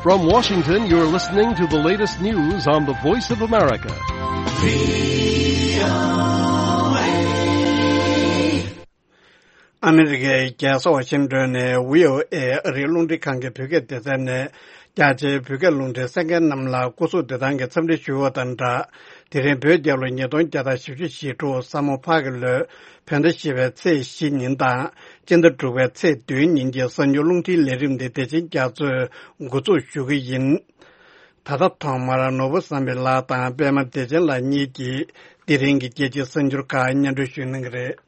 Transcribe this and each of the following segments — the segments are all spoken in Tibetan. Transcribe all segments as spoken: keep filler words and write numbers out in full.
From Washington, you're listening to the latest news on the Voice of America. ཨ་མི་རི་ཀའི་རྒྱལ་ས་ཝ་ཤིང་ཏོན་ནས་བྷི་ཨོ་ཨེ་ཨ་རིའི་རླུང་འཕྲིན་ཁང་གི་བོད་སྐད་སྡེ་ཚན་ནས། རྒྱ་ཆེའི་བོད་སྐད་རླུང་འཕྲིན་གསན་མཁན་རྣམས་ལ་སྐུ་གཟུགས་བདེ་ཐང་གི་འཚམས་འདྲི་ཞུ་བ་དང་སྦྲགས། དེ་རིང་བོད་རྒྱལ་ལོ་ཉིས་སྟོང་བརྒྱ་དང་བཞི་བཅུ་ཞེ་དྲུག་ས་མོ་ཕག་གི་ལོའི་བོད་ཟླ་བཞི་པའི་ཚེས་བཞི་ཉིན་དང་། སྤྱི་ཟླ་དྲུག་པའི་ཚེས་བདུན་ཉིན་གྱི་གསར་འགྱུར་རླུང་འཕྲིན་ལས་རིམ་འདི་བདེ་ཆེན་རྒྱ་མཚོས་འགོ་འཛུགས་ཞུ་གི་ཡིན། ད་ལྟ་ཐོག་མར་ནོར་བུ་བསམ་འཕེལ་ལགས་དང་པད་མ་བདེ་ཆེན་ལགས་གཉིས་ཀྱིས་དེ་རིང་གི་རྒྱལ་སྤྱིའི་གསར་འགྱུར་ཁག་སྙན་སྒྲོན་ཞུ་གནང་གི་རེད།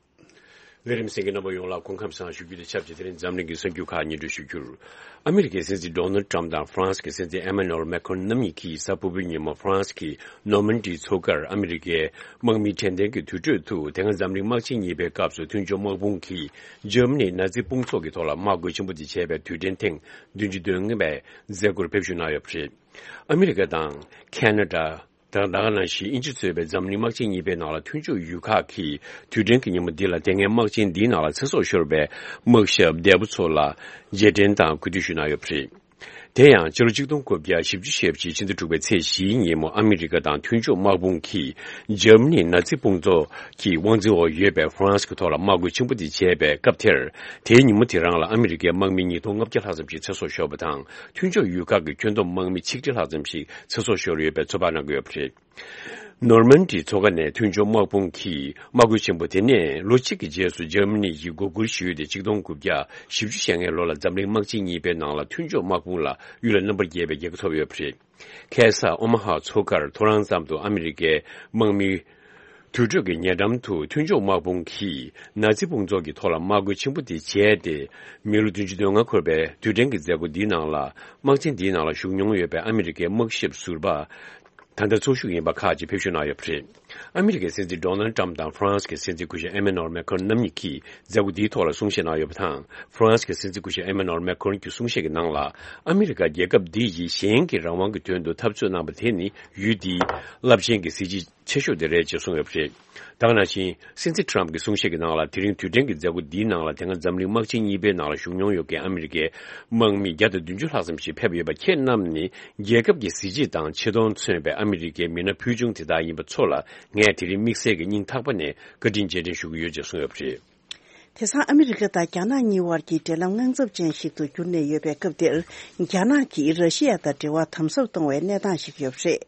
ལས་རིམ་གསན་མཁན་རྣམ་པ་ཡོངས་ལ་སྐུ་ཁམས་བཟང་ཞུ་རྒྱུ་དང་ཆབས་ཅིག་དེ་རིང་འཛམ་གླིང་གི་གསར་འགྱུར་ཁག་སྙན་སྒྲོན་ཞུ་རྒྱུར། ཨ་མི་རི་ཀའི་སྲིད་འཛིན་ཌོ་ནལ་ཊམ་དང་ཧྥ་རན་སི་གི་སྲིད་འཛིན་ཨེ་མ་ནུ་ཨེལ་མེ་ཁོན་རྣམ་གཉིས་ཀྱིས་གཟའ་ཕུར་བུའི་ཉིན་མོ་ཧྥ་རན་སི་གི་ནོར་མན་ཌི་མཚོ་ཁར་ཨ་མི་རི་ཀའི་དམག་མི་དྲན་རྟེན་གྱི་དུར་ཁྲོད་དུ། དེ་སྔ་འཛམ་གླིང་དམག་ཆེན་གཉིས་པའི་སྐབས་སུ་མཐུན་ཕྱོགས་དམག་དཔུང་གིས་འཇར་མ་ནིའི་ནཱ་ཛི་དཔུང་ཚོགས་ཀྱི་ཐོག་ལ་དམག་རྒོལ་ཆེན་པོ་དེ་བྱས་པའི་དུས་དྲན་ཐེངས་བདུན་ཅུ་དོན་ལྔ་པའི་མཛད་སྒོར་ཕེབས་བཞུགས་གནང་ཡོད་པ་རེད། ཨ་མི་རི་ཀ་དང་ཁ་ན་ཌ། དང་ད་ག་ནང་བཞིན་དབྱིན་ཇི་གཙོས་པའི་འཛམ་གླིང་དམག་ཆེན་གཉིས་པའི་ནང་ལ་མཐུན་ཕྱོགས་ཡུལ་ཁག་གིས་དུས་དྲན་གྱི་ཉིན་མོ་འདི་ལ་དེ་སྔའི་དམག་ཆེན་འདིའི་ནང་ལ་ཚེ་སྲོག་ཤོར་བའི་དམག་ཞབས་འདས་པོ་ཚོ་ལ་རྗེས་དྲན་དང་གུས་འདུད་ཞུས་གནང་ཡོད་པ་རེད། དེ་ཡང་ཕྱི་ལོ་ཆིག་སྟོང་དགུ་བརྒྱ་བཞི་བཅུ་ཞེ་གཅིག་ཕྱི་ཟླ་དྲུག་པའི་ཚེས་བཞིའི་ཉིན་མོ་ཨ་མི་རི་ཀ་དང་མཐུན་ཕྱོགས་དམག་དཔུང་གིས་འཇར་མ་ནིའི་ནཱ་ཛི་དཔུང་ཚོགས་ཀྱི་དབང་འཛིན་འོག་ཡོད་པའི་ཧྥ་རན་སི་གི་ཐོག་ལ་དམག་རྒོལ་ཆེན་པོ་དེ་བྱས་པའི་སྐབས་དེར། དེའི་ཉིན་མོ་དེ་རང་ལ་ཨ་མི་རི་ཀའི་དམག་མི་ཉིས་སྟོང་ལྔ་བརྒྱ་ལྷག་ཙམ་ཞིག་ཚེ་སྲོག་ཤོར་བ་དང་། མཐུན་ཕྱོགས་ཡུལ་ཁག་གི་ཁྱོན་བསྡོམས་དམག་མི་ཆིག་ཁྲི་ལྷག་ཙམ་ཞིག་ཚེ་སྲོག་ཤོར་ཡོད་པའི་ཚོད་དཔག་གནང་གི་ཡོད་པ་རེད། ནོར་མན་ཌི་མཚོ་ཁ་ནས་མཐུན་ཕྱོགས་དམག་དཔུང་གིས་དམག་རྒོལ་ཆེན་པོ་དེ་ནས་ལོ་གཅིག་གི་རྗེས་སུ་འཇར་མ་ནི་ཡིས་འགོ་ཁུར་ཞུས་ཏེ། ཆིག་སྟོང་དགུ་བརྒྱ་བཞི་བཅུ་ཞེ་ལྔའི་ལོ་ལ་འཛམ་གླིང་དམག་ཆེན་གཉིས་པའི་ནང་ལ་མཐུན་ཕྱོགས་དམག་དཔུང་ལ་ཡུལ་ལ་རྣམ་པར་རྒྱལ་བའི་རྒྱལ་ཁ་ཐོབ་ཡོད་པ་རེད། ཁ་སང་ཨོ་མ་ཧ་མཚོ་ཁར་ཐོ་རངས་ཙམ་དུ་ཨ་མི་རི་ཀའི་དམག་མི་དུར་ཁྲོད་ཀྱི་ཉེ་འགྲམ་དུ་མཐུན་ཕྱོགས་དམག་དཔུང་གིས་ནཱ་ཛི་དཔུང་ཚོགས་ཀྱི་ཐོག་ལ་དམག་རྒོལ་ཆེན་པོ་དེ་བྱས་ཏེ། མི་ལོ་བདུན་ཅུ་དོན་ལྔ་འཁོར་བའི་དུས་དྲན་གྱི་མཛད་སྒོ་འདིའི་ནང་ལ། དམག་ཆེན་འདིའི་ནང་ལ་ཞུགས་མྱོང་ཡོད་པའི་ཨ་མི་རི་ཀའི་དམག་ཞབས་ཟུར་པ། ད་ལྟ་ཚོགས་ཞུགས་ཡིན་པ་ཁག་ཅིག་ཕེབས་བཞུགས་གནང་ཡོད་པ་རེད། ཨ་མི་རི་ཀའི་སྲིད་འཛིན་ཌོ་ནལ་ཊམ་དང་ཧྥ་རན་སི་གི་སྲིད་འཛིན་སྐུ་ཞབས་ཨེ་མེ་ནོར་མེ་ཁོན་རྣམ་གཉིས་ཀྱིས་མཛད་སྒོ་འདིའི་ཐོག་ལ་གསུང་བཤད་གནང་ཡོད་པ་དང་། ཧྥ་རན་སི་གི་སྲིད་འཛིན་སྐུ་ཞབས་ཨེ་མེ་ནོར་མེ་ཁོན་གྱི་གསུང་བཤད་ཀྱི་ནང་ལ། ཨ་མི་རི་ཀ་རྒྱལ་ཁབ་འདི་ཡིས་གཞན་གྱི་རང་དབང་གི་དོན་དུ་འཐབ་རྩོད་གནང་བ་དེ་ནི་ཡུལ་འདིའི་རླབས་ཆེན་གྱི་གཟི་བརྗིད་ཆེ་ཤོས་དེ་རེད་ཅེས་གསུངས་ཡོད་པ་རེད། ད་ག་ནང་བཞིན། སྲིད་འཛིན་ཊམ་གྱི་གསུང་བཤད་ཀྱི་ནང་ལ། དེ་རིང་དུས་དྲན་གྱི་མཛད་སྒོ་འདིའི་ནང་ལ་དེ་སྔ་འཛམ་གླིང་དམག་ཆེན་གཉིས་པའི་ནང་ལ་ཞུགས་མྱོང་ཡོད་མཁན་ཨ་མི་རི་ཀའི་དམག་མི་བརྒྱ་དང་བདུན་ཅུ་ལྷག་ཙམ་ཞིག་ཕེབས་ཡོད་པ། ཁྱེད་རྣམས་ནི་རྒྱལ་ཁབ་ཀྱི་གཟི་བརྗིད་དང་ཆེ་མཐོང་མཚོན་པའི་ཨ་མི་རི་ཀའི་མི་སྣ་ཕུལ་བྱུང་དེ་དག་ཡིན་པ་ཚོ་ལ། ངས་དེ་རིང་དམིགས་བསལ་གྱི་སྙིང་ཐག་པ་ནས་བཀའ་དྲིན་རྗེས་དྲན་ཞུ་གི་ཡོད་ཅེས་གསུངས་ཡོད་པ་རེད། དེང་སང་ཨ་མི་རི་ཀ་དང་རྒྱ་ནག་གཉིས་དབར་གྱི་འབྲེལ་ལམ་དངངས་འཚབ་ཅན་ཞིག་ཏུ་གྱུར་ནས་ཡོད་པའི་སྐབས་འདིར། རྒྱ་ནག་གིས་ར་ཤི་ཡ་དང་འབྲེལ་བ་དམ་ཟབ་གཏོང་བའི་གནས་སྟངས་ཤིག་ཡོད་པ་རེད།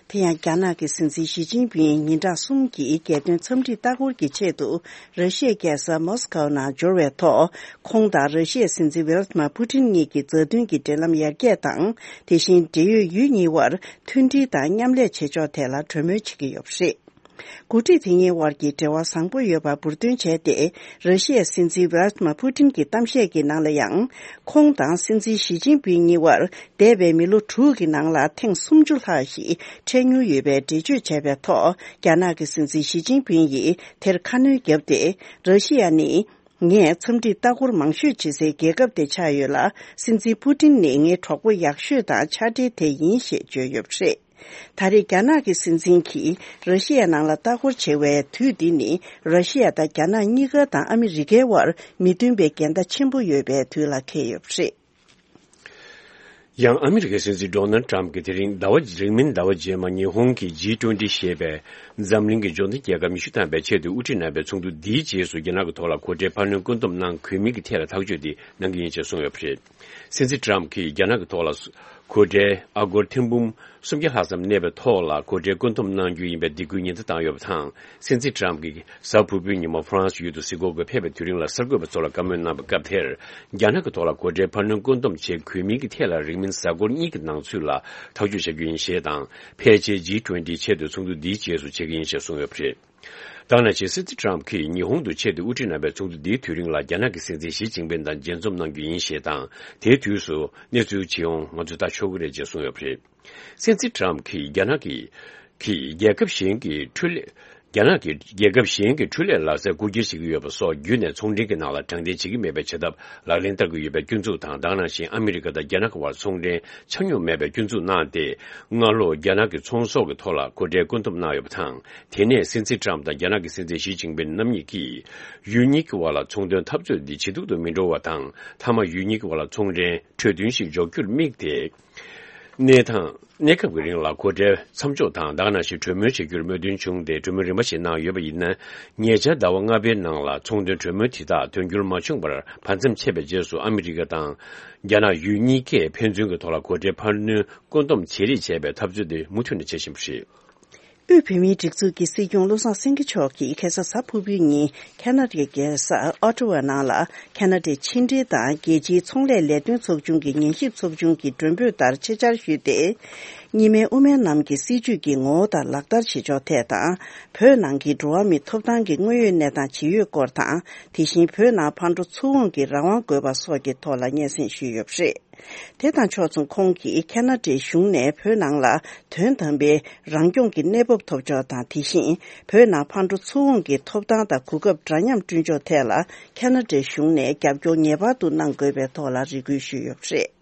དེ་ཡང་རྒྱ་ནག་གི་སྲིད་འཛིན་ཞི་ཅིན་ཕིང་ཉིན་གྲངས་གསུམ་གྱི་རྒྱལ་དོན་འཚམས་འདྲིའི་ལྟ་སྐོར་གྱི་ཆེད་དུ་ར་ཤི་ཡའི་རྒྱལ་ས་མོ་སི་ཀའོ་ནང་འབྱོར་བའི་ཐོག་ཁོང་དང་ར་ཤི་ཡའི་སྲིད་འཛིན་ཝེ་ལ་ཏི་མ་པུ་ཏིན་གཉིས་ཀྱི་མཛའ་མཐུན་གྱི་འབྲེལ་ལམ་ཡར་རྒྱས་དང་། དེ་བཞིན་འབྲེལ་ཡོད་ཡུལ་གཉིས་དབར་མཐུན་སྒྲིལ་དང་མཉམ་ལས་བྱེད་ཕྱོགས་ཐད་ལ་གྲོས་མོལ་བྱེད་ཀྱི་ཡོད་པ་རེད། འགོ་ཁྲིད་དེ་གཉིས་དབར་གྱི་འབྲེལ་བ་བཟང་པོ་ཡོད་པ་འབུར་འདོན་བྱས་ཏེ། ར་ཤི་ཡའི་སྲིད་འཛིན་ཝེ་ལ་ཏི་མ་པུ་ཏིན་གྱི་གཏམ་བཤད་ཀྱི་ནང་ལ་ཡང་། ཁོང་དང་སྲིད་འཛིན་ཞི་ཅིན་ཕིང་གཉིས་དབར་འདས་པའི་མི་ལོ་དྲུག་གི་ནང་ལ་ཐེངས་སུམ་ཅུ་ལྷག་ཞིག་འཕྲད་མྱོང་ཡོད་པའི་འགྲེལ་བརྗོད་བྱས་པའི་ཐོག་རྒྱ་ནག་གི་སྲིད་འཛིན་ཞི་ཅིན་ཕིང་ཡིས་དེར་ཁ་སྣོན་བརྒྱབ་སྟེ། ར་ཤི་ཡ་ནི། ངས་འཚམས་འདྲིའི་ལྟ་སྐོར་མང་ཤོས་བྱེད་སའི་རྒྱལ་ཁབ་དེ་ཆགས་ཡོད་ལ། སྲིད་འཛིན་པུ་ཏིན་ནི་ངའི་གྲོགས་པོ་ཡག་ཤོས་དང་ཕྱག་སྦྲེལ་དེ་ཡིན་ཞེས་བརྗོད་ཡོད་པ་རེད། ད་རེས་རྒྱ་ནག་གི་སྲིད་འཛིན་གྱིས་ར་ཤི་ཡ་ནང་ལ་ལྟ་སྐོར་བྱེད་པའི་དུས་འདི་ནི། ར་ཤི་ཡ་དང་རྒྱ་ནག་གཉིས་ཀ་དང་ཨ་མི་རི་ཀའི་དབར་མི་མཐུན་པའི་འགལ་ཟླ་ཆེན་པོ་ཡོད་པའི་དུས་ལ་འཁེལ་ཡོད་པ་རེད། ཡང་ཨ་མི་རི་ཀའི་སྲིད་འཛིན་ཌོ་ནལ་ཊམ་གྱིས་དེ་རིང་ཟླ་བ། རིང་མིན་ཟླ་བ་རྗེས་མ་ཉི་ཧོང་གི་ཇི་ཊུ་ཝེན་ཊི་ཞེས་པའི་འཛམ་གླིང་གི་འབྱོར་ལྡན་རྒྱལ་ཁབ་ཉི་ཤུ་ཐམ་པའི་ཆེད་དུ་དབུ་ཁྲིད་གནང་བའི་ཚོགས་འདུ་འདིའི་རྗེས་སུ། རྒྱ་ནག་གི་ཐོག་ལ་གོ་གྲལ་འཕར་སྣོན་བཀོད་འདོམས་གནང་དགོས་མིན་གྱི་ཐད་ལ་ཐག་གཅོད་དེ་གནང་གི་ཡིན་ཞེས་གསུངས་ཡོད་པ་རེད། སྲིད་འཛིན་ཊམ་གྱིས་རྒྱ་ནག་གི་ཐོག་ལ་གོ་གྲལ་ཨ་སྒོར་ཐེར་འབུམ་སུམ་བརྒྱ་ལྷག་ཙམ་གནས་པའི་ཐོག་ལ་གོ་གྲལ་བཀོད་འདོམས་གནང་རྒྱུ་ཡིན་པའི་སྡིགས་སྐུལ་ཉེན་བརྡ་བཏང་ཡོད་པ་དང་། སྲིད་འཛིན་ཊམ་གྱིས་གཟའ་ཕུར་བུའི་ཉིན་མོ་ཧྥ་རན་སི་ཡུལ་དུ་གཟིགས་སྐོར་སྐོར་ཕེབས་པའི་དུས་རིང་ལ། གསར་འགོད་པ་ཚོ་ལ་བཀའ་མོལ་གནང་བའི་སྐབས་དེར། རྒྱ་ནག་གི་ཐོག་ལ་གོ་གྲལ་འཕར་སྣོན་བཀོད་འདོམས་བྱེད་དགོས་མིན་གྱི་ཐད་ལ། རིང་མིན་གཟའ་འཁོར་གཉིས་ཀྱི་ནང་ཚུད་ལ་ཐག་གཅོད་བྱ་རྒྱུ་ཡིན་ཞེས་དང་། ཕལ་ཆེར་ཇི་ཊུ་ཝེན་ཊི་ཆེད་དུ་ཚོགས་འདུ་འདིའི་རྗེས་སུ་བྱེད་ཀྱི་ཡིན་ཞེས་གསུངས་ཡོད་པ་རེད། ད་ག་ནང་བཞིན། སྲིད་འཛིན་ཊམ་གྱིས་ཉི་ཧོང་དུ་ཆེད་དུ་དབུ་ཁྲིད་གནང་བའི་ཚོགས་འདུ་འདིའི་དུས་རིང་ལ། རྒྱ་ནག་གི་སྲིད་འཛིན་ཞི་ཅིན་ཕིང་དང་མཇལ་འཛོམས་གནང་རྒྱུ་ཡིན་ཞེས་དང་། དེའི་དུས་སུ་གནས་ཚུལ་ཇི་ཡོང་ང་ཚོས་ལྟ་ཆོག་གི་རེད་ཅེས་གསུངས་ཡོད་པ་རེད། སྲིད་འཛིན་ཊམ་གྱིས་རྒྱ་ནག་གི་གིས་རྒྱལ་ཁབ་གཞན་གྱི་འཕྲུལ་ལས། རྒྱ་ནག་གིས་རྒྱལ་ཁབ་གཞན་གྱི་འཕྲུལ་ལས་ལག་རྩལ་རྐུ་འཁྱེར་བྱེད་ཀྱི་ཡོད་པ་སོགས་བརྒྱུད་ནས་ཚོང་འབྲེལ་གྱི་ནང་ལ་དྲང་བདེན་བྱེད་ཀྱི་མེད་པའི་བྱེད་ཐབས་ལག་ལེན་བསྟར་གྱི་ཡོད་པའི་སྐྱོན་འཛུགས་དང་། ད་ག་ནང་བཞིན་ཨ་མི་རི་ཀ་དང་རྒྱ་ནག་གི་བར་ཚོང་འབྲེལ་ཆ་སྙོམས་མེད་པའི་སྐྱོན་འཛུགས་གནང་སྟེ། སྔ་ལོ་རྒྱ་ནག་གི་ཚོང་ཟོག་གི་ཐོག་ལ་གོ་ཁྲལ་བཀོད་འདོམས་གནང་ཡོད་པ་དང་། དེ་ནས་སྲིད་འཛིན་ཊམ་དང་རྒྱ་ནག་གི་སྲིད་འཛིན་ཞི་ཅིན་ཕིན་རྣམ་གཉིས་ཀྱིས་ཡུལ་གཉིས་ཀྱི་བར་ལ་ཚོང་དོན་འཐབ་རྩོད་འདི་ཇེ་སྡུག་ཏུ་མི་འགྲོ་བ་དང་། མཐའ་མ་ཡུལ་གཉིས་ཀྱི་བར་ལ་ཚོང་འབྲེལ་གྲོས་མཐུན་ཞིག་འཇོག་རྒྱུར་དམིགས་ཏེ། གནས་སྟངས། གནས་སྐབས་ཀྱི་རིང་ལ་གོ་ཁྲལ་མཚམས་འཇོག་དང་། ད་ག་ནང་བཞིན་གྲོས་མོལ་བྱེད་རྒྱུར་མོས་མཐུན་བྱུང་སྟེ། གྲོས་མོལ་རིམ་པ་ཞིག་གནང་ཡོད་པ་ཡིན་ན། ཉེ་ཆར་ཟླ་བ་ལྔ་པའི་ནང་ལ་ཚོང་དོན་གྲོས་མོལ་དེ་དག་དོན་འཁྱོལ་མ་བྱུང་བར་བར་མཚམས་ཆད་པའི་རྗེས་སུ། ཨ་མི་རི་ཀ་དང་རྒྱ་ནག་ཡུལ་གཉིས་ཀས་ཕན་ཚུན་གྱི་ཐོག་ལ་གོ་ཁྲལ་འཕར་སྣོན་བཀོད་འདོམས་བྱེད་རེས་བྱས་པའི་འཐབ་རྩོད་དེ་མུ་མཐུད་ནས་བྱེད་བཞིན་པ་རེད། དབུས་བོད་མིའི་སྒྲིག་འཛུགས་ཀྱི་སྲིད་སྐྱོང་བློ་བཟང་སེང་གེ་མཆོག་གིས་ཁ་སང་གཟའ་ཕུར་བུའི་ཉིན་ཁ་ན་ཌའི་རྒྱལ་ས་ཨོ་ཊ་ཝ་ནང་ལ། ཁ་ན་ཌའི་ཕྱི་འབྲེལ་དང་རྒྱལ་སྤྱིའི་ཚོང་ལས་ལས་དོན་ཚོགས་ཆུང་གི་ཉན་ཞིབ་ཚོགས་ཆུང་གི་མགྲོན་འབོད་ལྟར་ཆེད་བཅར་ཞུས་ཏེ། གཉིས་སྨན་དབུ་མའི་ལམ་གྱི་སྲིད་བྱུས་ཀྱི་ངོ་བོ་དང་ལག་བསྟར་བྱེད་ཕྱོགས་ཐད་དང་། བོད་ནང་གི་འགྲོ་བ་མིའི་ཐོབ་ཐང་གི་དངོས་ཡོད་གནས་སྟངས་ཇི་ཡོད་སྐོར་དང་། དེ་བཞིན་བོད་ནང་ཕར་འགྲོ་ཚུར་འོང་གི་རང་དབང་དགོས་པ་སོགས་ཀྱི་ཐོག་ལ་སྙན་སེང་ཞུས་ཡོད་པ་རེད། དེ་དང་ཕྱོགས་མཚུངས། ཁོང་གིས་ཁ་ན་ཌའི་གཞུང་ནས་བོད་ནང་ལ་དོན་དམ་པའི་རང་སྐྱོང་གི་གནས་བབ་ཐོབ་ཕྱོགས་དང་། དེ་བཞིན་བོད་ནང་ཕར་འགྲོ་ཚུར་འོང་གི་ཐོབ་ཐང་དང་གོ་སྐབས་འདྲ་མཉམ་བསྐྲུན་ཕྱོགས་ཐད་ལ་ཁ་ན་ཌའི་གཞུང་ནས་རྒྱབ་སྐྱོར་ངེས་པར་དུ་གནང་དགོས་པའི་ཐོག་ལ་རེ་སྐུལ་ཞུས་ཡོད་པ་རེད།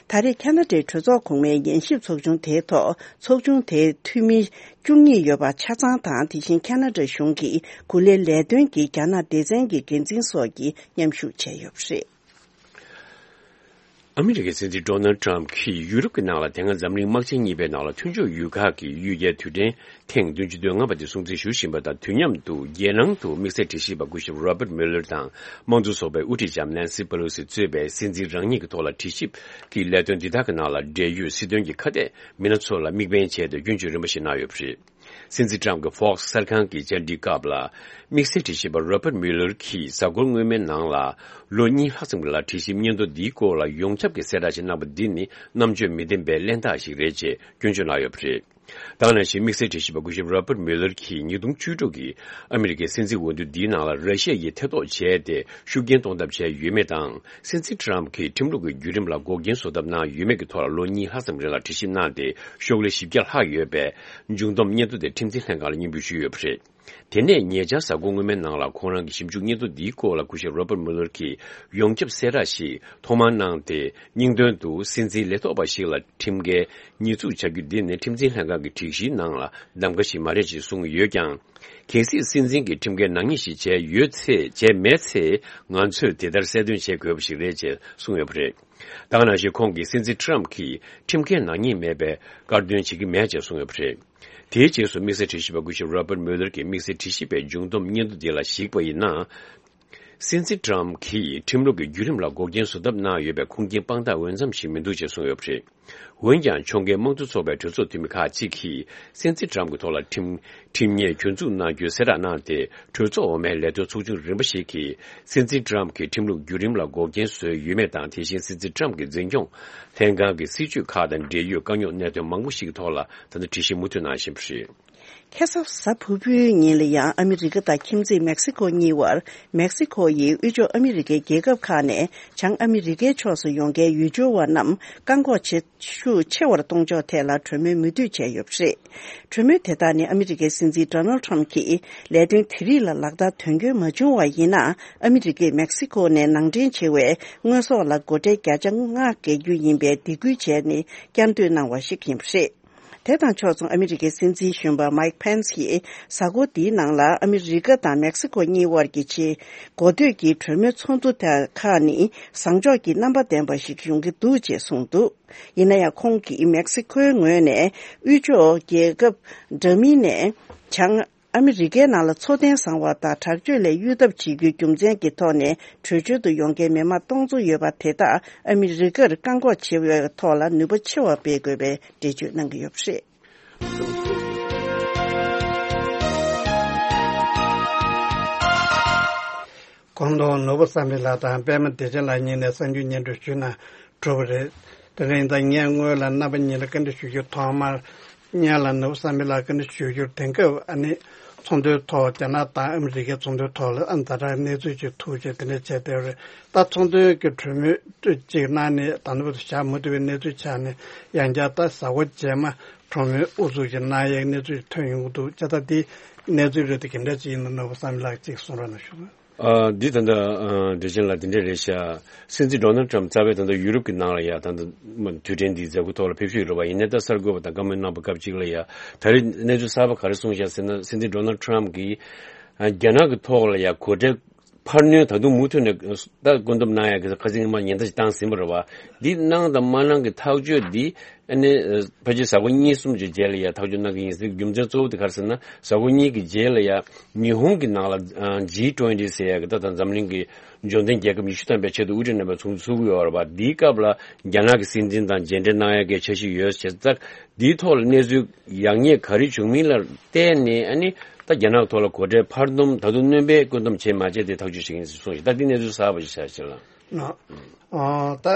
ད་རེས་ཁ་ན་ཌའི་གྲོས་ཚོགས་གོང་མའི་ཉན་ཞིབ་ཚོགས་ཆུང་དེའི་ཐོག་ཚོགས་ཆུང་དེའི་འཐུས་མི་བཅུ་གཉིས་ཡོད་པ་ཆ་ཚང་དང་། དེ་བཞིན་ཁ་ན་ཌ་གཞུང་གི་འགོ་ལས་ལས་དོན་གྱི་རྒྱ་ནག་སྡེ་ཚན་གྱི་འགན་འཛིན་སོགས་ཀྱིས་མཉམ་ཞུགས་བྱས་ཡོད་པ་རེད། ཨ་མི་རི་ཀའི་སྲིད་འཛིན་ཌོ་ནལ་ཊམ་གྱིས་ཡུ་རོབ་ཀྱི་ནང་ལ་དེ་སྔ་འཛམ་གླིང་དམག་ཆེན་གཉིས་པའི་ནང་ལ་མཐུན་ཕྱོགས་ཡུལ་ཁག་གི་གཡུལ་རྒྱལ་དུས་དྲན་ཐེངས་བདུན་ཅུ་དོན་ལྔ་པ་དེ་སྲུང་བརྩི་ཞུ་བཞིན་པ་དང་། དུས་མཉམ་དུ་རྒྱལ་ནང་དུ་དམིགས་བསལ་དྲི་ཞིབ་པ་སྐུ་ཞབས་Robert Mueller དང་། དམངས་གཙོ་ཚོགས་པའི་དབུ་ཁྲིད་ལྕམ་Nancy Pelosi གཙོས་པའི་སྲིད་འཛིན་རང་ཉིད་ཀྱི་ཐོག་ལ་དྲི་ཞིབ་ཀྱི་ལས་དོན་འདི་དག་གི་ནང་ལ་འབྲེལ་ཡོད་སྲིད་དོན་གྱི་ཁ་གཏད་མི་སྣ་ཚོ་ལ་དམིགས་འབེན་བྱས་ཏེ་སྐྱོན་བརྗོད་རིམ་པ་ཞིག་གནང་ཡོད་པ་རེད། སྲིད་འཛིན་ཊམ་གྱིས་Fox གསར་ཁང་གི་བཅར་འདྲིའི་སྐབས་ལ། དམིགས་བསལ་དྲི་ཞིབ་པ་Robert Mueller གྱིས་གཟའ་འཁོར་སྔོན་མའི་ནང་ལ་ལོ་གཉིས་ལྷག་ཙམ་གྱི་ལ་དྲི་ཞིབ་སྙན་ཐོ་འདིའི་སྐོར་ལ་ཡོངས་ཁྱབ་ཀྱི་གསལ་བསྒྲགས་ཤིག་གནང་པ་འདི་ནི་རྣམ་དཔྱོད་མི་ལྡན་པའི་གླེན་རྟགས་ཤིག་རེད་ཅེས་སྐྱོན་བརྗོད་གནང་ཡོད་པ་རེད། ད་ག་ནང་བཞིན་དམིགས་བསལ་དྲི་ཞིབ་པ་སྐུ་ཞབས་Robert Mueller གྱིས་ཉིས་སྟོང་བཅུ་དྲུག་གི་ཨ་མི་རི་ཀའི་སྲིད་འཛིན་འོས་བསྡུ་འདིའི་ནང་ལ་ར་ཤི་ཡ་ཡིས་ཐེ་གཏོགས་བྱས་ཏེ་ཤུགས་རྐྱེན་གཏོང་ཐབས་བྱས་ཡོད་མེད་དང་། སྲིད་འཛིན་ཊམ་གྱིས་ཁྲིམས་ལུགས་ཀྱི་བརྒྱུད་རིམ་ལ་འགོག་རྐྱེན་བཟོ་ཐབས་གནང་ཡོད་མེད་ཀྱི་ཐོག་ལ་ལོ་གཉིས་ལྷག་ཙམ་རིང་ལ་དྲི་ཞིབ་གནང་སྟེ། ཤོག་ལྷེ་བཞི་བརྒྱ་ལྷག་ཡོད་པའི་མཇུག་བསྡོམས་སྙན་ཐོ་དེ་ཁྲིམས་འཛིན་ལྷན་ཁང་ལ་སྙན་འབུལ་ཞུས་ཡོད་པ་རེད། དེ་ནས་ཉེ་ཆར་གཟའ་འཁོར་སྔོན་མའི་ནང་ལ་ཁོང་རང་གི་ཞིབ་འཇུག་སྙན་ཐོ་འདིའི་སྐོར་ལ་སྐུ་ཞབས་Robert Mueller གྱིས་ཡོངས་ཁྱབ་གསལ་བསྒྲགས་ཤིག་ཐོག་མར་གནང་སྟེ། སྙིང་དོན་དུ་སྲིད་འཛིན་ལས་ཐོག་པ་ཞིག་ལ་ཁྲིམས་འགལ་ཉེས་འཛུགས་བྱ་རྒྱུ་འདི་ནི་ཁྲིམས་འཛིན་ལྷན་ཁང་གི་སྒྲིག་གཞིའི་ནང་ལ་གདམ་ག་ཞིག་མ་རེད་ཅེས་གསུངས་ཡོད་ཀྱང་། གལ་སྲིད་སྲིད་འཛིན་གྱིས་ཁྲིམས་འགལ་ནག་ཉེས་ཤིག་བྱས་ཡོད་ཚེ། བྱས་མེད་ཚེ། ང་ཚོས་དེ་ལྟར་གསལ་སྟོན་བྱེད་དགོས་པ་ཞིག་རེད་ཅེས་གསུངས་ཡོད་པ་རེད། ད་ག་ནང་བཞིན་ཁོང་གིས་སྲིད་འཛིན་ཊམ་གྱིས་ཁྲིམས་འགལ་ནག་ཉེས་མེད་པའི་དཀར་འདོན་བྱེད་ཀྱི་མེད་ཅེས་གསུངས་ཡོད་པ་རེད། དེའི་རྗེས་སུ་དམིགས་བསལ་དྲི་ཞིབ་པ་སྐུ་ཞབས་Robert Mueller གྱིས་དམིགས་བསལ་དྲི་ཞིབ་པའི་མཇུག་བསྡོམས་སྙན་ཐོ་འདི་ལ་གཞིགས་པ་ཡིན་ན། སྲིད་འཛིན་ཊམ་གྱིས་ཁྲིམས་ལུགས་ཀྱི་བརྒྱུད་རིམ་ལ་འགོག་རྐྱེན་བཟོ་ཐབས་གནང་ཡོད་པའི་ཁུངས་སྐྱེལ་དཔང་རྟགས་འོས་འཚམ་ཞིག་མི་འདུག་ཅེས་གསུངས་ཡོད་པ་རེད། འོན་ཀྱང་། ཕྱོགས་འགལ་དམངས་གཙོ་ཚོགས་པའི་གྲོས་ཚོགས་འཐུས་མི་ཁག་ཅིག་གིས་སྲིད་འཛིན་ཊམ་གྱི་ཐོག་ལ་ཁྲིམས་ཁྲིམས་ཉེས་གྱོད་འཛུགས་གནང་རྒྱུའི་གསལ་བསྒྲགས་གནང་སྟེ། གྲོས་ཚོགས་འོག་མའི་ལས་དོན་ཚོགས་ཆུང་རིམ་པ་ཞིག་གིས་སྲིད་འཛིན་ཊམ་གྱི་ཁྲིམས་ལུགས་བརྒྱུད་རིམ་ལ་འགོག་རྐྱེན་བཟོས་ཡོད་མེད་དང་། དེ་བཞིན་སྲིད་འཛིན་ཊམ་གྱི་འཛིན་སྐྱོང་ལྷན་ཁང་གི་སྲིད་བྱུས་ཁག་དང་འབྲེལ་ཡོད་དཀའ་རྙོག་གནད་དོན་མང་པོ་ཞིག་གི་ཐོག་ལ་ད་ལྟ་དྲི་ཞིབ་མུ་མཐུད་གནང་བཞིན་པ་རེད། ཁ་སང་གཟའ་ཕུར་བུའི་ཉིན་ལ་ཡང་ཨ་མི་རི་ཀ་དང་ཁྱིམ་མཚེས་མེག་སི་ཁོ་གཉིས་བར། མེག་སི་ཁོ་ཡིས་དབུས་ཕྱོགས་ཨ་མི་རི་ཀའི་རྒྱལ་ཁབ་ཁག་ནས་བྱང་ཨ་མི་རི་ཀའི་ཕྱོགས་སུ་ཡོང་མཁན་ཡུལ་སྐྱོར་བ་རྣམས་བཀག་འགོག་བྱེད་ཤུགས་ཆེ་བར་གཏོང་ཕྱོགས་ཐད་ལ་གྲོས་མོལ་མུ་མཐུད་བྱས་ཡོད་པ་རེད། གྲོས་མོལ་དེ་དག་ནི་ཨ་མི་རི་ཀའི་སྲིད་འཛིན་Donald Trump གྱིས་ལས་དོན་དེ་རིགས་ལ་ལག་བསྟར་དོན་འཁྱོལ་མ་བྱུང་བ་ཡིན་ན། ཨ་མི་རི་ཀས་མེག་སི་ཁོ་ནས་ནང་འདྲེན་བྱེད་པའི་དངོས་ཟོག་ལ་སྒོ་ཁྲལ་བརྒྱ་ཆ་ལྔ་འགེལ་རྒྱུ་ཡིན་པའི་སྡིགས་སྐུལ་བྱས་ནས་བསྐྱར་ཟློས་གནང་བ་ཞིག་ཡིན་པ་རེད། དེ་དང་ཕྱོགས་མཚུངས། ཨ་མི་རི་ཀའི་སྲིད་འཛིན་གཞོན་པ་Mike Pence ཡིས་གཟའ་འཁོར་འདིའི་ནང་ལ་ཨ་མི་རི་ཀ་དང་མེག་སི་ཁོ་གཉིས་དབར་གྱི་ཆེས་གོ་ཐོས་ཀྱི་གྲོས་མོལ་ཚོགས་འདུ་དེ་ཁག་ནི་བཟང་ཕྱོགས་ཀྱི་རྣམ་པ་ལྡན་པ་ཞིག་ཡོང་གི་འདུག་ཅེས་གསུངས་འདུག་ཡིན་ན་ཡང་། ཁོང་གིས་མེག་སི་ཁོའི་ངོས་ནས་དབུས་ཕྱོགས་རྒྱལ་ཁབ་འདྲ་མིན་ནས་བྱང་ཨ་མི་རི་ཀའི་ནང་ལ་འཚོ་རྟེན་བཟང་བ་དང་དྲག་སྤྱོད་ལས་གཡོལ་ཐབས་བྱེད་རྒྱུའི་རྒྱུ་མཚན་གྱི་ཐོག་ནས་བྲོས་བྱོལ་དུ་ཡོང་མཁན་མི་མང་སྟོང་ཚོ་ཡོད་པ་དེ་དག་ཨ་མི་རི་ཀར་བཀག་འགོག་བྱེད་པའི་ཐོག་ལ་ནུས་པ་ཆེ་བ་སྤེལ་དགོས་པའི་འགྲེལ་བརྗོད་གནང་གི་ཡོད་པ་རེད། གོང་དུ་ནོར་བུ་བསམ་འཕེལ་ལགས་དང་པད་མ་བདེ་ཆེན་ལགས་གཉིས་ནས་གསར་འགྱུར་སྙན་སྒྲོན་ཞུས་ན་གྲུབ་པ་རེད། དེ་རིང་ད་ངས་སྔོན་ལ་རྣམ་པ་གཉིས་ལ་བཀའ་འདྲི་ཞུ་རྒྱུ། ཐོག་མར་སྔོན་ལ་ནོར་བུ་བསམ་འཕེལ་ལགས་བཀའ་འདྲི་ཞུ་རྒྱུར། དེང་སྐབས་ཨ་ནི་ཚོང་དོན་ཐོག་རྒྱ་ནག་དང་ཨ་མི་རི་ཀའི་ཚོང་དོན་ཐོག་ལ་ཨ་ཛ་དྲག་གནས་ཚུལ་ཅིག་ཐུག་བྱས་དེ་འདྲ་བྱས་བསྡད་པ་རེད། ད་ཚོང་དོན་གྱི་གྲོས་མོལ་ཅིག་གནང་ནས་ད་ནུབ་ཏུ་བཞག་མ་ཐུབ་པའི་གནས་ཚུལ་ཆགས་ནས། ཡང་བསྐྱར་ད་གཟའ་འཁོར་རྗེས་མ་གྲོས་མོལ་དབུ་འཛུགས་ཀྱི་གནང་ཡས་གནས་ཚུལ་ཐོན་ཡོང་གི་འདུག་བྱས་ཙང་འདི་ གནས་ཚུལ་རེད་དེ་ག་འདྲ་ཅིག་ཡིན་ན་ནོར་བུ་བསམ་ལགས་ཅིག་གསུང་རོགས་གནང་ཞུ། ཨ། འདི་ད་ལྟ་ཨ་བདེ་ཆེན་ལགས་འདི་འདྲས་རེད་ཤག་སྲིད་འཛིན་ཌོ་ནལ་ཊམ་རྩ་བའི་ད་ལྟ་ཡུ་རོབ་ཀྱི་ནང་ལ་ཡ་ད་ལྟ་དུས་དྲན་འདིའི་མཛད་སྒོ་ཐོག་ལ་ཕེབས་བཞུགས་ཡོད་རེད་པ། ཡིན་ནའི་ད་གསར་འགོད་པ་དང་བཀའ་མོལ་གནང་བ་སྐབས་གཅིག་ལ་ཡ་ད་རེས་གནས་ཚུལ་གསར་པ་ག་རེ་གསུངས་ཤག་ཟེར་ན། སྲིད་འཛིན་ཌོ་ནལ་ཊམ་གྱིས་ཨ་རྒྱ་ནག་གི་ཐོག་ལ་ཡ་གོ་གྲལ་འཕར་སྣོན་ད་དུང་མུ་མཐུད་ནས་ད་བཀོད་འདོམས་གནང་ཡག་གི་ཁ་སང་སྔོན་མ་ཉེན་བརྡ་ཞིག་བཏང་ཟིན་པ་རེད་བ། འདི་གནང་དང་མ་གནང་གི་ཐག་གཅོད་འདི་ཨ་ནི་ཕལ་ཆེར་གཟའ་འཁོར་གཉིས་གསུམ་ཅིག་རྗེས་ལ་ཡ་ཐག་གཅོད་གནང་གི་ཡིན་ཟེར། རྒྱུ་མཚན་གཙོ་བོ་དེ་ག་རེ་ཟེར་ན། གཟའ་འཁོར་གཉིས་ཀྱི་རྗེས་ལ་ཡ་ཉི་ཧོང་གི་ནང་ལ་ཇི་ཊུ་ཝེན་ཊི་ཟེར་ཡག་གི་ད་ད་འཛམ་གླིང་གི་འབྱོར་ལྡན་རྒྱལ་ཁབ་ཉི་ཤུ་ཐམ་པའི་ཆེད་དུ་དབུ་ཁྲིད་རྣམ་པའི་ཚོགས་འདུ་ཚུགས་ཀྱི་ཡོད་རེད་བ། འདིའི་སྐབས་ལ་རྒྱ་ནག་གི་སྲིད་འཛིན་དང་མཇལ་འཕྲད་གནང་ཡག་གི་འཆར་གཞི་ཡོད་ཟེར། ད་འདིའི་ཐོག་ལ་གནས་ཚུལ་ཡག་ཉེས་ག་རེ་བྱུང་མིན་ལ་བལྟས་ནས་ཨ་ནི་ད་རྒྱ་ནག་ཐོག་ལ་གོ་གྲལ་འཕར་སྣོན་ད་དུང་སྣོན་པའི་བཀོད་འདོམས་བྱས་མ་བྱས་དེ་ཐག་གཅོད་བྱེད་ཀྱི་ཡིན་ཟེར་གསུངས་ཤིང་། ད་འདི་གནས་ཚུལ་གསར་པ་ཞིག་ཆགས་ཤག་ལ། ཨ། ཨ། ད་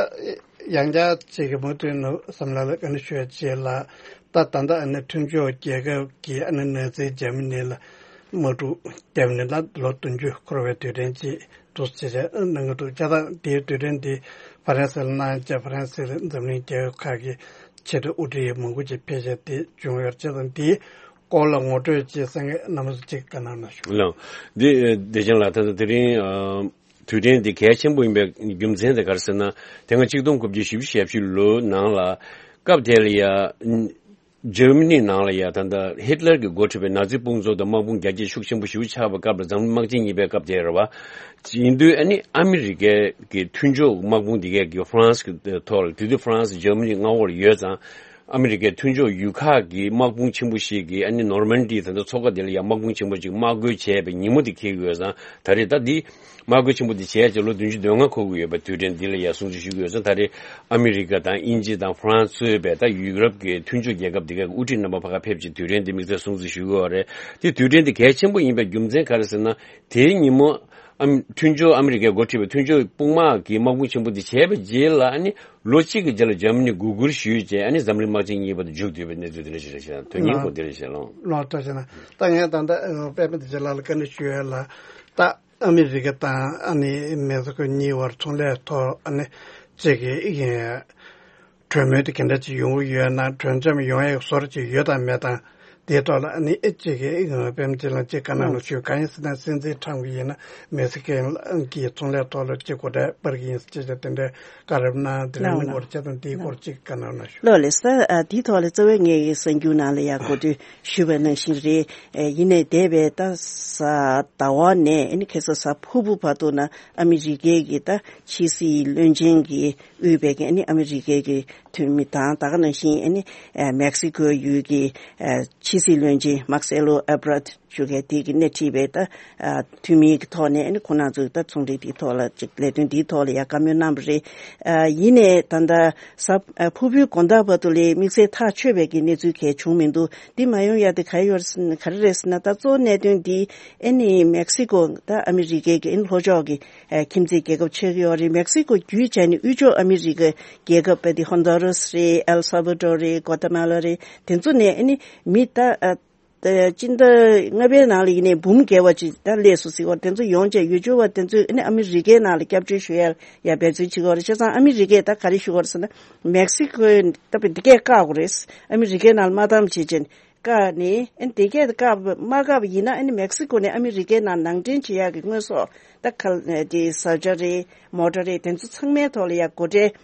ཡང་བསྐྱར་ཅིག་གི་མུ་མཐུད་ནས་བསམ་ལ་ལ་ཨ་ནི་ཞུ་ཡ་བྱེད་ལ། ད་ད་ལྟ་ཨ་ནི་མཐུན་ཕྱོགས་རྒྱལ་ཁབ་ཀྱི་ཨ་ནི་ནང་སྲིད་འཇར་མ་ནི་ལ་དམག་འཁྲུག་བརྒྱབ་ནས་ལ་ལོ་བདུན་ཅུ་འཁོར་བའི་དུས་དྲན་ཅིག་འདུག་ཅེས་བྱས་གནང་གི་འདུག་བྱས་ཙང་དེའི་དུས་དྲན་དེ་ཧྥ་རན་སི་ལ་གནང་བྱས། ཧྥ་རན་སི་ལ་འཛམ་གླིང་རྒྱལ་ཁབ་ཁག་གི་ཆེས་མཐོའི་དབུ་ཁྲིད་མང་པོ་ཅིག་ཕེབས་བྱས་དེ་བྱུང་ཡོད། བྱས་ཙང་དེའི་སྐོར་ལ་ངོ་སྤྲོད་ཅིག་གསན་མཁན་རྣམ་པ་ཚོ་ཅིག་བཀའ་གནང་གནང་ཞུ། ལགས། འདི་བདེ་ཆེན་ལགས། ད་ལྟ་དེ་རིང་ཨ། དུས་དྲན་འདི་གལ་ཆེན་པོ་ཡིན་པའི་རྒྱུ་མཚན་དེ་ག་རེ་ཟེར་ན། དེ་སྔ་ཆིག་སྟོང་དགུ་བརྒྱ་བཞི་བཅུ་ཞེ་བཞི་ལོའི་ནང་ལ་སྐབས་དེ་ལ་ཡ་འཇར་མ་ནི་ནང་ལ་ཡ་ད་ལྟ་ཧིཊ་ལར་གྱིས་འགོ་ཁྲིད་པའི་ནཱ་ཛི་དཔུང་ཚོགས་དང་དམག་དཔུང་རྒྱ་སྐྱེད་ཤུགས་ཆེན་པོ་ཞེ་པོ་ཆགས་པའི་སྐབས་ལ་འཛམ་གླིང་དམག་ཆེན་གཉིས་པའི་སྐབས་དེ་རེད་བ། ཡིན་དུས་ཨ་ནི་ཨ་མི་རི་ཀའི་གི་མཐུན་ཕྱོགས་དམག་དཔུང་འདི་གས་ཀྱི་ཧྥ་རན་སི་གི་ཐོག་ལ། དེ་དུས་ཧྥ་རན་སི་འཇར་མ་ནི་མངའ་འོག་ལ་ཡོད་ཙང་། ཨ་མི་རི་ཀའི་མཐུན་ཕྱོགས་ཡུལ་ཁག་གི་དམག་དཔུང་ཆེན་པོ་ཞིག་གིས་ཨ་ནི་ནོར་མན་ཌི་ད་ལྟ་མཚོ་ཁ་དེ་ལ་ཡ་དམག་དཔུང་ཆེན་པོ་ཅིག་དམག་རྒོལ་བྱས་པའི་ཉིན་མོ་དེ་འཁེལ་གྱི་ཡོད་ཙང་། ད་རེས་ད་འདི་དམག་རྒོལ་ཆེན་པོ་འདི་བྱས་རྗེས་ལོ་བདུན་ཅུ་དོན་ལྔ་འཁོར་གྱི་ཡོད་པའི་དུས་དྲན་འདི་ལ་ཡ་སྲུང་བརྩི་ཞུ་གི་ཡོད་ཙང་། ད་རེས་ཨ་མི་རི་ཀ་དང་དབྱིན་ཇི་དང་ཧྥ་རན་སི་གཙོས་པའི་ད་ཡུ་རོབ་ཀྱི་མཐུན་ཕྱོགས་རྒྱལ་ཁབ་འདི་གའི་དབུ་ཁྲིད་རྣམ་པ་ཕ་ག་ཕེབས་ཀྱིས་དུས་དྲན་འདི་དམིགས་བསལ་སྲུང་བརྩི་ཞུ་གི་ཡོད་རེད། དེ་དུས་དྲན་འདི་གལ་ཆེན་པོ་ཡིན་པའི་རྒྱུ་མཚན་ག་རེ་ཟེར་ན། དེའི་ཉིན་མོ་ཨ་མི་མཐུན་ཕྱོགས་ཨ་མི་རི་ཀས་འགོ་ཁྲིད་པའི་མཐུན་ཕྱོགས་དཔུང་དམག་གི་དམག་དཔུང་ཆེན་པོ་འདི་བྱས་པའི་རྗེས་ལ་ཨ་ནི་ལོ་གཅིག་གི་རྗེས་ལ་འཇར་མ་ནི་སྒུག་སྒུར་ཞུས་རྗེས་ཨ་ནི་འཛམ་གླིང་དམག་ཆེན་གཉིས་པ་དང་མཇུག་བསྡུས་པའི་གནས་ཚུལ་འདི་འདྲ་ཞིག་རེད་ཤག་དོན་སྙིང་པོ་འདི་རེད་ཤག་ལགས། ལགས་སོ། བྱས་ན་ད་ངས་ད་ལྟ་ཨ་པད་མ་བདེ་ཆེན་ལགས་ལ་བཀའ་འདྲི་ཞུ་ཡ་ལ། ད་ཨ་མི་རི་ཀ་དང་ཨ་ནི་མེག་སི་ཀོ་གཉིས་བར་ཚོང་ལས་ཐོག་ཨ་ནི་གཅིག་གི་གྲོས་མོལ་དེ་ག་འདྲ་ཅིག་ཡོང་གི་ཡོད་ན། གྲོས་འཆམ་ཡོང་ཡག་བཟོ་འདྲ་ཅིག་ཡོད་དམ་མེད་དམ། དེའི་ཐོག་ལ་ཨ་ནི་ཨེ་གཅིག་གི་པད་མ་བདེ་ཆེན་ལགས་ཅིག་བཀའ་གནང་རོགས་ཞུ། གང་ཡིན་ཟེར་ན་སྲིད་འཛིན་ཊམ་གྱིས་ཡིན་ན་མེག་སི་ཀོ་གི་ཚོང་ལས་ཐོག་ལ་ཅིག་གོ་གྲལ་སྤར་གྱི་ཡིན་ཟེར་ཅེས་དེ་འདྲའི་བཀའ་རབ་གནང་། དེ་ལ་ནི་ལགས། སྐོར་བྱས་དང་དེའི་སྐོར་ཅིག་བཀའ་གནང་རོགས་ཞུ། ལགས་ལགས་སོ། ཨ་དེའི་ཐོག་ལ་རྩ་བའི་ངས་གསར་འགྱུར་ནང་ལ་ཡང་གོ་སྒྲིག་ཞུས་པ་ནང་བཞིན་རེད། ཨེ་ཡིན་ནའི་འདས་པའི་ད་གཟའ་ཟླ་བ་ནས་ཨ་ནི་ཁ་སང་གཟའ་ཕུར་བུ་བར་དུ་ན་ཨ་མི་རི་ཀའི་གི་ད་ཕྱི་སྲིད་བློན་ཆེན་གྱིས་དབུས་པའི་གི་ཨ་ནི་ཨ་མི་རི་ཀའི་གི་འཐུས་མི་དང་། ད་ག་ནང་བཞིན་ཨ་ནི་ཨ་མེག་སི་ཀོའི་ཡུལ་གྱི་ཨ་ཕྱི་སྲིད་བློན་ཆེན་མཱར་སེ་ལོ་ཨེ་བྷར་ཊི་ཞུ་མཁན་དེ་གི་སྣེ་ཁྲིད་པའི་ད་ཨ་འཐུས་མི་གི་ཐོག་ནས་ཨ་ནི་ཁོང་རྣམ་ཚོས་ད་ཚོང་འབྲེལ་དེའི་ཐོག་ལ་ཅིག་ལས་དོན་དེའི་ཐོག་ལ་ཡང་བཀའ་མོལ་གནང་བ་རེད། ཨ་ཡིན་ནའི་ད་ལྟ་གཟའ་ཨ་ཕུར་བུའི་དགོང་དག་བར་དུ་ལས་དམིགས་བསལ་ཐག་ཆོད་པའི་གི་གནས་ཚུལ་གང་ཡང་བྱུང་མི་འདུག་འདི་མ་ཡོང་ཡ་དེ་ག་རེ་ཡོད་རེད་ཟེར་ན། ག་རེ་རེད་ཟེར་ན། ད་གཙོ་བོ་གནད་དོན་འདི་ཨ་ནི་མེག་སི་ཀོ་ད་ཨ་མི་རི་ཀའི་གི་ཨ་ནི་ལྷོ་ཕྱོགས་ཀྱི་ཨ་ཁྱིམ་མཚེས་རྒྱལ་ཁབ་ཆགས་ཀྱི་ཡོད་རེད། མེག་སི་ཀོ་བརྒྱུད་བྱས་ནས་དབུས་ཕྱོགས་ཨ་མི་རི་ཀའི་རྒྱལ་ཁབ་དཔེ་དེ་ཧོན་ཌུ་རཱས་རེད། ཨེལ་སཱ་བྷ་ཌོར་རེད། གོ་ཏ་མ་ལ་རེད། དེ་ཚོ་ནས་ཨ་ནི་མི་ད་ཨ་ད་སྤྱི་ཟླ་ལྔ་པའི་ནང་ལ་ཡིན་ནའི་འབུམ་བརྒལ་བ་ཅིག་ད་སླེབས་སོང་ཟེར་གྱི་ཡོད་རེད། དེ་ཚོ་ཡོང་བྱས་ཡུལ་སྐོར་བ་དེ་ཚོས་ཨ་ནི་ཨ་མི་རི་ཀའི་ནང་ལ་སྐྱབས་བཅོལ་ཞུ་ཡ་ཡ་འབད་བརྩོན་བྱེད་ཀྱི་ཡོད་རེད། བྱས་ཙང་ཨ་མི་རི་ཀས་ད་ག་རེ་ཞུ་གི་ཡོད་རེད་ཟེར་ན། མེག་སི་ཀོས་ད་དཔེ་འདི་གས་བཀག་དགོས་རེད། ཨ་མི་རི་ཀའི་ནང་ལ་མ་བཏང་བྱས་བྱས་ནས། བཀག་ནས་ཨ་ནི་དེ་གས་བཀག་མ་བཀག་པ་ཡིན་ན་ཨ་ནི་མེག་སི་ཀོ་ནས་ཨ་མི་རི་ཀའི་ནང་ནང་འདྲེན་བྱེད་ཡག་གི་དངོས་ཟོག་ད་ག་ལ་དེ་ས་ཆ་རེད། མོ་ཊ་རེད། དེ་ཚོ་ཚང་མའི་ཐོག་ལ་ཡ་སྒོ་ཁྲལ།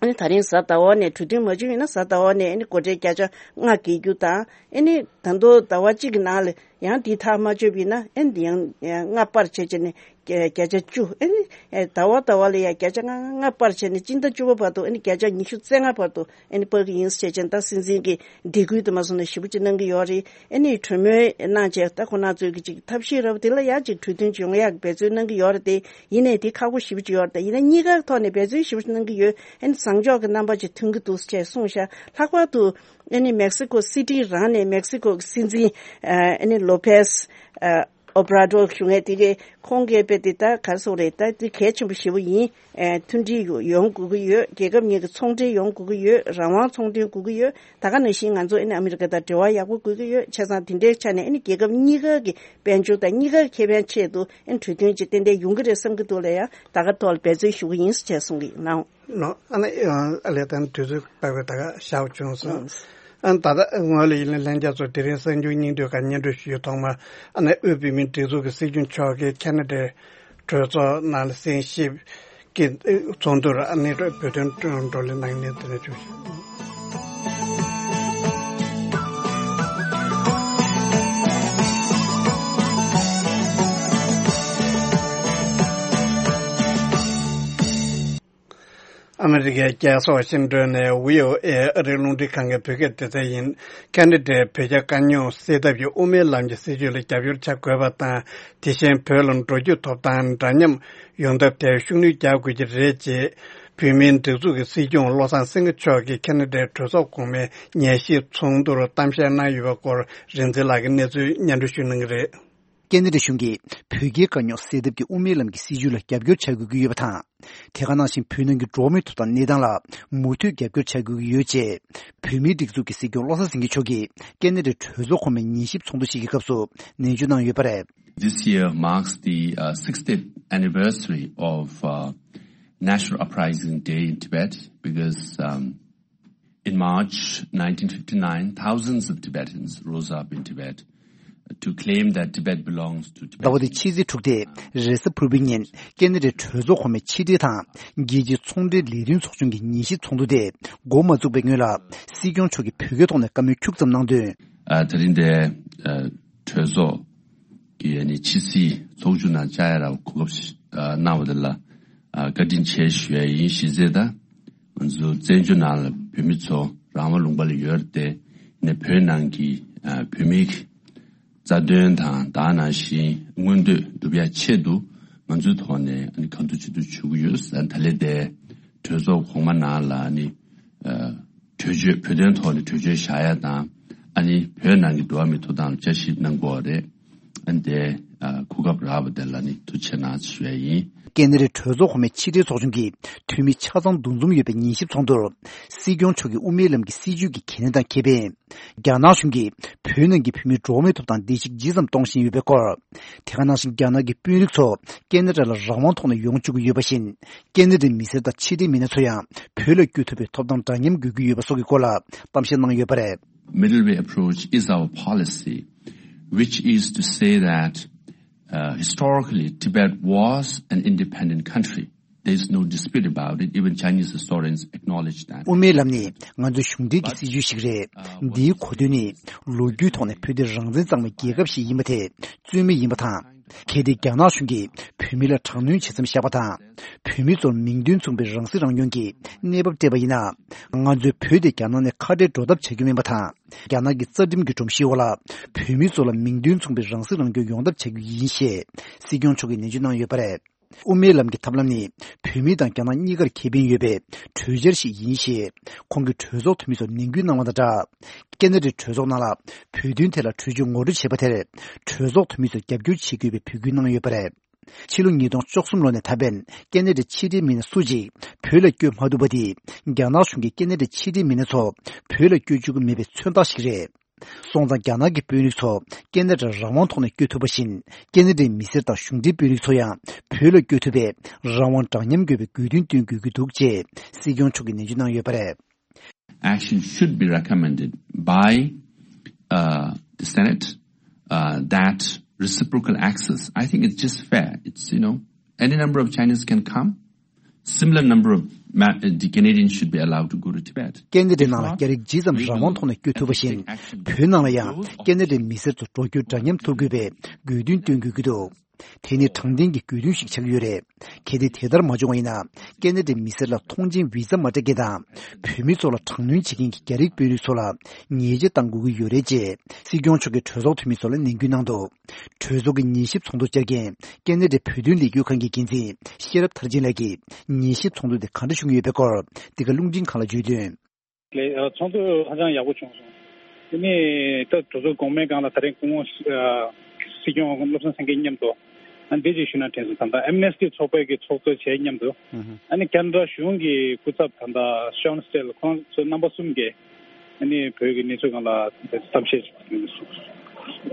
ཨ་ནི་ད་རིང་གཟའ་ཟླ་བ་ནས་གྲོས་མཐུན་མ་བྱུང་ཡིན་ན་གཟའ་ཟླ་བ་ནས་ཨ་ནི་སྒོ་ཁྲལ་བརྒྱ་ཆ་ལྔ་འགེལ་རྒྱུ་དང་། ཨ་ནི་ད་དུང་ཟླ་བ་གཅིག་གི་ནང་ལ་ཡང་འདི་ཐག་མ་ཆོད་པ་ཡིན་ན་ཨ་ནི་ཡང་ལྔ་སྤར་བྱས་བྱས་ནས། བརྒྱ་བརྒྱ་ཆ་བཅུ། ཨ་ནི་ཨེ་ཟླ་བ་ཟླ་བ་ལ་ཡ་བརྒྱ་ཆ་ལྔ་ལྔ་སྤར་བྱས་ནས་སྤྱི་ཟླ་བཅུ་པ་བར་དུ་ཨ་ནི་བརྒྱ་ཆ་ཉི་ཤུ་རྩ་ལྔ་བར་དུ་ཨ་ནི་སྤར་གྱི་ཡིན་ཟེར་བྱས་ནས་ད་སྲིད་འཛིན་གྱིས་འདེད་སྐུལ་དུ་མ་སོང་ན་ཞེ་པོ་ཅིག་གནང་གི་ཡོད་རེད། ཨ་ནི་གྲོས་མོལ་གནང་བྱས་ད་ཁོ་རང་ཚོའི་གི་ཅིག་ཐབས་ཤེས་རབ་དེ་ལ་ཡ་ཅིག་གྲོས་མཐུན་ཅིག་ཡོང་ཡག་འབད་བརྩོན་གནང་གི་ཡོད་རེད་དེ། ཡིན་ནའི་དེ་ཁག་པོ་ཞེ་པོ་ཅིག་ཡོད་རེད་དེ། ཡིན་ན་གཉིས་ཀའི་ཐོག་ནས་འབད་བརྩོན་ཞེ་པོ་ཅིག་གནང་གི་ཡོད། ཨ་ནི་བཟང་ཕྱོགས་ཀྱི་རྣམ་པ་ཅིག་ཐོན་གྱི་འདུག་ཅེས་གསུངས་ཤག་ལྷག་པར་དུ་ཨ་ནི་མེག་སི་ཀོ་སི་ཊི་རང་ནས་མེག་སི་ཀོ་གི་སྲིད་འཛིན་ཨ་ནི་ལོ་པེས་ཨ་ཨོ་བྷ་ར་ཌོར་ཞུ་མཁན་དེ་གས་ཁོང་གིས་དཔེ་དེ་ད་ག་རེ་ཟེར་དགོས་རེད། ད་དེ་གལ་ཆེན་པོ་ཞེ་པོ་ཡིན། ཨེ་མཐུན་སྒྲིལ་ཡོང་དགོས་ཀྱི་ཡོད། རྒྱལ་ཁབ་གཉིས་ཀྱི་ཚོང་འབྲེལ་ཡོང་དགོས་ཀྱི་ཡོད། རང་དབང་ཚོང་དོན་དགོས་ཀྱི་ཡོད། ད་ག་ནང་བཞིན་ང་ཚོ་ཨ་ནི་ཨ་མི་རི་ཀ་དང་འབྲེལ་བ་ཡག་པོ་དགོས་ཀྱི་ཡོད། བྱས་ཙང་དེ་འདྲའི་ཆ་ནས་ཨ་ནི་རྒྱལ་ཁབ་གཉིས་ཀ་གི་དཔལ་འབྱོར་དང་གཉིས་ཀ་ཁེ་ཕན་ཆེད་དུ་ཨ་ནི་གྲོས་མཐུན་ཅིག་ཏན་ཏན་ཡོང་གི་རེད་བསམ་གྱི་འདུག་ལ་ཡ། ད་ག་ཐོག་ལ་འབད་བརྩོན་ཞུ་གི་ཡིན་ཟེར་བྱས་གསུང་གི་ཡིན་ནའང་། ལགས། ཨ་ནི་ཨ་ལས་དང་དུས་ཚོད་དཔག་པའི་ད་ག་ཞག་བྱུང་སོང་། ཨང་། ཨ་ད་ལྟ་ངོས་ལ་ཡིན་ན་ལྷན་རྒྱས་ཚོ་དེ་རིང་གསར་འགྱུར་སྙིང་བསྡུས་ཁག་སྙན་སྒྲོན་ཞུས་ཐོག་མ་ཨ་ནི་དབུས་བོད་མིའི་སྒྲིག་འཛུགས་ཀྱི་སྲིད་སྐྱོང་མཆོག་གིས་ཁེ་ན་ཌའི་གྲོས་ཚོགས་ནང་ལ་གསན་ཞིབ་ཀྱི་ཚོགས་འདུར་ཨ་ནི་བོད་དོན་བགྲོ་གླེང་གནང་མཁན་དེ་ནས་བྱུང་ཞིང་། ཨ་མི་རི་ཀའི་རྒྱལ་ས་ཝ་ཤིང་ཏོན་ནས་བྷི་ཨོ་ཨེ་ཨ་རིའི་རླུང་འཕྲིན་ཁང་གི་བོད་སྐད་སྡེ་ཚན་ཡིན། ཁེ་ན་ཌའི་བོད་རྒྱ་དཀའ་རྙོག་སེལ་ཐབས་ཀྱི་དབུ་མའི་ལམ་གྱི་སྲིད་བྱུས་ལ་རྒྱབ་སྐྱོར་བྱ་དགོས་པ་དང་། དེ་བཞིན་བོད་ལ་འགྲོ་སྐྱོད་ཐོབ་ཐང་འདྲ་མཉམ་ཡོང་ཐབས་ཐད་ཤུགས་སྣོན་རྒྱག་དགོས་ཀྱི་རེད་ཅེས། བོད་མིའི་སྒྲིག་འཛུགས་ཀྱི་སྲིད་སྐྱོང་བློ་བཟང་སེང་གེ་མཆོག་གིས་ཁེ་ན་ཌའི་གྲོས་ཚོགས་གོང་མའི་ཉན་ཞིབ་ཚོགས་འདུར་གཏམ་བཤད་གནང་ཡོད་པའི་སྐོར་རིག་འཛིན་ལགས་ཀྱིས་གནས་ཚུལ་སྙན་སྒྲོན་ཞུ་གནང་གི་རེད། ཀེ་ན་ཌ་གཞུང་གིས་བོད་རྒྱའི་དཀའ་རྙོག་སེལ་ཐབས་ཀྱི་དབུ་མའི་ལམ་གྱི་སྲིད་བྱུས་ལ་རྒྱབ་སྐྱོར་བྱ་དགོས་ཀྱི་ཡོད་པ་དང་། དེ་ག་ནང་བཞིན་བོད་ནང་གི་འགྲོ་བ་མིའི་ཐོབ་ཐང་གནས་སྟངས་ལ་མུ་མཐུད་རྒྱབ་སྐྱོར་བྱ་དགོས་ཀྱི་ཡོད་ཅེས། བོད་མིའི་སྒྲིག་འཛུགས་ཀྱི་སྲིད་སྐྱོང་བློ་བཟང་སེང་གེ་མཆོག་གིས་ཀེ་ན་ཌའི་གྲོས་ཚོགས་གོང་མའི་ཉན་ཞིབ་ཚོགས་འདུ་ཞིག་གི་སྐབས་སུ་ནན་བརྗོད་གནང་ཡོད་པ་རེད། This year marks the uh, sixtieth anniversary of uh, National Uprising Day in Tibet because um, in March nineteen fifty-nine, thousands of Tibetans rose up in Tibet to claim that Tibet belongs to ཟླ་བ་འདིའི་Tibetans. ཕྱི་ཚེས་དྲུག་སྟེ་རེས་གཟའ་ཕུར་བུའི་ཉིན་ཀེ་ན་ཌའི་གྲོས་ཚོགས་གོང་མའི་ཕྱི་དྲིལ་དང་རྒྱལ་སྤྱིའི་ཚོང་འབྲེལ་ལས་དོན་ཚོགས་ཆུང་གི་ཉན་ཞིབ་ཚོགས་འདུ་དེ་འགོ་མ་བཙུགས་པའི་སྔོན་ལ་སྲིད་སྐྱོང་མཆོག་གིས་བོད་སྐད་ཐོག་ནས་བཀའ་མོལ་ཁྱུག་ཙམ་གནང་དོན། ཨ་དེ་རིང་འདིར་ཨ་གྲོས་ཚོགས་ཀྱི་ཨ་ནི་ཕྱི་སྲིད་ཚོགས་ཆུང་ནང་བཅར་ཡ་ལ་གོ་སྐབས་ཤིག་ཨ་གནང་བ་དེ་ལ་ཨ་བཀའ་དྲིན་ཆེ་ཞུ་ཡ་ཡིན། གཞི་རྩའི་ད་ང་ཚོ་བཙན་བྱོལ་ནང་ལ་བོད་མི་ཚོ་རང་དབང་ལུང་པ་ལ་ཡོད་རེད་དེ། ནས་བོད་ནང་གི་ཨ་བོད་མིའི་རྩ་དོན་དང་ད་ནང་བཞིན་མངོན་འདོད་སྒྲུབ་ཡ་ཆེད་དུ་ང་ཚོའི་ཐོག་ནས་ཨ་ནི་གང་ཐུབ་ཅི་ཐུབ་བྱེད་ཀྱི་ཡོད། ཨ་ནི་ད་ལས་དེ་གྲོས་ཚོགས་གོང་མ་ནང་ལ་ཨ་ནི་ཨ་གྲོས་ཆོད་བོད་དོན་ཐོག་ནས་གྲོས་ཆོད་བཞག་ཡ་དང་ཨ་ནི་བོད་ནང་གི་འགྲོ་བ་མིའི་ཐོབ་ཐང་ལ་བསྐྱར་ཞིབ་གནང་དགོས་པ་རེད། ཨ་ནི་དེ་ཨ་གོ་སྐབས་རག་པ་དེ་ལ་ནི་ཐུགས་རྗེ་གནང་ཞུ་ཡ་ཡིན། ཀེ་ན་ཌའི་གྲོས་ཚོགས་གོང་མའི་ཕྱི་དྲིལ་ཚོགས་ཆུང་གི་འཐུས་མི་ཆ་ཚང་འདུ་འཛོམས་ཡོད་པའི་ཉན་ཞིབ་ཚོགས་འདུར་སྲིད་སྐྱོང་མཆོག་གིས་དབུ་མའི་ལམ་གྱི་སྲིད་བྱུས་ཀྱི་གལ་གནད་དང་ཁེ་ཕན། རྒྱ་ནག་གཞུང་གིས་བོད་ནང་གི་བོད་མིའི་འགྲོ་བ་མིའི་ཐོབ་ཐང་བརྡལ་བཤིག་ཇི་ཙམ་གཏོང་བཞིན་ཡོད་པའི་སྐོར། དེ་ག་ནང་བཞིན་རྒྱ་ནག་གི་དཔོན་རིགས་ཚོ་ཀེ་ན་ཌ་ལ་རང་དབང་ཐོག་ནས་ཡོང་བཅུག་གི་ཡོད་པ་བཞིན། ཀེ་ན་ཌའི་མི་སེར་དང་ཕྱི་འབྲེལ་མི་སྣ་ཚོ་ཡང་བོད་ལ་བསྐྱོད་ཐུབ་པའི་ཐོབ་ཐང་འདྲ་མཉམ་དགོས་ཀྱི་ཡོད་པ་སོགས་ཀྱི་སྐོར་ལ་གཏམ་བཤད་གནང་ཡོད་པ་རེད། Middle way approach is our policy, which is to say that uh, historically Tibet was an independent country. There is no dispute about it. Even Chinese historians acknowledge that. དབུ་མའི་ལམ་ནི་ང་ཚོའི་གཞུང་འབྲེལ་གྱི་སྲིད་བྱུས་ཤིག་རེད། འདིའི་གོ་དོན་ནི་ལོ་རྒྱུས་ཐོག་ནས་བོད་དེ་རང་བཙན་གཙང་མའི་རྒྱལ་ཁབ་ཞིག་ཡིན་པ་དེ་རྩོད་མེད་ཡིན་པ་དང་། གལ་ཏེ་རྒྱ་ནག་གཞུང་གིས་བོད་མི་ལ་དྲག་གནོན་བྱེད་མཚམས་བཞག་པ་དང་། བོད་མི་ཚོར་མིང་དོན་མཚུངས་པའི་རང་སྲིད་རང་སྐྱོང་གི་གནས་བབ་སྤྲད་པ་ཡིན་ན། ང་ཚོས་བོད་དེ་རྒྱ་ནག་ནས་ཁ་བྲལ་འགྲོ་ཐབས་བྱ་རྒྱུ་མིན་པ་དང་། རྒྱ་ནག་གི་རྩ་ཁྲིམས་ཀྱི་སྒྲོམ་གཞིའི་འོག་ལ་བོད་མི་ཚོ་ལ་མིང་དོན་མཚུངས་པའི་རང་སྲིད་རང་སྐྱོང་ཡོང་ཐབས་བྱ་རྒྱུ་ཡིན་ཞེས་སྲིད་སྐྱོང་མཆོག་གིས་ནན་བརྗོད་གནང་ཡོད་པ་རེད། དབུ་མའི་ལམ་གྱི་ཐབས་ལམ་ནི་བོད་མི་དང་རྒྱ་ནག་གཉིས་ཀར་ཁེ་ཕན་ཡོད་པའི་གྲོས་འཆར་ཞིག་ཡིན་ཞེས་ཁོང་གིས་གྲོས་ཚོགས་འཐུས་མི་ཚོར་ནན་སྐུལ་གནང་བ་དང་སྦྲགས། ཀེ་ན་ཌའི་གྲོས་ཚོགས་ནང་ལ་བོད་དོན་ཐད་ལ་གྲོས་ཆོད་ངོ་སྤྲོད་བྱས་པ་དེར་གྲོས་ཚོགས་འཐུས་མི་ཚོས་རྒྱབ་སྐྱོར་བྱེད་དགོས་པའི་འབོད་སྐུལ་གནང་ཡོད་པ་རེད། ཕྱི་ལོ་ཉིས་སྟོང་བཅུ་གསུམ་ལོ་ནས་ད་ཕན་ཀེ་ན་ཌའི་ཕྱི་འབྲེལ་མི་སྣ་སུ་གཅིག་བོད་ལ་བསྐྱོད་མ་ཐུབ་པ་དེས་རྒྱ་ནག་གཞུང་གིས་ཀེ་ན་ཌའི་ཕྱི་འབྲེལ་མི་སྣ་ཚོ་བོད་ལ་བསྐྱོད་བཅུག་གི་མེད་པའི་མཚོན་རྟགས་ཤིག་རེད། སོང་ཙང་རྒྱ་ནག་གི་དཔོན་རིགས་ཚོ་ཀེ་ན་ཌར་རང་དབང་ཐོག་ནས་བསྐྱོད་ཐུབ་པ་བཞིན། ཀེ་ན་ཌའི་མི་སེར་དང་གཞུང་འབྲེལ་དཔོན་རིགས་ཚོ་ཡང་བོད་ལ་བསྐྱོད་ཐུབ་པའི་རང་དབང་འདྲ་མཉམ་དགོས་པའི་དགོས་འདུན་བཏོན་དགོས་ཀྱི་འདུག་ཅེས་སྲིད་སྐྱོང་མཆོག་གིས་ནན་བརྗོད་གནང་ཡོད་པ་རེད། Action should be recommended by uh, the Senate uh, that reciprocal access. I think it's just fair. It's, you know, any number of Chinese can come. Similar number of Ma- uh, the Canadians should be allowed to go to Tibet. ཀེ་ན་ཌའི་ནང་ལ་རྒྱ་རིགས་ཇི་ཙམ་རང་དབང་ཐོག་ནས་བསྐྱོད་ཐུབ་པ་བཞིན། བོད་ནང་ལ་ཡང་ཀེ་ན་ཌའི་མི་སེར་ཚོ་འགྲོ་སྐྱོད་འདྲ་མཉམ་ཐོབ་དགོས་པའི་དགོས་འདུན་བཏོན་དགོས་ཀྱི་འདུག་དེ་ནི་དྲང་བདེན་གྱི་དགོས་འདུན་ཞིག་ཆགས་ཀྱི་ཡོད་རེད། གལ་ཏེ་དེ་ལྟར་མ་བྱུང་བ་ཡིན་ན། ཀེ་ན་ཌའི་མི་སེར་ལ་ཐོངས་མཆན་བི་ཛ་མ་སྤྲད་མཁན་དང་། བོད་མི་ཚོ་ལ་དྲག་གནོན་བྱེད་མཁན་གྱི་རྒྱ་རིགས་དཔོན་རིགས་ཚོ་ལ་ཉེས་ཆད་གཏང་དགོས་ཀྱི་ཡོད་རེད་ཅེས་སྲིད་སྐྱོང་མཆོག་གིས་གྲོས་ཚོགས་འཐུས་མི་ཚོ་ལ་ནན་སྐུལ་གནང་འདུག་གྲོས་ཚོགས་ཀྱི་ཉན་ཞིབ་ཚོགས་འདུར་བཅར་མཁན་ཀེ་ན་ཌའི་བོད་དོན་ལས་འགུལ་ཁང་གི་འགན་འཛིན་ཤེས་རབ་མཐར་ཕྱིན་ལགས་ཀྱིས་ཉན་ཞིབ་ཚོགས་འདུ་དེ་ག་འདྲ་བྱུང་ཡོད་པའི་སྐོར་འདི་ག་རླུང་འཕྲིན་ཁང་ལ་བརྗོད་དོན། ལས་ཚོགས་འདུ་ཧ་ཅང་ཡག་པོ་བྱུང་སོང་། དེ་ནས་ད་གྲོས་ཚོགས་གོང་མའི་སྒང་ལ་ད་རེས་སྐུ་ངོ་སྲིད་སྐྱོང་བློ་བཟང་སེང་གེ་མཉམ་དུ་ཨ་འདི་ཅིག་ཞུ་ན་དྲན་སོང་། ད་ལྟ་ཨེམ་ནེ་སི་ཊི་ཚོགས་པའི་གི་ཚོགས་གཙོ་བྱས་མཉམ་དུ་ཨ་ནི་ཁེ་ན་ཌ་གཞུང་གི་སྐུ་ཚབ་ད་ལྟ་ཤོན་སི་ཊེལ་ཁོང་ཚོ་རྣམ་པ་གསུམ་གྱིས་ཨ་ནི་བོད་ཀྱི་གནས་ཚུལ་སྒང་ལ་གཏམ་བཤད་ཅིག་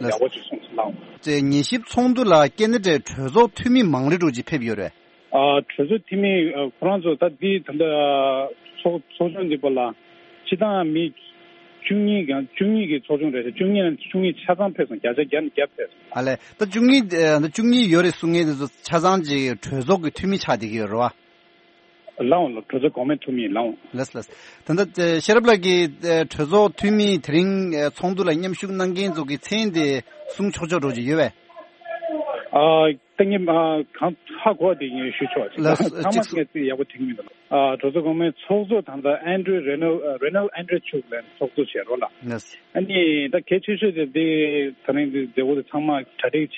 ཡག་པོ་ཅིག་གསུངས་སོང་ལགས། དེ་ཉན་ཞིབ་ཚོགས་འདུ་ལ་ཀེ་ན་ཌའི་གྲོས་ཚོགས་འཐུས་མི་མང་རེ་འགྲོ་ཅིག་ཕེབས་ཡོད་རེད། ཨ་གྲོས་ཚོགས་འཐུས་མི་ཨ་ཁོ་རང་ཚོ་ད་འདི་ད་ལྟ་ཚོགས་ཚོགས་ཆུང་འདི་པ་ལ་སྤྱི་བཏང་མི་ བཅུ་གཉིས་གང་བཅུ་གཉིས་ཀྱི་ཚོགས་ཆུང་རེད་ཤག་བཅུ་གཉིས་ནང་བཅུ་གཉིས་ཆ་ཚང་ཕེབས་སོང་། བརྒྱ་ཆ་བརྒྱ་ནས་བརྒྱ་ཕེབས་སོང་། ཨ་ལས། ད་བཅུ་གཉིས་ཨ་ད་བཅུ་གཉིས་ཡོད་རེད་གསུང་མཁན་དེ་ཚོ་ཆ་ཚང་ཅིག་གྲོས་ཚོགས་ཀྱི་འཐུས་མི་ཆགས་བསྡད་ཀྱི་ཡོད་རེད་བ། ལའོ་ལ་གྲོས་ཚོགས་གོང་མའི་འཐུས་མི་ལའོ། ལགས་ལགས། ད་ལྟ་ཨ་ཤེས་རབ་ལགས་ཀྱིས་ཨ་གྲོས་ཚོགས་འཐུས་མི་དེ་རིང་ཨ་ཚོགས་འདུ་ལ་མཉམ་ཞུགས་གནང་མཁན་ཚོ་གི་མཚན་དེ་གསུང་ཆོག་ཆོག་འགྲོ་གི་ཡོད་པས། ཨ་ད་ངས་ཨ་གང་ཧ་གོ་བ་དེ་ངས་ཞུ་ཆོག་ཅིག་ལགས་སོ། ཚང་མ་ཅིག་ངས་ཚིག་ཡག་པོ་དྲན་གྱི་མི་འདུག་ཨ་གྲོས་ཚོགས་གོང་མའི་ཚོགས་གཙོ་ད་ལྟ་ཨན་ཌྲུ་རེ་ནལ་ཨ་རེ་ནལ་ཨན་ཌྲུ་མཆོག་ལ་ཚོགས་གཙོ་བྱས་རོགས་ལ། ལགས་སོ། ཨ་ནི་ད་གལ་ཆེ་ཤོས་དེ་དེ་ད་རིང་དེ་མཛད་སྒོ་དེ་ཚང་མ་གྲ་སྒྲིག་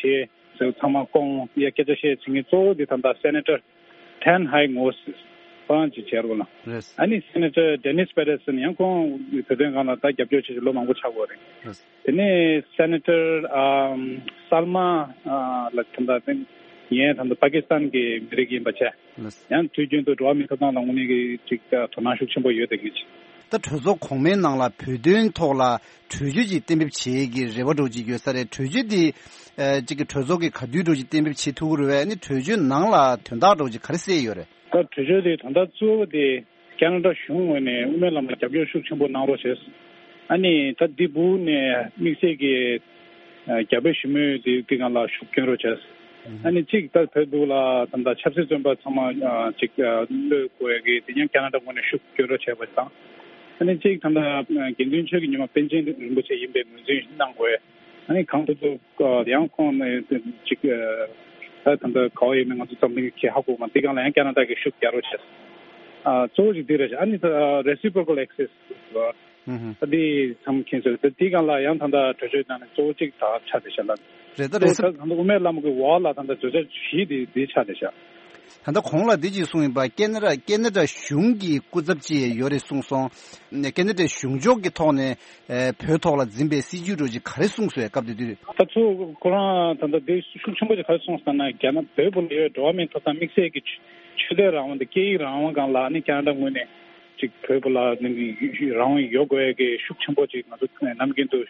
བྱས། ཚང་མ་སྐོང་ཡ་སྐད་ཆ་བཤད་ཚིག་ངན་གཙོ་བོ་དེ་ད་ལྟ་སེ་ནེ་ཊར་ཊན་ཧའེ་ངོ་སི་ཁོ་རང་ཅིག་བྱས་རོགས་ལ། རེད། ཨ་ནི་སེ་ནེ་ཊར་ཌེ་ནིས་པེ་ཊར་སན་ཡང་ཁོང་བོད་དོན་སྒང་ལ་ད་རྒྱབ་སྐྱོར་བྱེད་ཀྱི་ལོ་མང་པོ་ཆགས་ཡོད་རེད། རེད། དེ་ནས་སེ་ནེ་ཊར་ཨམ་སལ་མ་ཨ་ལ་ད་ལྟ་ཡན་ད་ལྟ་པ་ཀི་སི་ཐན་གྱི་མི་རིགས་ཡིན་པ་བྱས། ལགས། ཡང་དུས་རྒྱུན་དུ་འགྲོ་བ་མིའི་ཐོབ་ཐང་ལ་དངོས་གནས་ཀྱི་ཅིག་དོ་སྣང་ཤུགས་ཆེན་པོ་ཡོད་དེ་གི་ཅིག་ད་གྲོས་ཚོགས་གོང་མའི་ནང་ལ་བོད་དོན་ཐོག་ལ་གྲོས་ཆོད་ཅིག་གཏན་འབེབས་བྱེད་ཀྱི་རེ་བ་འདྲ་བོ་ཅིག་ཡོད་ས་རེད། གྲོས་ཆོད་འདི་ཨ་ཅིག་གི་གྲོས་ཚོགས་ཀྱིས་ག་དུས་འདྲ་བོ་ཅིག་གཏན་འབེབས་བྱེད་ཐུབ་ཀྱི་རེད་པས། ཨ་ནི་གྲོས་ཆོད་ནང་ལ་དོན་དག་འདྲ་བོ་ཅིག་ག་རེ་གསལ་ཡོད་རེད། ད་གྲོས་ཆོད་དེ་དོན་དག་གཙོ་བོ་དེ་ཁ་ན་ཌ་གཞུང་ངོས་ནས་དབུ་མའི་ལམ་ལ་རྒྱབ་སྐྱོར་ཤུགས་ཆེན་པོ་གནང་རོགས་བྱས། ཨ་ནི་ད་འདི་སྦུག་ནས་དམིགས་བསལ་གྱི་ཨ་རྒྱ་བོད་ཞི་མོལ་དེ་འདི་སྒང་ལ་ཤུགས་སྐྱོན་རོགས་བྱས། ཨ་ནི་གཅིག་ད་བོད་འདུག་ལ་ད་ལྟ་ཆབ་སྲིད་བཙོན་པ་ཚང་མ་ཨ་ཅིག་ཨ་གློད་དགོས་ཀྱི་དེ་ཡང་ཁ་ན་ཌ་ངོས་ནས་ཤུགས་སྐྱོན་རོགས་བྱས་པ་དང་། ཨ་ནི་གཅིག་ད་ལྟ་དགེ་འདུན་ཆོས་ཀྱི་ཉི་མ་པཎ་ཆེན་རིན་པོ་ཆེ་ཡིན་པའི་ངོས་འཛིན་གནང་དགོས། ཨ་ནི་གང་ཐུབ་ཐུབ་ཡང་ཁོང་ནས་ཅིག་ད་ད་ལྟ་ག་བ་ཡིན་ན་ང་ཚོ་འཛམ་གླིང་གི་ཧ་གོ་མ་འདི་སྒང་ལ་ཡང་ཁ་ན་ཌ་གིས་ཤུགས་རྒྱག་རོགས་བྱས། ཨ་གཙོ་བོ་ཅིག་འདི་རེད་ཤག་ཨ་ནི་ད་reciprocal access་ཨ་ཨ་འདི་ཚང་མཁྱེན་གསལ་རེད། འདི་སྒང་ལ་ཡང་ད་ལྟ་གྲོས་ཆོད་ནང་ནས་གཙོ་བོ་གཅིག་ད་ཆགས་བསྡད་ཤག་ལ། རེད། ད་གཙོ་བོ་རེད་ད་ད་ལྟ་དབུ་མའི་ལམ་གྱི་འོག་ལ་ད་ལྟ་གྲོས་ཆོད་བཞི་འདི་འདི་ཆགས་བསྡད་ཤག་ད་ལྟ་གོང་ལ་འདི་ཅིག་གསུངས་ཡིན་པ། ཁ་ན་ཌ་ཁ་ན་ཌ་གཞུང་གི་སྐུ་ཚབ་ཅིག་ཡོད་རེད་གསུངས་སོང་། ཁ་ན་ཌ་གཞུང་ཕྱོགས་ཀྱི་ཐོག་ནས་ཨེ་བོད་ཐོག་ལ་འཛིན་པའི་སྲིད་ཇུས་འདྲ་ཅིག་ག་རེ་གསུངས་སོང་སྐབས་དེ་དུས། ད་ཚོ་ཁོ་རང་ད་ལྟ་དེ་ཤུགས་ཆེན་པོ་ཅིག་ག་རེ་གསུངས་སོང་ན་རྒྱ་ནག་བོད་པ་ལ་ཡོད་འགྲོ་བ་མིའི་ཐོབ་ཐང་དམིགས་བསལ་གྱི་ཆོས་དད་རང་དབང་དང་སྐད་ཡིག་རང་དབང་སྒང་ལ་ནི་ཁ་ན་ཌ་ངོས་ནས་ཅིག་བོད་པ་ལ་ནི་རང་དབང་ཡོད་དགོས་ཀྱི་ཤུགས་ཆེན་པོ་ཅིག་ང་ཚོ་ནམ་རྒྱུན་དུ་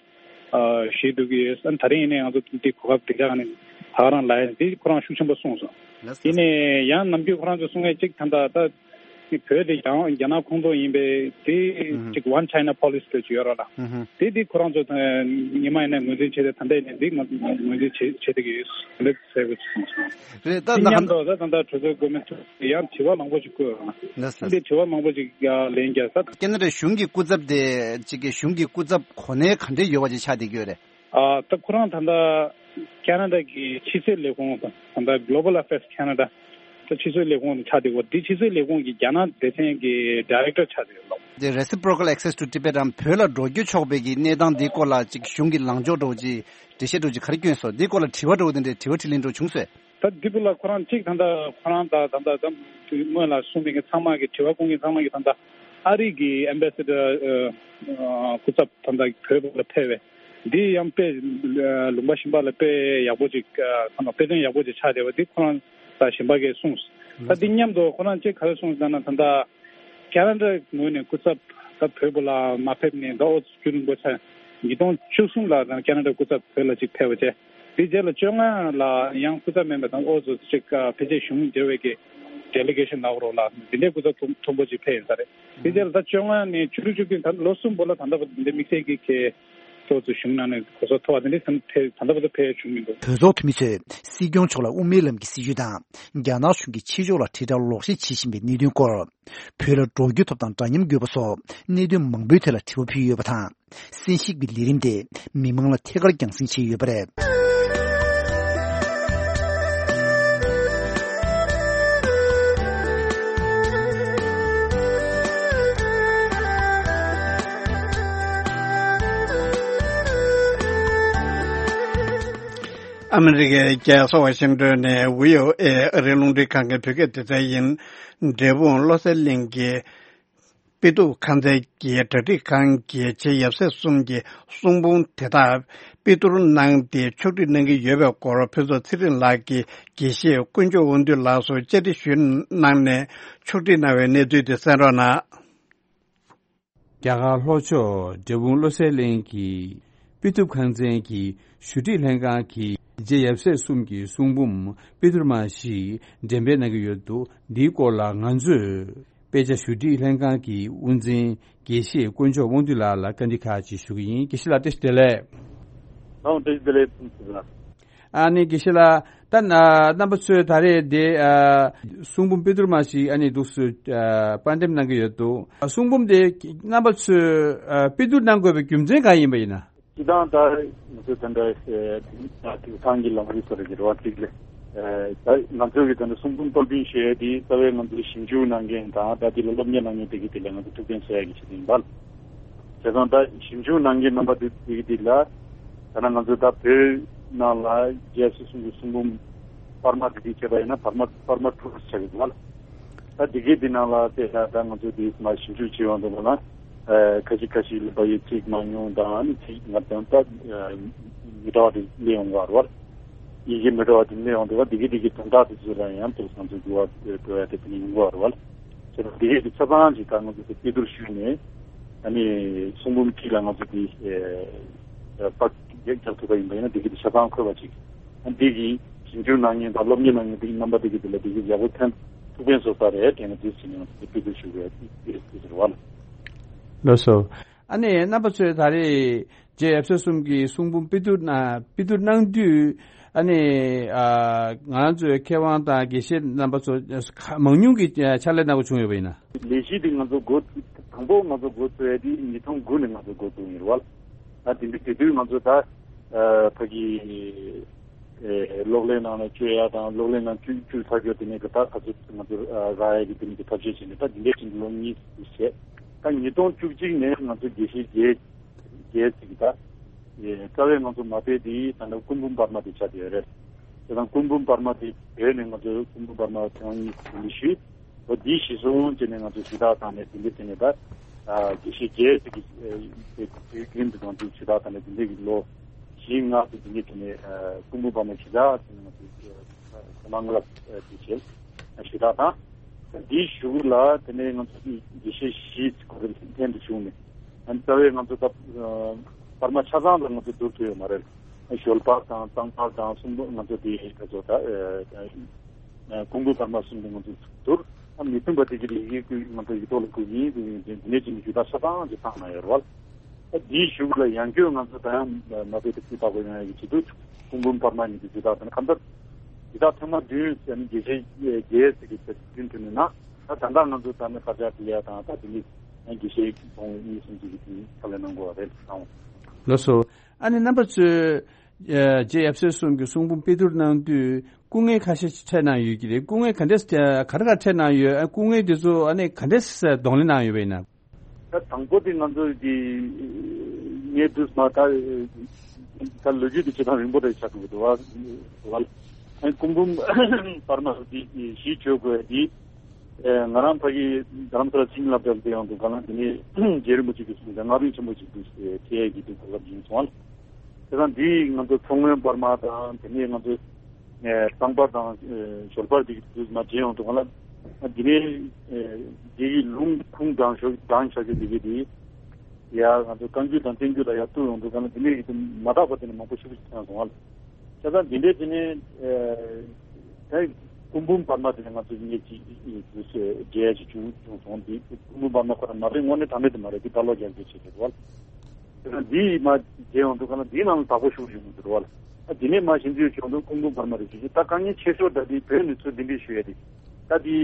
ཨ་ཞུས་འདུག་གི་ཡོད། ཨ་ནི་ད་རིང་ཡིན་ནའི་ང་ཚོ་འདི་གོ་སྐབས་འདི་འདྲ་ནི་ད་ག་རང་ལ་ཡིན་འདི་ཁོ་རང་ཤུགས་ཆེན་པོ་གསུངས་སོང་། ལགས་སོ། ཡིན་ནའི་ཡང་ནམ་རྒྱུན་ཁོ་རང་ཚོ་གསུང་ཡས་གཅིག་ད་ལྟ་ད་ནི་བོད་དེ་ཡང་རྒྱ་ནག་ཁོངས་གཏོགས་ཡིན་པས་དེ་ཨུ་ཧུ། གཅིག་One China Policy་ལབ་ཀྱི་ཡོད་རེད་ལ། ཨུ་ཧུ། དེ་དེ་ཁོ་རང་ཚོ་ད་ཉི་མ་ཡིན་ནའི་ངོས་འཛིན་བྱས་ཏེ་ད་ལྟ་ཡིན་ནའི་འདི་ང་ངོས་འཛིན་བྱེད་བྱེད་བསྡད་ཀྱི་ཡོད་ལེགས་ཟེར་དགོས་ཀྱི་གསུངས་སོང་། རེད། ད་དེ་ད་མཉམ་དུ་ད་ད་ལྟ་གྲོས་ཚོགས་འགོ་མི་ཐུག་ཡང་དྲི་བ་མང་པོ་ཞིག་བཀོད་ཡོད་རེད་ལ། ལགས་སོ། འདི་དྲི་བ་མང་པོ་ཞིག་ཡང་ལན་རྒྱག་ས། ཁ་ན་ཌ་གཞུང་གི་སྐུ་ཚབ་དེ་གཅིག་གི་གཞུང་གི་སྐུ་ཚབ་གོ་གནས་ག་འདྲས་ཡོད་པ་ཅིག་ཆགས་བསྡད་ཀྱི་ཡོད་རེད། ཨ་ད་ཁོ་རང་ད་ལྟ་ཁ་ན་ཌ་གི་ཕྱི་སྲིད་ལས་ཁུངས་དང་ད་ལྟ་Global Affairs Canada་ད་ཕྱི་སྲིད་ལས་ཁུངས་ཆགས་བསྡད་ཡོད། འདི་ཕྱི་སྲིད་ལས་ཁུངས་ཀྱི་རྒྱ་ནག་སྡེ་ཚན་གྱི་ཌའི་རེག་ཊར་ཆགས་བསྡད་ཡོད་ལགས། འདི་Reciprocal Access to Tibet་རམ་བོད་ལ་འགྲོ་རྒྱུ་ཆོག་པའི་གི་གནས་སྟངས་འདིའི་སྐོར་ལ་ཅིག་གཞུང་གི་ལངས་ཕྱོགས་འདྲ་བོ་ཅིག་འགྲེལ་བཤད་འདྲ་བོ་ཅིག་ག་རེ་བསྐྱོན་སོང་། འདིའི་སྐོར་ལ་དྲི་བ་འདྲ་བོ་དེ་འདྲའི་དྲི་བ་དྲིས་ལན་འདྲ་བོ་བྱུང་སོང་། ད་འདི་བུ་ལ་ཁོ་རང་གཅིག་ད་ལྟ་ཁོ་རང་ད་ད་ལྟ་ད་སྔོན་ལ་གསུངས་པའི་གི་ཚང་མ་གི་དྲི་བ་བསྐོང་མཁན་ཚང་མ་གི་ད་ལྟ་ཨ་རི་གི་ཨེམ་བྷེ་སེ་ཌར་ཨ་ཨ་སྐུ་ཚབ་ད་ལྟ་བོད་ལ་ཕེབས་པས་འདི་ཡང་དཔེ་ཨ་ལུང་པ་གཞན་པ་ལ་དཔེ་ཡག་པོ་ཅིག་ཨ་ཚང་མ་དཔེ་སྟོན་ཡག་པོ་ཅིག་ཆགས་བསྡད་པ་འདི་ཁོ་རང་ད་གཞན་པ་གིས་གསུངས། ད་འདི་མཉམ་དུ་ཁོ་རང་གཅིག་ག་རེ་གསུངས་ཟེར་ན་ད་ལྟ་ཁ་ན་ཌ་ངོས་ནས་སྐུ་ཚབ་ད་བོད་པ་ལ་མ་ཕེབས་ནས་ད་ཨོ་ཙི་རྒྱུན་རིང་པོ་ཆགས། ཉིས་སྟོང་བཅུ་གསུམ་ལ་ད་ཁ་ན་ཌ་སྐུ་ཚབ་བོད་ལ་ཅིག་ཕེབས་པ་བྱས། དེ་རྗེས་ལ་བཅོ་ལྔ་ལ་ཡང་སྐུ་ཚབ་མིན་པ་དང་ཨོ་ཙི་ཅིག་ཕལ་ཆེར་གཞུང་འབྲེལ་བའི་གི་ཌེ་ལི་གེ་ཤན་ལབ་རོགས་ལ་འདི་འདྲའི་སྐུ་ཚབ་མཐོན་མཐོན་པོ་ཅིག་ཕེབས་ཡོད་ས་རེད། དེ་རྗེས་ལ་ད་བཅོ་ལྔ་ནས་བཅུ་དྲུག་བཅུ་བདུན་ད་ལོ་གསུམ་པོ་ལ་ད་ལྟ་བར་འདི་དམིགས་བསལ་གྱི་གི་ཨོ་ཙི་གཞུང་ནང་ནས་གོ་ས་མཐོ་བ་དེ་འདྲའི་ད་ལྟ་བར་དུ་ཕེབས་བྱུང་མི་འདུག། གྲོས་ཚོགས་འཐུས་མི་ཚོས་སྲིད་སྐྱོང་མཆོག་ལ་དབུ་མའི་ལམ་གྱི་སྲིད་བྱུས་དང་རྒྱ་ནག་གཞུང་གིས་ཕྱི་ཕྱོགས་ལ་དྲིལ་བསྒྲགས་ལོག་བཤད་བྱེད་བཞིན་པའི་གནད་དོན་སྐོར། བོད་ལ་འགྲོ་རྒྱུ་ཐོབ་ཐང་འདྲ་མཉམ་དགོས་པ་སོགས་གནད་དོན་མང་པོའི་ཐད་ལ་དྲི་བ་ཕུལ་ཡོད་པ་དང་། གསན་ཞིབ་ཀྱི་ལས་རིམ་དེ་མི་མང་ལ་ཐད་ཀར་རྒྱང་སྲིང་བྱས་ཡོད་པ་རེད། ཨ་མི་རི་ཀའི་རྒྱལ་ས་ཝ་ཤིང་ཏོན་ནས་བྷི་ཨོ་ཨེ་ཨ་རིའི་རླུང་འཕྲིན་ཁང་གི་བོད་སྐད་སྡེ་ཚན་ཡིན། འབྲས་སྤུངས་བློ་གསལ་གླིང་གི་དཔེ་གཏུབ་ཁང་ཚན་གྱི་གྲ་སྒྲིག་ཁང་གི་རྗེ་ཡབ་སྲས་གསུམ་གྱི་གསུང་འབུམ་དེ་དག་དཔེ་བསྡུར་གནང་སྟེ་ཕྱོགས་སྒྲིག་གནང་གི་ཡོད་པའི་སྐོར་ཕུན་ཚོགས་ཚེ་རིང་ལགས་ཀྱིས་དགེ་བཤེས་དཀོན་མཆོག་དབང་འདུས་ལགས་སུ་བཅར་འདྲི་ཞུས་གནང་ནས་ཕྱོགས་སྒྲིག་གནང་བའི་གནས་ཚུལ་དེ་གསན་རོགས་གནང་། རྒྱ་གར་ལྷོ་ཕྱོགས་འབྲས་སྤུངས་བློ་གསལ་གླིང་གི་དཔེ་གཏུབ་ཁང་ཚན་གྱི་ཞུ་སྒྲིག་ལྷན་ཁང་གི་རྗེ་ཡབ་སྲས་གསུམ་གྱི་གསུང་འབུམ་དཔེ་བསྡུར་མ་ཞིག་འགྲེམས་སྤེལ་གནང་གི་ཡོད་འདུག། འདིའི་སྐོར་ལ་ང་ཚོས་ དཔེ་ཆ་ཞུ་སྒྲིག་ལྷན་ཁང་གི་དབུ་འཛིན་དགེ་བཤེས་དཀོན་མཆོག་དབང་འདུས་ལགས་ལ་བཀའ་འདྲི་ཁག་ཅིག་ཞུ་གི་ཡིན། དགེ་བཤེས་ལགས་བཀྲ་ཤིས་བདེ་ལེགས། ལགས་འོང་། བཀྲ་ཤིས་བདེ་ལེགས། ཨ་ནི་དགེ་བཤེས་ལགས། ད་ན་རྣམ་པ་ཚོས་ད་རེས་དེ་ཨ་གསུང་འབུམ་དཔེ་བསྡུར་མ་ཞིག་ཨ་ནི་འདུག་སེ་ཨ་པར་འགྲེམས་གནང་གི་ཡོད་འདུག། གསུང་འབུམ་དེ་རྣམ་པ་ཚོས་ཨ་དཔེ་བསྡུར་གནང་དགོས་པའི་རྒྱུ་མཚན་གང་ཡིན་པ་ཡིན་ན། སྤྱིར་བཏང་ད་ང་ཚོ་ད་ལྟ་ཨ་དེང་སང་གི་ལམ་རིམ་སོགས་རེད་རེད་བ་ཅིག་ལས། ཨ་ད་ང་ཚོ་གི་ད་ལྟ་གསུང་འབུམ་དཔར་འབྱིན་ཞུ་ཡས་དེ་རྩ་བའི་ང་ཚོའི་ཞིབ་འཇུག་གནང་མཁན་དང་ད་དེ་ལ་སློབ་གཉེར་གནང་མཁན་དེ་གི་དེ་ལ་ང་ཚོ་ཐུགས་ཕན་གསོས་ཡ་གི་ཆེད་དུ་ཡིན་པ། བྱས་ཙང་ད་ཞིབ་འཇུག་གནང་མཁན་རྣམ་པ་དེ་དེ་གི་དེ་ལ་ད་ནང་ང་ཚོ་ད་བོད་ནང་ལ་རྒྱལ་སྲས་གསུམ་གྱི་གསུང་འབུམ་པར་མ་དེ་དེ་བྱས་པ་ཡིན་ན་པར་མ་པར་མ་དྲུག་ཆགས་ཀྱི་འདུག་ལ། ད་དེ་གི་དེ་ནང་ལ་དེ་ད་ད་ང་ཚོ་དེ་མ་ཞིབ་འཇུག་བྱེད་ཡོང་དུས་ལ་ཨ་ཁ་ཤས་ཁ་ཤས་ལ་བ་ཡིག་གཅིག་མ་ཉུང་དང་ཨ་ནི་ཚིག་ང་དང་ད་མི་འདྲ་བ་དེ་སླེབས་ཡོང་གི་རེད་བ། ཡི་གེ་མི་འདྲ་བ་དེ་སླེབས་ཡོང་དུས་ལ་དེ་གི་དེ་གི་དོན་དག་དེ་ཚོ་ལ་ཡང་ཏོག་ཙམ་ཚོ་འགྱུར་བ་འགྲོ་ཡ་དེ་དེ་ནི་ཡོང་གི་རེད་བ། བྱས་ཙང་དེ་གི་དེ་ཆ་ཚང་ཅིག་ད་ང་ཚོ་དེ་དཔེ་བསྡུར་ཞུས་ནས་ཨ་ནི་གསུང་འབུམ་གཅིག་ལ་ང་ཚོ་དེ་ཨ་པར་རྒྱག་རྒྱག་ཐུབ་པ་ཡིན་པ་ཡིན་ན་དེ་གི་དེ་ཆ་ཚང་འཁོད་པ་ཅིག་ཨ་འདི་གི་ཞིབ་འཇུག་གནང་མཁན་དང་སློབ་གཉེར་གནང་མཁན་དེ་གི་རྣམ་པ་དེ་གི་དེ་ལ་དེ་གི་ཡག་པོ་ཐོན་ཐུགས་ཕན་གསོས་ས་རེད་དྲན་ནས་དེ་བྱས་ནས་ང་ཚོ་དེ་དཔེ་བསྡུར་ཞུ་དགོས་ཡ་དེ་དེ་རེད་བ། ལགས་སོ། ཨ་ནི་རྣམ་པ་ཚོས་ད་རེས་རྗེ་ཡབ་སྲས་གསུམ་གྱི་གསུང་འབུམ་དཔེ་བསྡུར་གནང་དཔེ་བསྡུར་གནང་དུས་ཨ་ནི་ཨ་ང་རང་ཚོའི་མཁས་དབང་དང་དགེ་བཤེས་རྣམ་པ་ཚོ་ཁ་མང་ཉུང་གི་ཕྱག་ལས་གནང་དགོས་བྱུང་ཡོད་པ་ཡིན་ན། ལས་གཞི་འདི་ང་ཚོ་འགོ་དང་པོ་ང་ཚོ་འགོ་བཙུགས་ཡ་དེ་ཉིས་སྟོང་དགུ་ནས་ང་ཚོ་འགོ་བཙུགས་ཡིན་རེད་བ། ད་དེ་འདྲ་དེ་དུས་ང་ཚོ་ད་ཨ་ཕ་གི་ཨེ་གློག་ཀླད་ནང་ལ་བཅོས་ཡ་དང་གློག་ཀླད་ནང་བཅུག་བཅུག་ཚར་རྒྱུ་དེ་ནས་ད་ད་ཚོད་ང་ཚོ་ཨ་རག་ཡ་གི་དེ་ནས་གི་ཐབས་ཤེས་བྱས་ནས་ད་དེ་འདྲའི་ཅིག་ལོ་གཉིས་ཤིག་བྱས། ད་ཉིས་སྟོང་བཅུ་གཅིག་ནས་ང་ཚོ་དགེ་བཤེས་བརྒྱད་བརྒྱད་ཅིག་གི་ད་ཨེ་རྩ་བའི་ང་ཚོ་མ་དཔེ་དེ་ད་ནི་སྐུ་འབུམ་པར་མ་དེ་ཆགས་བསྡད་ཡོད་རེད། དེ་དང་སྐུ་འབུམ་པར་མ་དེ་བོད་ནས་ང་ཚོ་སྐུ་འབུམ་པར་མ་ཐེངས་གཉིས་ཞུས། ཨོ་འདི་གཞི་བཟུང་བྱས་ནས་ང་ཚོས་ཞུ་དག་བཏང་ནས་འདི་འདྲ་བྱས་ནས་ད་ཨ་དགེ་བཤེས་བརྒྱད་ཅིག་གི་ཨ་དེ་དེ་རྒྱུན་དུ་དང་དེ་ཞུ་དག་བཏང་ནས་འདི་འདྲ་གི་ལོ་བཞི་ལྔ་ཙམ་འདི་འདྲ་བྱས་ནས་ཨ་སྐུ་འབུམ་པར་མ་ཞུ་དག་བྱས་ནས་ང་ཚོས་ཨ་མ་ང་ལ་ཨ་དེ་བྱས་ཨ་ཞུ་དག་དང་། འདིའི་གཞུག་ལ་དེ་ནས་ང་ཚོ་དགེ་བཤེས་བཞི་ཅིག་ཁོ་རང་ལྷན་དུ་བྱུང་ནས་ཨ་རྩ་བའི་ང་ཚོ་ད་ཨ་པར་མ་ཆ་ཚང་ལ་ང་ཚོ་བསྡུར་ཐུབ་ཡོད་མ་རེད། ཞོལ་པར་དང་གཙང་པར་དང་གསུམ་པོ་ང་ཚོ་དེ་ག་ཚོད་ད་ཨ་ཨ་སྐུ་འབུམ་པར་མ་གསུམ་དེ་ང་ཚོ་བསྡུར། ཨ་མི་མཐུན་པ་དེ་གི་ཡི་གེ་བཀོད་ང་ཚོ་ཡིག་ཐོག་ལ་བཀོད་ཡིན་དེ་ཡིན་དེ་ནས་ཅིག་ནས་ཞུ་དག་ཆ་ཚང་ཅིག་བཏང་གནང་ཡོད་རེད་བ། ཨ་དེའི་གཞུག་ལ་ཡང་བསྐྱར་ང་ཚོ་ད་ཡང་མ་དཔེ་དེ་ཕུལ་བཏང་དགོས་ཡོང་ཡ་གི་ཆེད་དུ་སྐུ་འབུམ་པར་མ་ཉིད་དུ་ཞུ་དག་དང་གང་ལྟར་ཞུ་དག་ཐེངས་མ་བདུན་ཟེར་ནས་དགེ་བཤེས་བརྒྱད་ཟེར་གི་ཚེ་བདུན་ཐོན་ནས་ན་ད་ད་ལྟ་ང་ཚོ་ད་ནི་དཀར་ཆག་ཕུལ་ཡ་དང་ད་དེ་ནི་དགེ་བཤེས་ཚོ་གཉིས་གསུམ་ཅིག་གི་དེ་ནི་ཕྱག་ལས་གནང་དགོས་པ་རེད་བསམ། ལགས་སོ། ཨ་ནི་རྣམ་པ་ཚོས་ཨ་རྗེ་ཡབ་སྲས་གསུམ་གྱི་གསུང་འབུམ་དཔེ་བསྡུར་གནང་དུས་སྐུ་ངལ་ཁ་ཤས་ཤིག་འཕྲད་གནང་ཡོད་ཀྱི་རེད། སྐུ་ངལ་ག་འདྲས་ག་རེ་ག་འཕྲད་གནང་ཡོད། ཨ་སྐུ་ངལ་དེ་ཚོ་ཨ་ནི་ག་འདྲས་གདོང་ལེན་གནང་ཡོད་པ་ཡིན་ན། ད་དང་པོ་དེ་ང་ཚོ་གི་ངས་དུས་མ་ད་ད་ལོ་རྒྱུས་དེ་བྱེད་སྟངས་རིང་པོ་རེད་ཆགས་འདུག་འདུག་བ། ཨ་སྐུ་འབུམ་པར་མ་དེ་གཞི་བཅོལ་དགོས་དེ། ཨེ་ང་རང་ཕ་གི་རྡ་རམ་ས་ལ་ཆིངས་ལབ་དེ་ཡང་འདུག་ག་ལ་དེ་ནས་རྗེ་རིན་པོ་ཆེ་གིས་གསུངས་ཏེ་སྔགས་རིམ་ཆེན་པོ་ཅིག་འདུག་ཟེར་ཡས་ཀྱི་འདུག་ག་ལ་ཡིན་སོང་ཨ། དེ་དང་འདི་ང་ཚོ་མཚོ་སྔོན་པར་མ་དང་དེ་ནས་ང་ཚོ་ཨེ་གཙང་པར་དང་ཨེ་ཞོལ་པར་འདི་འདུག་མ་བྱེད་ཡོང་འདུག་ག་ལ་འདི་ནས་ཨེ་འདི་གི་ལུང་ཁུངས་དྲངས་ཞོག་དྲངས་བྱ་རྒྱུ་འདི་གི་འདི་ཡ་ང་ཚོ་བཀའ་འགྱུར་དང་བསྟན་འགྱུར་ལ་ཡར་གཏུག་ཡོང་འདུག་ག་ལ་འདི་ནས་ཡིན་དུ་མ་དག་པ་དེ་ནས་མང་པོ་ཞིག་བྱུང་སོང་ཨ། བྱས་ཙང་འདི་འདྲའི་དེ་ནས་ཨེ་ད་སྐུ་འབུམ་པར་མ་དེ་ནས་ང་ཚོ་ངེད་ཀྱི་དུས་ཚོད་རྒྱས་ཀྱི་བྱུང་བྱུང་སོང་། འདི་སྐུ་འབུམ་པར་མ་ཁོ་རང་མ་རེད། དངོས་གནས་དྲང་གནས་དེ་མ་རེད། འདི་ད་ལོ་རྒྱག་རྒྱུ་བྱེད་དགོས་བ། དེ་ནས་འདི་མ་རྒྱས་ཡོང་དུས་ག་ན་འདིའི་ནང་ལ་དག་པོ་ཞུགས་བྱུང་འདུག་བ། ཨ་འདི་ནས་མ་ཤེས་འདུས་བྱུང་འདུག་སྐུ་འབུམ་པར་མ་རེད་ཞུ་རྒྱུ། ད་དཀའ་ངལ་ཆེ་ཤོས་འདྲ་འདི་བོད་ནས་ཚུར་འདི་འདྲས་ཞུ་ཡ་དེ་ད་འདི་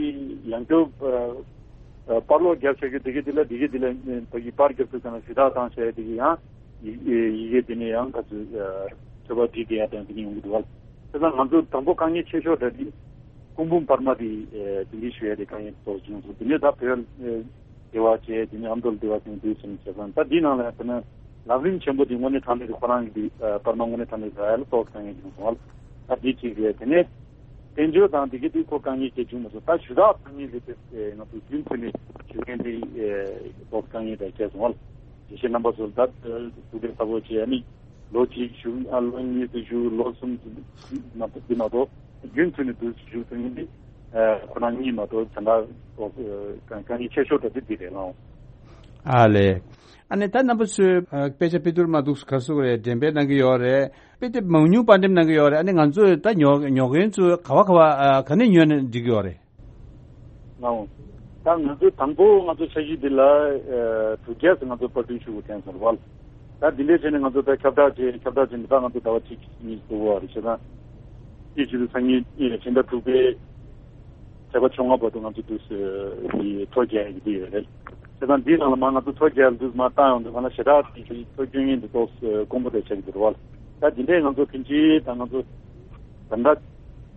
ཡང་སྐྱོ་ཨ་པར་ལོག་རྒྱབ་བྱ་རྒྱུ་དེ་གི་དེ་ལ་དེ་གི་དེ་ལ་ཨ་ཕ་གི་པར་རྒྱབ་དུས་ཙམ་ལ་ཞུ་དག་བཏང་བྱ་ཡ་དེ་གི་ཡང་ཡི་ཡི་གེ་དེ་ནས་ཡང་ག་ཚོད་ཨ་ཚོད་པ་བྲིས་བསྡད་ཡ་དང་དེ་ནས་ཡོང་གི་འདུག་བ། དེ་ཙང་ང་ཚོ་དང་པོ་དཀའ་ངལ་ཆེ་ཤོས་འདྲ་དེ་སྐུ་འབུམ་པར་མ་དེ་ཨ་དེ་འདྲའི་ཞུ་ཡ་དེ་དཀའ་ངལ་ཏོག་བྱུང་སོང་། དེ་ནས་ད་བོད་ཨ་དེ་བ་བྱས་དེ་ནས་ཨ་མདོ་ལ་དེ་བ་བྱུང་དུས་ཙམ་བྱས་ཙང་ད་འདི་ནང་ལ་ཡང་དེ་ན་ལམ་རིམ་ཆེན་པོ་དེ་དངོས་གནས་དྲང་གནས་དེ་ཁོ་རང་གི་དེ་ཨ་པར་མ་དངོས་གནས་དྲང་གནས་རག་ཡ་ལ་ཏོག་དཀའ་ངལ་བྱུང་སོང་བ། ད་འདི་གཅིག་རེད། དེ་ནས། དཔལ་འབྱོར་དང་དེ་གའི་དུས་ཁོ་དཀའ་ངལ་སྐྱེ་བྱུང་མ་སོང་། ད་ཞུ་དག་དཀའ་ངལ་རེད་དེ། ང་ཚོ་རྒྱུན་མཐུད་ནས་ཞུ་མཁན་དེ་ལོག་དཀའ་ངལ་དང་བཅས་སོང་བ། དགེ་བཤེས་རྣམ་པ་ཚོ་ད་ཐུགས་ཕན་གསོས་པོ་བྱས། ཨ་ནི་ལོ་གཅིག་བཞུགས། ཨ་ལོ་གཉིས་སུ་བཞུགས། ལོ་གསུམ་མ་གཏོགས་འདི་མ་གཏོགས་རྒྱུན་མཐུད་ནས་འདུག་བཞུགས་ཐུབ་མཁན་དེ་ཁོ་རང་གཉིས་མ་གཏོགས་ད་ལྟ་དཀའ་ངལ་ཆེ་ཤོས་ད་དེ་འདི་རེད་ལགས། ཨ་ལས། ཨ་ནི་ད་རྣམ་པ་ཚོས་ཨ་དཔེ་ཆ་དཔེ་བསྡུར་མ་འདུག་ག་སུ་རེད་འགྲེམས་སྤེལ་གནང་གི་ཡོད་རེད། དཔེ་དེབ་མང་ཉུང་པར་འགྲེམས་གནང་གི་ཡོད་རེད། ཨ་ནི་ང་ཚོས་ད་ཉོ་ཉོ་མཁན་ཚོས་ག་བ་ག་བ་ཨ་ག་ནས་ཉོས་ནས་འགྲིག་གི་ཡོད་རེད། ལགས་འོང་། ད་ང་ཚོ་དང་པོ་ང་ཚོ་འཆར་གཞི་འདི་ལ་ཨ་དྲུག་བརྒྱ་ཙམ་ང་ཚོ་པར་སྐྲུན་ཞུ་དགོས་ཐོན་སོང་རེད་བ། ད་འདི་འདྲའི་བྱས་ནས་ང་ཚོ་ད་ཁྱབ་བསྒྲགས་བྱས། ཁྱབ་བསྒྲགས་བྱས་ནས་ད་ང་ཚོ་ཟླ་བ་གཅིག་གཉིས་འགོར་བ་རེད། བྱས་ཙང་དེ་བྱེད་དུས་སང་ཉིན་ཕྱི་ཟླ་དྲུག་པའི་ཚེས་པ་བཅོ་ལྔ་བར་དུ་ང་ཚོ་དུས་ཚོད་འདི་ཐོ་རྒྱག་ཡག་གི་འདི་ཡོད་རེད། བྱས་ཙང་འདིའི་ནང་ལ་མ་ང་ཚོ་ཐོ་རྒྱག་དུས་མ་བཏང་ཡོང་དུས་ང་ལ་ཞེ་དྲག་དེ་ཚོ་སྐྱོན་ངན་འདི་ཏོག་དཀོན་པོ་དེ་ཆགས་ཀྱི་འདུག་རེད་བ། ད་འདི་འདྲའི་ང་ཚོ་ཕན་ཆད་ད་ང་ཚོ་ད་ལྟ་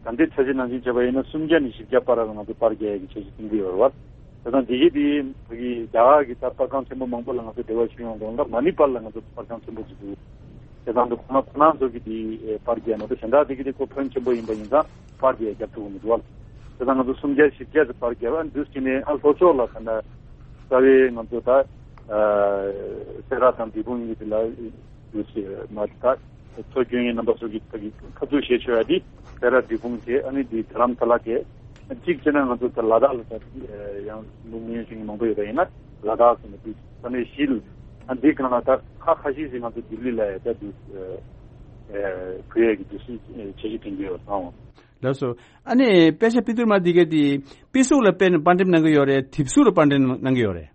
ད་ལྟའི་འཆར་གཞི་ནང་བཞིན་བྱས་པ་ཡིན་ན་སུམ་བརྒྱ་ནས་བཞི་བརྒྱ་བར་ལ་ང་ཚོ་པར་རྒྱག་ཡག་གི་འཆར་གཞི་བཏིང་གི་ཡོད་རེད་བ། བྱས་ཙང་འདི་གི་དེ་ཕ་གི་རྒྱ་གར་གྱི་ད་པར་ཁང་ཆེན་པོ་མང་པོ་ལ་ང་ཚོ་འབྲེལ་བ་ཞུ་ཡོང་དུས་ང་མ་ཎི་པར་ལ་ང་ཚོ་པར་ཁང་ཆེན་པོ་ཅིག་འདུག་བྱས་ཙང་འདི་ཁོ་ན་ཁོ་ན་ཚོ་གི་དེ་པར་རྒྱག་ན་ད་གཞན་དག་དེ་གི་དེ་ཁོ་ཕོན་ཆེན་པོ་ཡིན་པ་ཡིན་ཙང་པར་རྒྱག་རྒྱབ་ཐུབ་ཀྱི་མི་འདུག་བ། བྱས་ཙང་ང་ཚོ་སུམ་བརྒྱ་བཞི་བརྒྱ་ཙམ་པར་རྒྱག་པ་འདུག་བྱས་ནས་ཨ་ལྷོ་ཕྱོགས་ལ་ད་ལྟ་རྩ་བའི་ང་ཚོ་ད་སེ་ར་དང་འབྲས་སྤུངས་གཉིས་དེ་ལ་འདུག་བྱས་མ་ད། ཐོ་སྐྱོན་ཡིན་རྣམ་པ་ཚོ་གི་ཕ་གི་ཁ་ཐུག་བཤད་ཆོག་ཡ་དེ་སེ་ར་འབྲས་སྤུངས་དེ་ཨ་ནི་དེ་དྷ་རམ་ས་ལ་དེ་གཅིག་བྱས་ན་ང་ཚོ་ད་ལ་དྭགས་ལ་ད་ཡང་མི་ཉུང་ཤིང་མང་པོ་ཡོད་པ་ཡིན་ན་ལ་དྭགས་ཟེར་ནས་དེ་ས་གནས་གཞི་ལ་ཨ་འདི་གང་ལ་ད་ཁ་ཁ་ཤས་ཤིག་ང་ཚོ་ལྡི་ལི་ལ་ཡ་ད་དུ་བུ་ཡ་གི་དུ་སུ་བྱེད་ཀྱི་དྲན་གྱི་ཡོད་ཨང་། ལགས་སོ། ཨ་ནི་དཔེ་ཆ་པི་ཏུར་མ་འདི་གས་དེ་པི་གཟུགས་ལ་དཔེ་ནས་པར་འགྲེམས་གནང་གི་ཡོད་རེད། དེབ་གཟུགས་ལ་པར་འགྲེམས་གནང་གི་ཡོད་རེད།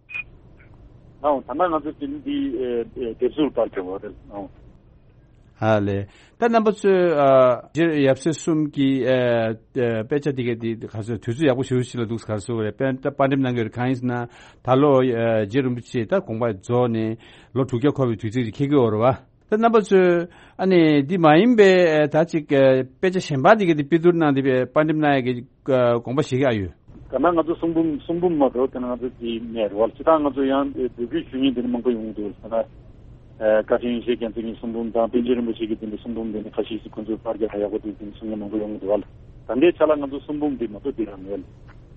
ཨང་། ད་ལྟ་ང་ཚོ་དེ་འདི་དེབ་གཟུགས་པར་འགྲེམས་པ་རེད་ཨང་། ཧ་ལས། ད་རྣམ་པ་ཚོས་ཨ་རྗེ་ཡབ་སྲས་གསུམ་གྱི་ཨ་ཨ་དཔེ་ཆ་དེ་གས་དེ་ག་ཚོད་དུས་ཚོད་ཡག་པོ་ཞེ་པོ་ཞིག་ལ་འདུག་ག་རེ་ཟེར་དགོས་རེད། དཔེ་ད་པར་འགྲེམས་གནང་གི་ཡོད་རེད། གང་ཡིན་ཟེར་ན་ད་ལོ་ཨ་རྗེ་རིན་པོ་ཆེ་ད་དགོངས་པ་རྫོགས་ནས་ལོ་དྲུག་བརྒྱ་འཁོར་བའི་དུས་ཚིགས་ཅིག་འཁེལ་གྱི་ཡོད་རེད་བ། ད་རྣམ་པ་ཚོས་ཨ་ནི་འདི་མ་ཡིན་པའི་ཨ་ད་ཅིག་ཨ་དཔེ་ཆ་གཞན་པ་དེ་གས་དེ་པི་ཏུར་གནང་དེ་པར་འགྲེམས་གནང་ཡག་གི་ཨ་དགོངས་པ་བཞེས་ཀྱི་ཨ་ཡོད། ད་ནང་ང་ཚོ་གསུང་འབུམ་གསུང་འབུམ་མ་གཏོགས་དེ་ནང་ང་ཚོ་དེ་མེད་རེད་བ། སྤྱིར་བཏང་ང་ཚོ་ཡང་འབོད་སྐུལ་ཞུ་མཁན་དེ་ནི་མང་པོ་ཡོང་གི་འདུག་ཟེར་ན། ཨ་བཀའ་དྲིན་ཡེ་ཤེས་རྒྱལ་མཚན་གྱི་གསུང་འབུམ་དང་པཎ་ཆེན་རིན་པོ་ཆེ་གི་དེ་འདྲའི་གསུང་འབུམ་དེ་ནི་ཁ་ཤས་ཤིག་ཁོང་ཚོས་པར་རྒྱག་ཡག་པོ་འདུག་ཟེར་གསུང་མཁན་མང་པོ་ཡོང་གི་འདུག་བ། ད་ལྟའི་ཆ་ལ་ང་ཚོ་གསུང་འབུམ་འདི་མ་གཏོགས་འདི་ཡང་མེད།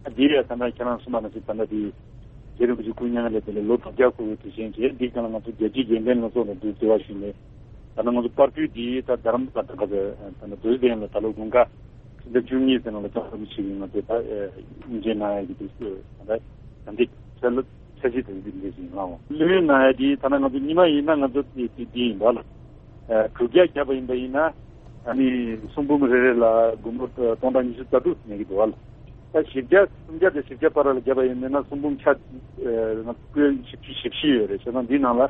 ཨ་འདི་ཡང་ད་ལྟ་ཁྱེད་རང་གསུངས་པ་ནང་བཞིན་ད་ལྟ་འདི་རྗེ་རིན་པོ་ཆེ་སྐུ་མྱ་ངན་ལས་འདས་ནས་ལོ་དྲུག་བརྒྱ་འཁོར་བའི་དུས་ཆེན་བྱས། འདི་གང་ལ་ང་ཚོ་རྒྱལ་སྤྱིའི་དགེ་ལྡན་ལྷན་ཚོགས་ནས་འདུག་འབྲེལ་བ་ཞུས་ནས་ད་ལྟ་ང་ཚོ་པར་སྐྲུན་འདི་ད་རྡ་རམ་ས་ལ་ད་ལྟ་ད་ལྟ་རྡོ་རྗེ་གདན་ལ་ད་ལོ་དགུན་ཁ་ཕྱི་ཟླ་བཅུ་གཉིས་ཚེ་ནང་ལ་ལྕགས་རི་ཆེ་གི་ང་ཚོ་ད་དབུ་འབྱེད་གནང་ཡ་གི་དུས་ཚོད་ད་ལྟ་ད་འདི་ཚེ་ལོ་ཚེ་གཅིག་དང་འདི་འདྲ་ཞིག་ཡིན་ལགས། ལོན་གནང་ཡ་དེ་ཐ་ན་ང་ཚོ་ཉི་མ་ཡིན་ན་ང་ཚོ་དེ་དེ་དེ་ཡིན་པ་ལ། ཨ་དྲུག་བརྒྱ་བརྒྱབ་པ་ཡིན་པ་ཡིན་ན་ཨ་ནི་གསུང་འབུམ་རེ་རེ་ལ་སྒོར་མོ་སྟོང་ཕྲག་ཉི་ཤུ་རྩ་དྲུག་ཉར་གྱི་འདུག་བ་ལ། ད་བཞི་བརྒྱ་སུམ་བརྒྱ་དང་བཞི་བརྒྱ་བར་ལ་བརྒྱབ་པ་ཡིན་ན་གསུང་འབུམ་ཆ་ཨ་ང་ཚོ་ཀོན་བཞི་བཅུ་ཞེ་བཞི་ཡོད་རེད། བྱས་ཙང་འདི་ནང་ལ་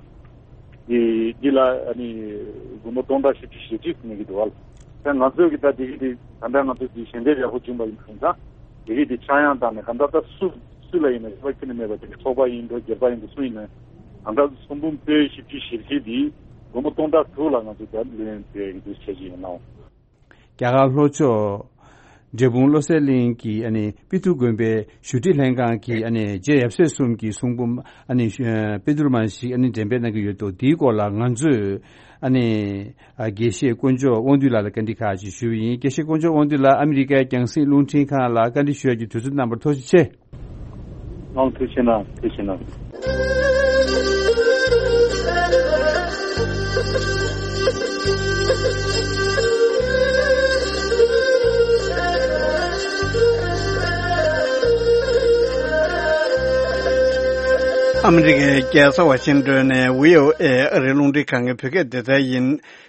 འདི་འདི་ལ་ཨ་ནི་སྒོར་མོ་སྟོང་ཕྲག་བཞི་བཅུ་ཞེ་གཅིག་ཉར་གྱི་འདུག་བ་ལ། ད་ང་ཚོས་ཀྱི་ད་དེ་གི་དེ་ད་ལྟ་ང་ཚོ་དེ་ཞལ་འདེབས་ཡག་པོ་བྱུང་པ་ཡིན་ཙང་དེ་གི་དེ་ཆག་ཡང་བཏང་ནས་གང་ལྟར་ད་སུ་སུ་ལ་ཡིན་ན་ཤེས་པ་ཁྱོན་ནས་མེད་པ་དེ་ཚོགས་པ་ཡིན་འགྲོ་སྒེར་པ་ཡིན་འགྲོ་སུ་ཡིན་ན་གང་ལྟར་གསུང་འབུམ་པོད་བཞི་བཅུ་ཞེ་བཞི་དེ་སྒོར་མོ་སྟོང་ཕྲག་དྲུག་ལ་ང་ཚོ་ད་ལོན་སྤྲད་ཡོད་འདུག་བྱས་ཀྱི་ཡིན་ནའང་། རྒྱ་གར་ལྷོ་ཕྱོགས་འབྲས་སྤུངས་བློ་གསལ་གླིང་གི་ཨ་ནི་པི་ཏུ་དགོན་པའི་བཞུགས་ཁྲི་ལྷན་ཁང་གི་ཨ་ནི་རྗེ་ཡབ་སྲས་གསུམ་གྱི་གསུང་འབུམ་ཨ་ནི་པི་ཏུར་མ་ཞིག་ཨ་ནི་འགྲེམས་སྤེལ་གནང་གི་ཡོད་འདུག་དེའི་སྐོར་ལ་ང་ཚོས་ཨ་ནི་དགེ་བཤེས་དཀོན་མཆོག་དབང་འདུས་ལགས་ལ་བཀའ་འདྲི་ཁག་ཅིག་ཞུས་པ་ཡིན། དགེ་བཤེས་དཀོན་མཆོག་དབང་འདུས་ལགས་ཨ་མི་རི་ཀའི་རྒྱང་སྲིང་རླུང་འཕྲིན་ཁང་ལ་བཀའ་འདྲི་ཞུ་ཡག་གི་དུས་ཚོད་གནང་བར་ཐུགས་རྗེ་ཆེ། ཨང་། ཐུགས་རྗེ་གནང་། ཐུགས་རྗེ་གནང་། ཨ་མི་རི་ཀའི་རྒྱལ་ས་ཝ་ཤིང་ཏོན་ནས་བྷི་ཨོ་ཨེ་ཨ་རིའི་རླུང་འཕྲིན་ཁང་གི་བོད་སྐད་སྡེ་ཚན་ཡིན།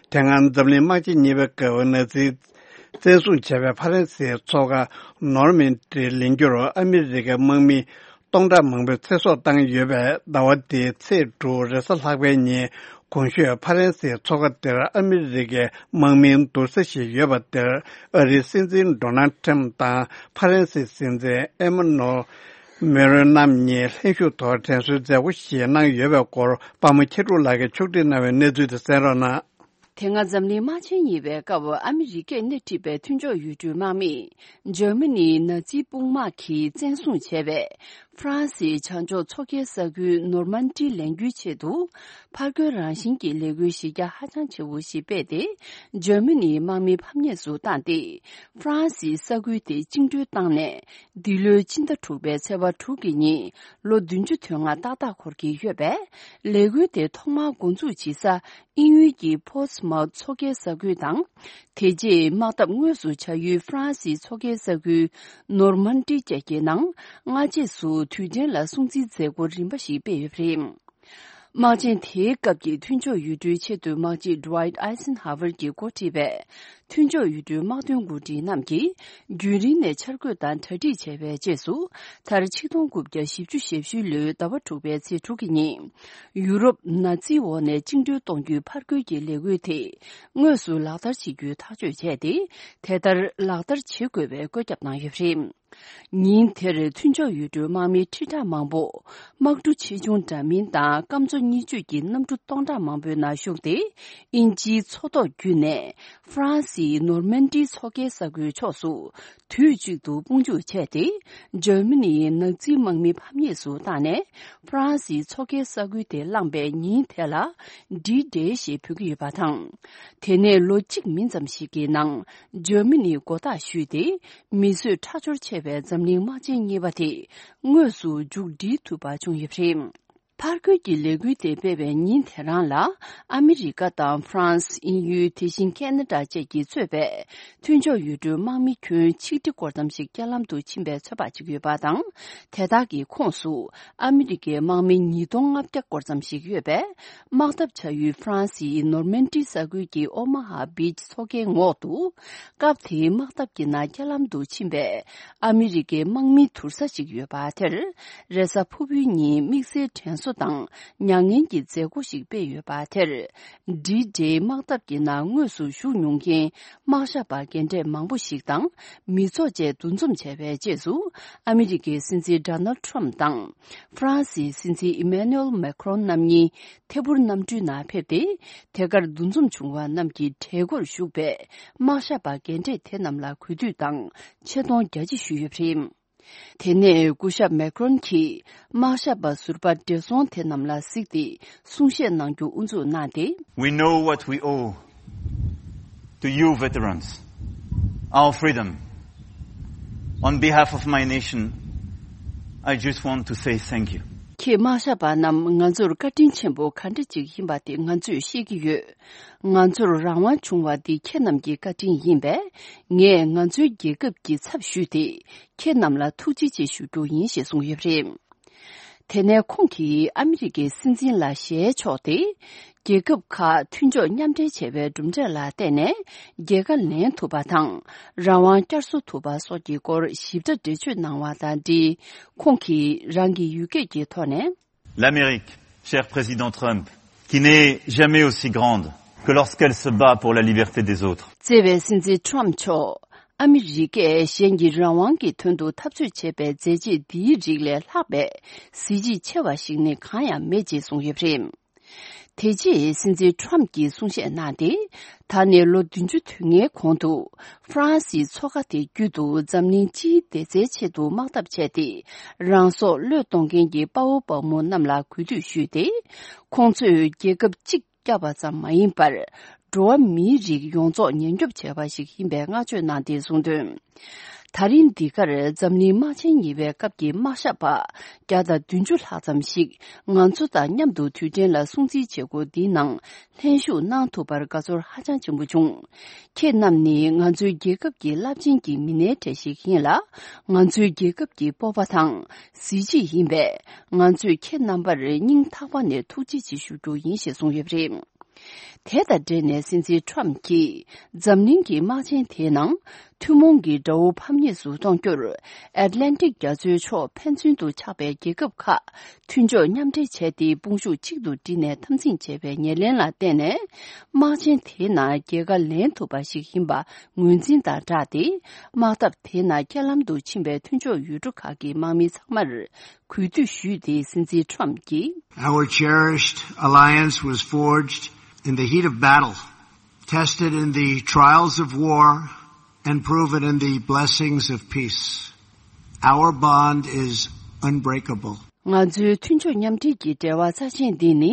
དེ་སྔ་འཛམ་གླིང་དམག་ཆེན་གཉིས་པའི་སྐབས་ནཱ་ཛི་བཙན་བཟུང་བྱས་པའི་ཕ་རན་སིའི་མཚོ་ཁ་ནོར་མན་ཌི་ལེན་རྒྱུར་ཨ་མི་རི་ཀའི་དམག་མི་སྟོང་ཕྲག་མང་པོས་ཚེ་སྲོག་བཏང་ཡོད་པས། ཟླ་བ་འདིའི་ཚེས་དྲུག་རེས་གཟའ་ལྷག་པའི་ཉིན་གོང་ཞུས་ཕ་རན་སིའི་མཚོ་ཁ་དེར་ཨ་མི་རི་ཀའི་དམག་མིའི་འདུག་ས་ཞིག་ཡོད་པ་དེར་ཨ་རིའི་སྲིད་འཛིན་ཌོ་ནལ་ཁྲིམ་དང་ཕ་རན་སིའི་སྲིད་འཛིན་ཨེ་མ་ནུ་མེ་རོན་རྣམ་གཉིས་ལྷན་ཞུགས་ཐོག་དྲན་གསོའི་མཛད་སྒོ་ཞིག་གནང་ཡོད་པའི་སྐོར་པདྨ་མཁས་གྲུབ་ལགས་ཀྱིས་ཕྱོགས་སྒྲིག་གནང་བའི་གནས་ཚུལ་དེ་གསན་རོགས་གནང་། དེ་སྔ་འཛམ་གླིང་དམག་ཆེན་གཉིས་པའི་སྐབས་ཨ་མི་རི་ཀས་སྣེ་ཁྲིད་པའི་མཐུན་ཕྱོགས་ཡུལ་གྲུའི་དམག་མིས་འཇར་མ་ནིའི་ནཱ་ཛི་དཔུང་དམག་གིས་བཙན་བཟུང་བྱས་པའི་ཧྥ་རན་སིའི་བྱང་ཕྱོགས་མཚོ་ཁའི་ས་ཁུལ་ནོར་མན་ཌི་ལེན་རྒྱུའི་ཆེད་དུ་ཕར་རྒོལ་རང་བཞིན་གྱི་ལས་འགུལ་གཞི་རྒྱ་ཧ་ཅང་ཆེ་བོ་ཞིག་སྤེལ་ཏེ། འཇར་མ་ནིའི་དམག་མི་ཕམ་ཉེས་སུ་བཏང་སྟེ། ཧྥ་རན་སིའི་ས་ཁུལ་དེ་བཅིངས་འགྲོལ་བཏང་ནས། འདི་ལོའི་ཕྱི་ཟླ་དྲུག་པའི་ཚེས་པ་དྲུག་གི་ཉིན་ལོ་བདུན་ཅུ་དོན་ལྔ་ཏག་ཏག་འཁོར་གྱི་ཡོད་པས། ལས་འགུལ་དེ་ཐོག་མར་འགོ་འཛུགས་བྱེད་ས་དབྱིན་ཡུལ་གྱི་པོར་ཊི་མའུ་ཐི་མཚོ་ཁའི་ས་ཁུལ་དང་། དེ་རྗེས་དམག་འཐབ་དངོས་སུ་བྱ་ཡུལ་ཧྥ་རན་སིའི་མཚོ་ཁའི་ས་ཁུལ་ནོར་མན་ཌི་བཅས་ཀྱི་ནང་སྔ་རྗེས་སུ་དུས་དྲན་ལ་སྲུང་བརྩིའི་མཛད་སྒོ་རིམ་པ་ཞིག་སྤེལ་ཡོད་པ་རེད། དམག་ཆེན་དེའི་སྐབས་ཀྱི་མཐུན་ཕྱོགས་ཡུལ་གྲུའི་ཆེས་མཐོའི་དམག་སྤྱི་Dwight Eisenhower གྱིས་འགོ་ཁྲིད་པའི་མཐུན་ཕྱོགས་ཡུལ་གྲུའི་དམག་དོན་འགོ་ཁྲིད་རྣམས་ཀྱིས་རྒྱུན་རིང་ནས་འཆར་འགོད་དང་གྲ་སྒྲིག་བྱས་པའི་རྗེས་སུ། མཐར་ཆིག་སྟོང་དགུ་བརྒྱ་བཞི་བཅུ་ཞེ་བཞི་ལོའི་ཟླ་བ་དྲུག་པའི་ཚེས་དྲུག་གི་ཉིན། ཡུ་རོབ་ནཱ་ཛིའི་འོག་ནས་བཅིངས་འགྲོལ་གཏོང་རྒྱུའི་ཕར་རྒོལ་གྱི་ལས་འགུལ་དེ་དངོས་སུ་ལག་བསྟར་བྱེད་རྒྱུའི་ཐག་གཅོད་བྱས་ཏེ། དེ་ལྟར་ལག་བསྟར་བྱེད་དགོས་པའི་བཀོད་ཁྱབ་གནང་ཡོད་པ་རེད། ཉིན་དེར་མཐུན་ཕྱོགས་ཡུལ་གྲུའི་དམག་མི་ཁྲི་ཕྲག་མང་པོ། དམག་གྲུ་ཆེ་ཆུང་འདྲ་མིན་དང་སྐམ་མཚོ་གཉིས་གཅོད་ཀྱི་གནམ་གྲུ་སྟོང་ཕྲག་མང་པོའི་ནང་ཞུགས་ཏེ། དབྱིན་ཇིའི་མཚོ་ཐོག་བརྒྱུད་ནས་ཧྥ་རན་སིའི་ནོར་མན་ཌིའི་མཚོ་ཁའི་ས་ཁུལ་ཕྱོགས་སུ་དུས་གཅིག་ཏུ་དཔུང་འཇུག་བྱས་ཏེ། འཇར་མ་ནིའི་ནཱ་ཛི་དམག་མི་ཕམ་ཉེས་སུ་བཏང་ནས། ཧྥ་རན་སིའི་མཚོ་ཁའི་ས་ཁུལ་དེ་བླངས་པའི་ཉིན་དེ་ལ་ཌི་ཌེ་ཞེས་འབོད་ཀྱི་ཡོད་པ་དང་། དེ་ནས་ལོ་གཅིག་མིན་ཙམ་ཞིག་གི་ནང་འཇར་མ་ནིས་མགོ་བཏགས་ཞུས་ཏེ། མི་གསོད་ཁྲག་སྦྱོར་ཆེ་བའི་འཛམ་གླིང་དམག་ཆེན་གཉིས་པ་དེ་དངོས་སུ་མཇུག་སྒྲིལ་ཐུབ་པ་བྱུང་ཡོད་པ་རེད། ཕར་རྒོལ་གྱི་ལས་འགུལ་དེ་སྤེལ་བའི་ཉིན་དེ་རང་ལ། ཨ་མི་རི་ཀ་དང་ཧྥ་རན་སི། དབྱིན་ཡུལ། དེ་བཞིན་ཁེ་ན་ཌ་བཅས་ཀྱིས་གཙོས་པའི་མཐུན་ཕྱོགས་ཡུལ་གྲུའི་དམག་མི་ཁྱོན་ཆིག་ཁྲི་སྐོར་ཙམ་ཞིག་རྐྱེན་ལམ་དུ་ཕྱིན་པའི་ཚོད་དཔག་བྱེད་ཀྱི་ཡོད་པ་དང་། དེ་དག་གི་ཁོངས་སུ་ཨ་མི་རི་ཀའི་དམག་མི་ཉིས་སྟོང་ལྔ་བརྒྱ་སྐོར་ཙམ་ཞིག་ཡོད་པས། དམག་འཐབ་བྱ་ཡུལ་ཧྥ་རན་སིའི་ནོར་མན་ཌི་ས་ཁུལ་གྱི་ཨོ་མ་ཧ་བིཆ་མཚོ་ཁའི་ངོགས་དུ། སྐབས་དེའི་དམག་འཐབ་ཀྱི་ནང་རྐྱེན་ལམ་དུ་ཕྱིན་པའི་ཨ་མི་རི་ཀའི་དམག་མིའི་དུར་ས་ཞིག་ཡོད་པ་དེར། རེས་གཟའ་ཕུར་བུའི་ཉིན་དམིགས་བསལ་དྲན་གསོ་དང་མྱ་ངན་གྱི་མཛད་སྒོ་ཞིག་སྤེལ་ཡོད་པ་དེར། ཌི་ཌེ་དམག་འཐབ་ཀྱི་ནང་དངོས་སུ་ཞུགས་མྱོང་མཁན་དམག་ཞབས་པ་རྒན་གྲས་མང་པོ་ཞིག་དང་མི་ཚོགས་བཅས་འདུ་འཛོམས་བྱས་པའི་རྗེས་སུ། ཨ་མི་རི་ཀའི་སྲིད་འཛིན་ཌོ་ནལ་ཁྲམ་དང་། ཧྥ་རན་སིའི་སྲིད་འཛིན་ཨི་མེ་ནུ་ཨེལ་མེ་ཁྲོན་རྣམ་གཉིས་ཐད་འཕུར་གནམ་གྲུའི་ནང་ཕེབས་ཏེ། དེ་གར་འདུ་འཛོམས་བྱུང་བ་རྣམས་ཀྱི་གྲལ་སྒོར་ཞུགས་པའི་དམག་ཞབས་པ་རྒན་གྲས་དེ་རྣམས་ལ་གུས་འདུད་དང་ཆེ་མཐོང་རྒྱ་ཆེ་ཞུས་ཡོད་པ་རེད། དེ་ནས་སྐུ་ཞབས་མེ་ཁྲོན་གྱིས་དམག་ཞབས་པ་ཟུར་པ་བགྲེས་སོང་དེ་རྣམས་ལ་གཟིགས་ཏེ་གསུང་བཤད་གནང་རྒྱུ་དབུ་འཛུགས་གནང་སྟེ། We know what we owe to you veterans, our freedom. On behalf of my nation, I just want to say thank you. ཁྱེད་དམག་ཞབས་པ་རྣམས་ང་ཚོར་བཀའ་དྲིན་ཆེན་པོ་ག་འདྲ་ཅིག་ཡིན་པ་དེ་ང་ཚོས་ཤེས་ཀྱི་ཡོད། ང་ཚོར་རང་དབང་བྱུང་བ་འདི་ཁྱེད་རྣམས་ཀྱི་བཀའ་དྲིན་ཡིན་པས། ངས་ང་ཚོའི་རྒྱལ་ཁབ་ཀྱི་ཚབ་ཞུས་ཏེ་ཁྱེད་རྣམས་ལ་ཐུགས་རྗེ་ཆེ་ཞུ་རྒྱུ་ཡིན་ཞེས་གསུངས་ཡོད་པ་རེད། དེ་ནས་ཁོང་གིས་ཨ་མི་རི་ཀའི་སྲིད་འཛིན་ལ་ཞལ་ཕྱོགས་ཏེ། རྒྱལ་ཁབ་ཁག་མཐུན་ཕྱོགས་མཉམ་འབྲེལ་བྱས་པའི་གྲུབ་འབྲས་ལ་བརྟེན་ནས་རྒྱལ་ཁ་ལེན་ཐུབ་པ་དང་། རང་དབང་བསྐྱར་གསོ་ཐུབ་པ་སོགས་ཀྱི་སྐོར་ཞིབ་ཕྲ་འགྲེལ་བརྗོད་གནང་བ་དང་འབྲེལ། ཁོང་གིས་རང་གི་ཡུལ་སྐད་ཀྱི་ཐོག་ནས། L'Amérique, cher président Trump, qui n'est jamais aussi grande que lorsqu'elle se bat pour la liberté des autres. བརྩེ་བའི་སྲིད་འཛིན་ཁྲོམ་མཆོག་ཨ་མི་རི་ཀས་གཞན་གྱི་རང་དབང་གི་དོན་དུ་འཐབ་རྩོད་བྱེད་པའི་མཛད་རྗེས་འདིའི་རིགས་ལས་ལྷག་པའི་གཟི་བརྗིད་ཆེ་བ་ཞིག་ནི་གང་ཡང་མེད་ཅེས་གསུངས་ཡོད་པ་རེད། དེ་རྗེས་སྲིད་འཛིན་ཁྲོམ་གྱིས་གསུང་བཤད་གནང་སྟེ། ད་ནས་ལོ་བདུན་ཅུ་དོན་ལྔའི་གོང་དུ་ཧྥ་རན་སིའི་མཚོ་ཁ་དེ་བརྒྱུད་དུ་འཛམ་གླིང་སྤྱིའི་བདེ་རྩའི་ཆེད་དུ་དམག་འཐབ་བྱས་ཏེ། རང་སྲོག་བློས་གཏོང་མཁན་གྱི་དཔའ་བོ་དཔའ་མོ་རྣམས་ལ་གུས་འདུད་ཞུས་ཏེ། ཁོང་ཚོས་རྒྱལ་ཁབ་གཅིག་བསྐྱབས་པ་ཙམ་མ་ཡིན་པར། འགྲོ་བ་མིའི་རིགས་ཡོངས་རྫོགས་ཉེན་སྐྱོབ་བྱས་པ་ཞིག་ཡིན་པའི་བསྔགས་བརྗོད་གནང་སྟེ་གསུངས་དོན། ད་རིང་འདི་གར་འཛམ་གླིང་དམག་ཆེན་གཉིས་པའི་སྐབས་ཀྱི་དམག་ཞབས་པ་བརྒྱ་དང་བདུན་ཅུ་ལྷག་ཙམ་ཞིག་ང་ཚོ་དང་མཉམ་དུ་དུས་དྲན་ལ་སྲུང་བརྩིའི་བྱེད་སྒོ་འདིའི་ནང་ལྷན་ཞུགས་གནང་ཐུབ་པར་དགའ་ཚོར་ཧ་ཅང་ཆེན་པོ་བྱུང་། ཁྱེད་རྣམས་ནི་ང་ཚོའི་རྒྱལ་ཁབ་ཀྱི་རླབས་ཆེན་གྱི་མི་སྣའི་གྲས་ཤིག་ཡིན་ལ། ང་ཚོའི་རྒྱལ་ཁབ་ཀྱི་སྤོབས་པ་དང་གཟི་བརྗིད་ཡིན་པས། ང་ཚོས་ཁྱེད་རྣམ་པར་སྙིང་ཐག་པ་ནས་ཐུགས་རྗེ་ཆེ་ཞུ་རྒྱུ་ཡིན་ཞེས་གསུངས་ཡོད་པ་རེད། དེ་དང་འབྲེལ་ནས་སྲིད་འཛིན་ཁྲོམ་གྱིས་འཛམ་གླིང་གི་དམག་ཆེན་དེའི་ནང་ཐུན་མོང་གི་དགྲ་བོ་ཕམ་ཉེས་སུ་གཏོང་རྒྱུར་ཨེཊ་ལན་ཊིག་རྒྱ་མཚོའི་ཕྱོགས་ཕན་ཚུན་དུ་ཆགས་པའི་རྒྱལ་ཁབ་ཁག་མཐུན་ཕྱོགས་མཉམ་འབྲེལ་བྱས་ཏེ་དཔུང་ཤུགས་གཅིག་ཏུ་བསྒྲིལ་ནས་འཐབ་འཛིང་བྱས་པའི་ཉེར་ལེན་ལ་བརྟེན་ནས། དམག་ཆེན་དེའི་ནང་རྒྱལ་ཁ་ལེན་ཐུབ་པ་ཞིག་ཡིན་པ་ངོས་འཛིན་དང་སྦྲགས་ཏེ། དམག་འཐབ་དེའི་ནང་རྐྱེན་ལམ་དུ་ཕྱིན་པའི་མཐུན་ཕྱོགས་ཡུལ་གྲུ་ཁག་གི་དམག་མི་ཚང་མར། གུས་འདུད་ཞུས་ཏེ་སྲིད་འཛིན་ཁྲོམ་གྱིས། Our cherished alliance was forged in the heat of battle, tested in the trials of war, and proven in the blessings of peace. Our bond is unbreakable. ང་ཚོའི་མཐུན་ཕྱོགས་མཉམ་འབྲེལ་གྱི་འབྲེལ་བ་རྩ་ཆེན་འདི་ནི།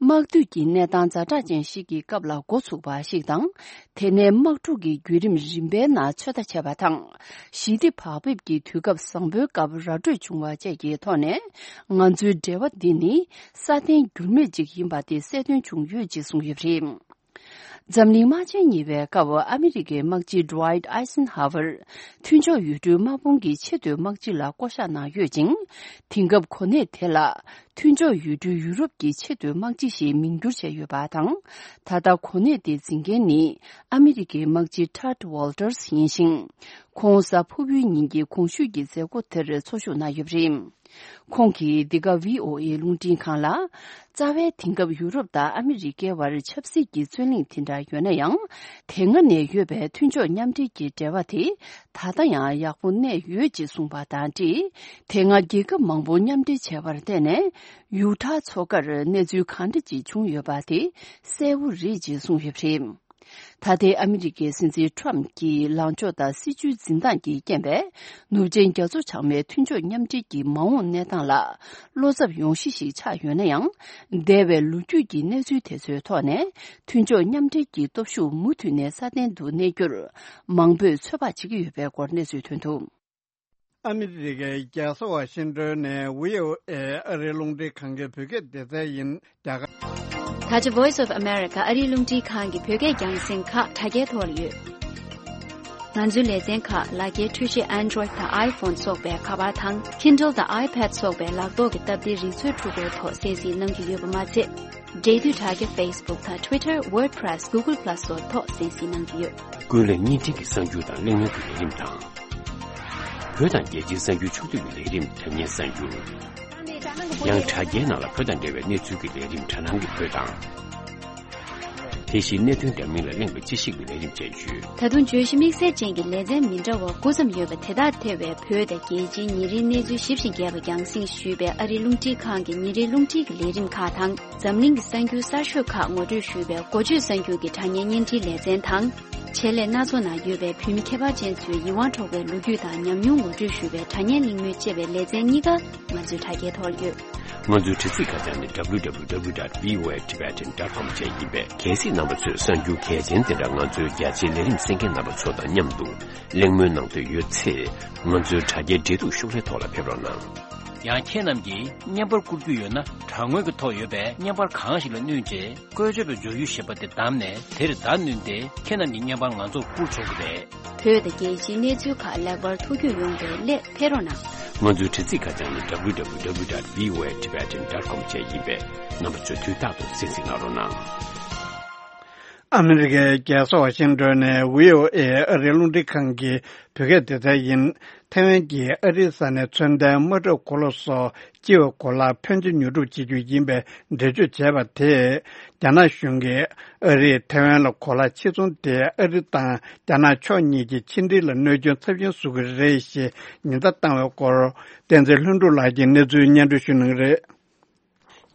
དམག་དུས་ཀྱི་གནས་སྟངས་ཛ་དྲག་ཅན་ཞིག་གི་སྐབས་ལ་འགོ་ཚུགས་པ་ཞིག་དང་། དེ་ནས་དམག་འཁྲུག་གི་བརྒྱུད་རིམ་རིམ་པའི་ནང་ཚོད་ལྟ་བྱས་པ་དང་། ཞི་བདེ་བག་ཕེབས་ཀྱི་དུས་སྐབས་བཟང་པོའི་སྐབས་ར་སྤྲོད་བྱུང་བ་བཅས་ཀྱི་ཐོག་ནས། ང་ཚོའི་འབྲེལ་བ་འདི་ནི་སྲ་བརྟན་འགྱུར་མེད་ཅིག་ཡིན་པ་དེ་གསལ་སྟོན་བྱུང་ཡོད་ཅེས་གསུངས་ཡོད་པ་རེད། འཛམ་གླིང་དམག་ཆེན་གཉིས་པའི་སྐབས་ཨ་མི་རི་ཀའི་དམག་སྤྱི་Dwight Eisenhower མཐུན་ཕྱོགས་ཡུལ་གྲུའི་དམག་དཔུང་གི་ཆེས་མཐོའི་དམག་སྤྱི་ལ་བསྐོ་གཞག་གནང་ཡོད་ཅིང་། དེང་སྐབས་གོ་གནས་དེ་ལ་མཐུན་ཕྱོགས་ཡུལ་གྲུའི་ཡུ་རོབ་ཀྱི་ཆེས་མཐོའི་དམག་སྤྱི་ཞེས་མིང་བསྒྱུར་བྱས་ཡོད་པ་དང་། ད་ལྟ་གོ་གནས་དེ་འཛིན་མཁན་ནི་ཨ་མི་རི་ཀའི་དམག་སྤྱི་Tad Walters ཡིན་ཞིང་། ཁོང་གཟའ་ཕུར་བུའི་ཉིན་གྱི་གོང་ཞུས་ཀྱི་མཛད་སྒོ་དེར་འཚོགས་ཞུགས་གནང་ཡོད་པ་རེད། ཁོང་གིས་འདི་ག་V O A རླུང་འཕྲིན་ཁང་ལ། རྩ་བའི་དེང་སྐབས་ཡུ་རོབ་དང་ཨ་མི་རི་ཀའི་བར་ཆབ་སྲིད་ཀྱི་རྩོད་གླེང་དེ་འདྲ་ཡོད་ན་ཡང་། དེ་སྔ་ནས་ཡོད་པའི་མཐུན་ཕྱོགས་མཉམ་འབྲེལ་གྱི་འབྲེལ་བ་དེ་ད་ལྟ་ཡང་ཡག་པོ་གནས་ཡོད་ཅེས་གསུངས་པ་དང་འབྲེལ། དེ་སྔ་རྒྱལ་ཁབ་མང་པོ་མཉམ་འབྲེལ་བྱས་པར་བརྟེན་ནས་ཡུ་ཐ་མཚོ་ཁར་གནས་ཚུལ་གང་འདྲ་ཅིག་བྱུང་ཡོད་པ་དེ་གསལ་བོ་རེད་ཅེས་གསུངས་ཡོད་པ་རེད། ད་ལྟའི་ཨ་མི་རི་ཀའི་སྲིད་འཛིན་ཁྲོམ་གྱི་ལངས་ཕྱོགས་དང་སྲིད་བྱུས་འཛིན་སྟངས་ཀྱི་རྐྱེན་པས། ནུབ་ཆེན་རྒྱ་མཚོ་བྱང་མའི་མཐུན་ཕྱོགས་མཉམ་འབྲེལ་གྱི་མ་འོངས་གནས་སྟངས་ལ་བློ་འཚབ་ཡོང་གཞི་ཞིག་ཆགས་ཡོད་ན་ཡང་། འདས་པའི་ལོ་རྒྱུས་ཀྱི་གནས་ཚུལ་དེ་ཚོའི་ཐོག་ནས་མཐུན་ཕྱོགས་མཉམ་འབྲེལ་གྱི་སྟོབས་ཤུགས་མུ་མཐུད་ནས་སྲ་བརྟན་དུ་གནས་རྒྱུར་མང་པོས་ཚོད་དཔག་བྱེད་ཀྱི་ཡོད་པའི་སྐོར་གནས་ཚུལ་ཐོན་འདུག། ཨ་མི་རི་ཀའི་རྒྱལ་ས་ཝ་ཤིང་ཏོན་ནས་V O A ཨ་རིའི་རླུང་འཕྲིན་ཁང་གི་བོད་སྐད་སྡེ་ཚན་ཡིན། རྒྱ་གར། ད་ཆ་Voice of America ཨ་རིའི་རླུང་འཕྲིན་ཁང་གི་བོད་སྐད་རྒྱང་སྲིང་ཁག་དྲ་རྒྱའི་ཐོག་ལ་ཡོད། ང་ཚོའི་ལེ་ཚན་ཁག་ལག་འཁྱེར་འཕྲུལ་ཆས་Android དང་iPhone སོགས་པའི་ཁ་པར་དང་Kindle དང་iPad སོགས་པའི་ལག་ཐོག་གི་སྟབས་བདེའི་རིག་མཛོད་འཕྲུལ་འཁོར་ཐོག་གསན་གཟིགས་གནང་རྒྱུ་ཡོད་པ་མ་ཚད། འབྲེལ་མཐུད་དྲ་རྒྱ་Facebook དང་Twitter WordPress Google Plus སོགས་ཐོག་གསན་གཟིགས་གནང་རྒྱུ་ཡོད། ཀུན་གླེང་བརྙན་འཕྲིན་གྱི་གསར་འགྱུར་དང་གླེང་མོལ་གྱི་ལས་རིམ་དང་། བོད་དང་རྒྱལ་སྤྱིའི་གསར་འགྱུར་ཕྱོགས་བསྡུས་ཀྱི་ལས་རིམ་དྲ་བརྙན་གསར་འགྱུར། ཡང་དྲ་རྒྱའི་ནང་ལ་བོད་དང་འབྲེལ་བའི་གནས་ཚུལ་གྱི་ལས་རིམ་དྲ་སྣང་གི་བོད་དང་། དེ་བཞིན་གནད་དོན་འདྲ་མིན་ལ་གླེང་བའི་དཔྱད་ཞིབ་ཀྱི་ལས་རིམ་བཅས་ཡོད། ད་དུང་བརྗོད་གཞི་དམིགས་བསལ་ཅན་གྱི་ལེ་ཚན་མི་འདྲ་བ་དགུ་ཙམ་ཡོད་པ་དེ་དག་ཐེ་བའི་བོད་དང་རྒྱལ་སྤྱིའི་ཉིན་རེའི་གནས་ཚུལ་ཞིབ་ཅིང་རྒྱས་པ་རྒྱང་སྲིང་ཞུས་པའི་ཨ་རིའི་རླུང་འཕྲིན་ཁང་གི་ཉིན་རེའི་རླུང་འཕྲིན་གྱི་ལས་རིམ་ཁག་དང་། འཛམ་གླིང་གི་གསར་འགྱུར་གསར་ཤོས་ཁག་ངོ་སྤྲོད་ཞུས་པའི་འགོ་བརྗོད་གསར་འགྱུར་གྱི་དྲ་བརྙན་བརྙན་འཕྲིན་ལེ་ཚན་དང་། ཆེད་ལས་སྣ་ཚོགས་ནང་ཡོད་པའི་བོད་མི་ཁྱད་པར་ཅན་ཚོའི་ཡིད་དབང་འཕྲོག་པའི་ལོ་རྒྱུས་དང་ཉམས་མྱོང་ངོ་སྤྲོད་ཞུ་བའི་དྲ་བརྙན་གླེང་མོལ་ཅེས་པའི་ལེ་ཚན་གཉིས་ཀ་ང་ཚོའི་དྲ་རྒྱའི་ཐོག་ལ་ཡོད། ང་ཚོའི་དྲ་ཚིགས་ཁ་བྱང་ནི W W W dot V O A Tibetan dot com བཅས་ཡིན་པས། གལ་སྲིད་རྣམ་པ་ཚོས་གསར་འགྱུར་གལ་ཆེན་དེ་འདྲ་ང་ཚོའི་རྒྱ་ཆེའི་ལས་རིམ་གསན་མཁན་རྣམ་པ་ཚོ་དང་མཉམ་དུ་གླེང་མོལ་གནང་འདོད་ཡོད་ཚེ། ང་ཚོའི་དྲ་རྒྱའི་འབྲེལ་གཏུག་ཤོག་ལྷེ་ཐོག་ལ་ཕེབས་རོགས་གནང་། ཡང་ཁྱེད་རྣམས་ཀྱིས་བརྙན་པར་བསྐུར་རྒྱུ་ཡོད་ན། དྲ་ངོས་ཀྱི་ཐོག་ཡོད་པའི་བརྙན་པར་གང་ཞིག་ལ་བསྣུན་རྗེས། བཀོལ་སྤྱོད་པའི་མཇུག་ཡུ་ཞེས་པ་དེ་བདམས་ནས་དེར་བརྡ་བསྣུན་ཏེ་ཁྱེད་རྣམས་ཀྱི་བརྙན་པར་ང་ཚོར་བསྐུར་ཆོག་གི་རེད། བོད་དང་རྒྱལ་སྤྱིའི་གནས་ཚུལ་ཁག་ལེགས་པར་ཐུགས་རྒྱུས་ཡོང་བའི་སླད་ཕེབས་རོགས་གནང་། ང་ཚོའི་དྲ་ཚིགས་ཁ་བྱང་ནི་W W W dot V O A Tibetan dot com བཅས་ཡིན་པས། རྣམ་པ་ཚོས་དུས་རྟག་ཏུ་གསན་གཟིགས་གནང་རོགས་གནང་། ཨ་མི་རི་ཀའི་རྒྱལ་ས་ཝ་ཤིང་ཏོན་ནས་V O A ཨ་རིའི་རླུང་འཕྲིན་ཁང་གི་བོད་སྐད་སྡེ་ཚན་ཡིན། ཐའེ་ཝན་གྱིས་ཨ་རིའི་ས་ནས་མཚོན་ལྡན་དམག་གྲབས་གོ་ལ་སོགས་སྤྱི་པའི་གོ་ལ་ཕོན་ཆེ་ཉོ་སྒྲུབ་བྱེད་རྒྱུ་ཡིན་པའི་འགྲེལ་བརྗོད་བྱས་པ་དེས། རྒྱ་ནག་གཞུང་གིས་ཨ་རིས་ཐའེ་ཝན་ལ་གོ་ལ་ཕྱིར་ཚོང་དེ་ཨ་རི་དང་རྒྱ་ནག་ཕྱོགས་གཉིས་ཀྱི་ཕྱི་འབྲེལ་ལ་གནོད་སྐྱོན་ཚབས་ཆེན་བཟོ་གི་རེད་ཞེས་ཉེན་བརྡ་བཏང་བའི་སྐོར། བསྟན་འཛིན་ལྷུན་གྲུབ་ལགས་ཀྱིས་གནས་ཚུལ་སྙན་སྒྲོན་ཞུ་གནང་གི་རེད།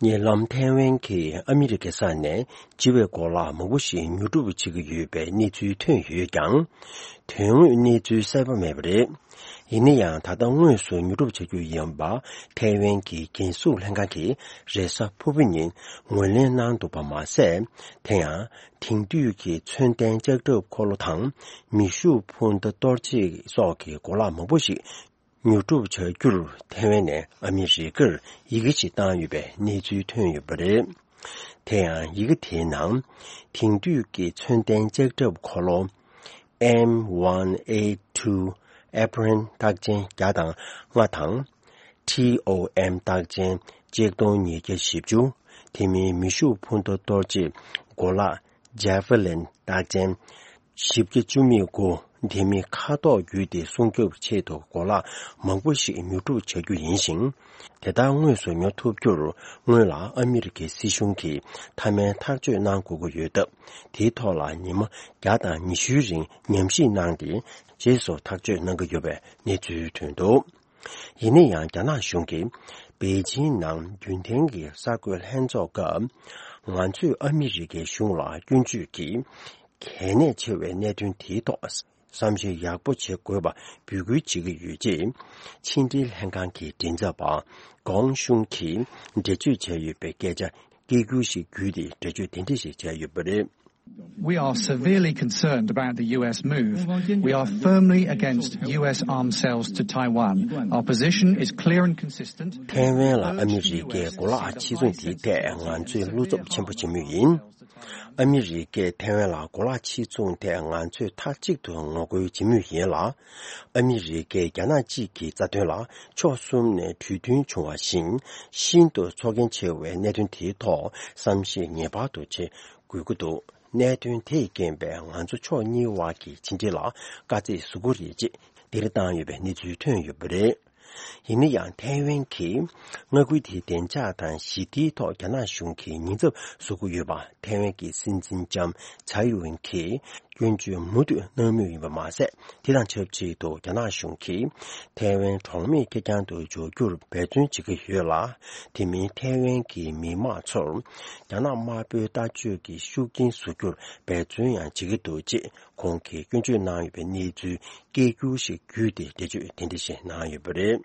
ཉེ་ལམ་ཐའེ་ཝན་གྱིས་ཨ་མི་རི་ཀའི་ས་ནས་སྤྱི་པའི་གོ་ལག་མང་པོ་ཞིག་ཉོ་སྒྲུབ་བྱེད་ཀྱི་ཡོད་པའི་གནས་ཚུལ་ཐོན་ཡོད་ཀྱང་། དོན་དངོས་གནས་ཚུལ་གསལ་པོ་མེད་པ་རེད། ཡིན་ན་ཡང་། ད་ལྟ་དངོས་སུ་ཉོ་སྒྲུབ་བྱ་རྒྱུ་ཡིན་པ་ཐའེ་ཝན་གྱི་རྒྱལ་སྲུང་ལྷན་ཁང་གིས་རེས་གཟའ་ཕུར་བུ་ཉིན་ངོས་ལེན་གནང་འདུག་པ་མ་ཟད། དེ་ཡང་དེང་དུས་ཀྱི་མཚོན་ལྡན་ལྕགས་ཁྲབ་འཁོར་ལོ་དང་མེ་ཤུགས་འཕུར་མདའ་གཏོར་བྱེད་སོགས་ཀྱི་གོ་ལག་མང་པོ་ཞིག་ཉོ་སྒྲུབ་བྱ་རྒྱུར་ཐའེ་ཝན་ནས་ཨ་མི་རི་ཀར་ཡི་གེ་ཞིག་བཏང་ཡོད་པའི་གནས་ཚུལ་ཐོན་ཡོད་པ་རེད། དེ་ཡང་ཡི་གེ་དེའི་ནང་དེང་དུས་ཀྱི་མཚོན་ལྡན་ལྕགས་ཁྲབ་འཁོར་ལོ་M one eight two Abrams རྟགས་ཅན་བརྒྱ་དང་ལྔ་དང་། T O M རྟགས་ཅན་གཅིག་སྟོང་ཉིས་བརྒྱ་བཞི་བཅུ། དེ་མིན་མེ་ཤུགས་འཕུར་མདའ་གཏོར་བྱེད་གོ་ལག་Javelin རྟགས་ཅན་བཞི་བརྒྱ་བཅུ་མེད་དགུ། དེ་མིན་མཁའ་ཐོག་བརྒྱུད་དེ་སྲུང་སྐྱོབ་ཆེད་དུ་གོ་ལག་མང་པོ་ཞིག་ཉོ་སྒྲུབ་བྱ་རྒྱུ་ཡིན་ཞིང་། དེ་དག་དངོས་སུ་ཉོ་ཐུབ་རྒྱུར་སྔོན་ལ་ཨ་མི་རི་ཀའི་སྲིད་གཞུང་གིས་མཐའ་མའི་ཐག་གཅོད་གནང་དགོས་ཀྱི་ཡོད་སྟབས། དེའི་ཐོག་ལ་ཉི་མ་བརྒྱ་དང་ཉི་ཤུའི་རིང་ཉམས་ཞིབ་གནང་སྟེ། རྗེས་སུ་ཐག་གཅོད་གནང་གི་ཡོད་པའི་གནས་ཚུལ་ཐོན་འདུག། ཡིན་ན་ཡང་། རྒྱ་ནག་གཞུང་གིས་པེ་ཅིང་ནང་རྒྱུན་ལྡན་གྱི་གསར་འགོད་ལྷན་ཚོགས་སྐབས། ང་ཚོས་ཨ་མི་རི་ཀའི་གཞུང་ལ་སྐྱོན་བརྗོད་ཀྱིས་གལ་གནད་ཆེ་བའི་གནད་དོན་དེའི་ཐོག་བསམ་ཞིབ་ཡག་པོ་བྱེད་དགོས་པ་འབོད་སྐུལ་བྱེད་ཀྱི་ཡོད་ཅེས། ཕྱི་འབྲེལ་ལྷན་ཁང་གི་མགྲིན་ཚབ་པ་ཀོང་ཤུང་གིས་འགྲེལ་བརྗོད་བྱས་ཡོད་པའི་སྐད་ཆ་སྐད་སྒྱུར་ཞིག་བརྒྱུད་དེ་འགྲེལ་བརྗོད་དེ་འདྲ་ཞིག་བྱས་ཡོད་པ་རེད། We are severely concerned about the U S move. We are firmly against U S arms sales to Taiwan. Our position is clear and consistent. ཐའེ་ཝན་ལ་ཨ་མི་རི་ཀས་གོ་ལག་ཕྱིར་ཚོང་དེའི་ཐད་ང་ཚོས་བློ་འཚབ་ཆེན་པོ་བྱེད་མུས་ཡིན། ཨ་མི་རི་ཀས་ཐའེ་ཝན་ལ་གོ་ལག་ཕྱིར་ཚོང་ཐད་ང་ཚོས་མཐའ་གཅིག་ཏུ་ངོ་རྒོལ་བྱེད་མུས་ཡིན་ལ། ཨ་མི་རི་ཀས་རྒྱ་ནག་གཅིག་གི་རྩ་དོན་ལ་ཕྱོགས་གསུམ་ནས་གྲོས་མཐུན་བྱུང་བ་བཞིན་ཤིན་ཏུ་ཚོར་སྐྱེན་ཆེ་བའི་གནད་དོན་དེའི་ཐོག་བསམ་ཤེས་ངེས་པར་དུ་བྱེད་དགོས་ཀྱི་འདུག་གནད་དོན་དེས་རྐྱེན་པས་ང་ཚོ་ཕྱོགས་གཉིས་དབར་གྱི་ཕྱི་འབྲེལ་ལ་དཀའ་ཚེགས་བཟོ་གི་རེད་ཅེས་འདིར་བཏང་ཡོད་པའི་གནས་ཚུལ་ཐོན་ཡོད་པ་རེད། ཡིན་ན་ཡང་ཐའེ་ཝན་གྱིས་མངའ་ཁུལ་དེའི་བདེ་འཇགས་དང་ཞི་བདེའི་ཐོག་རྒྱ་ནག་གཞུང་གིས་ཉེན་ཚབས་བཟོ་གི་ཡོད་པ་ཐའེ་ཝན་གྱི་སྲིད་འཛིན་ལྕམ་ཚའེ་ཝེན་གྱིས་སྐྱོན་བརྗོད་མུ་མཐུད་གནང་མུས་ཡིན་པ་མ་ཟད། དེ་དང་ཆབས་ཅིག་ཏུ་རྒྱ་ནག་གཞུང་གིས་ཐའེ་ཝན་གྲོང་མིའི་ཁེར་རྐྱང་དུ་འཇོག་རྒྱུར་འབད་བརྩོན་བྱེད་ཀྱི་ཡོད་ལ། དེ་མིན་ཐའེ་ཝན་གྱི་མི་དམངས་ཚོར་རྒྱ་ནག་དམར་པོའི་ལྟ་སྤྱོད་ཀྱི་ཤུགས་རྐྱེན་བཟོ་རྒྱུར་འབད་བརྩོན་ཡང་བྱེད་ཀྱི་འདུག་ཅེས་ཁོང་གིས་སྐྱོན་བརྗོད་གནང་ཡོད་པའི་གནས་ཚུལ་སྐད་སྒྱུར་ཞིག་བརྒྱུད་དེ་འགྲེལ་བརྗོད་དེ་འདྲ་ཞིག་གནང་ཡོད་པ་རེད།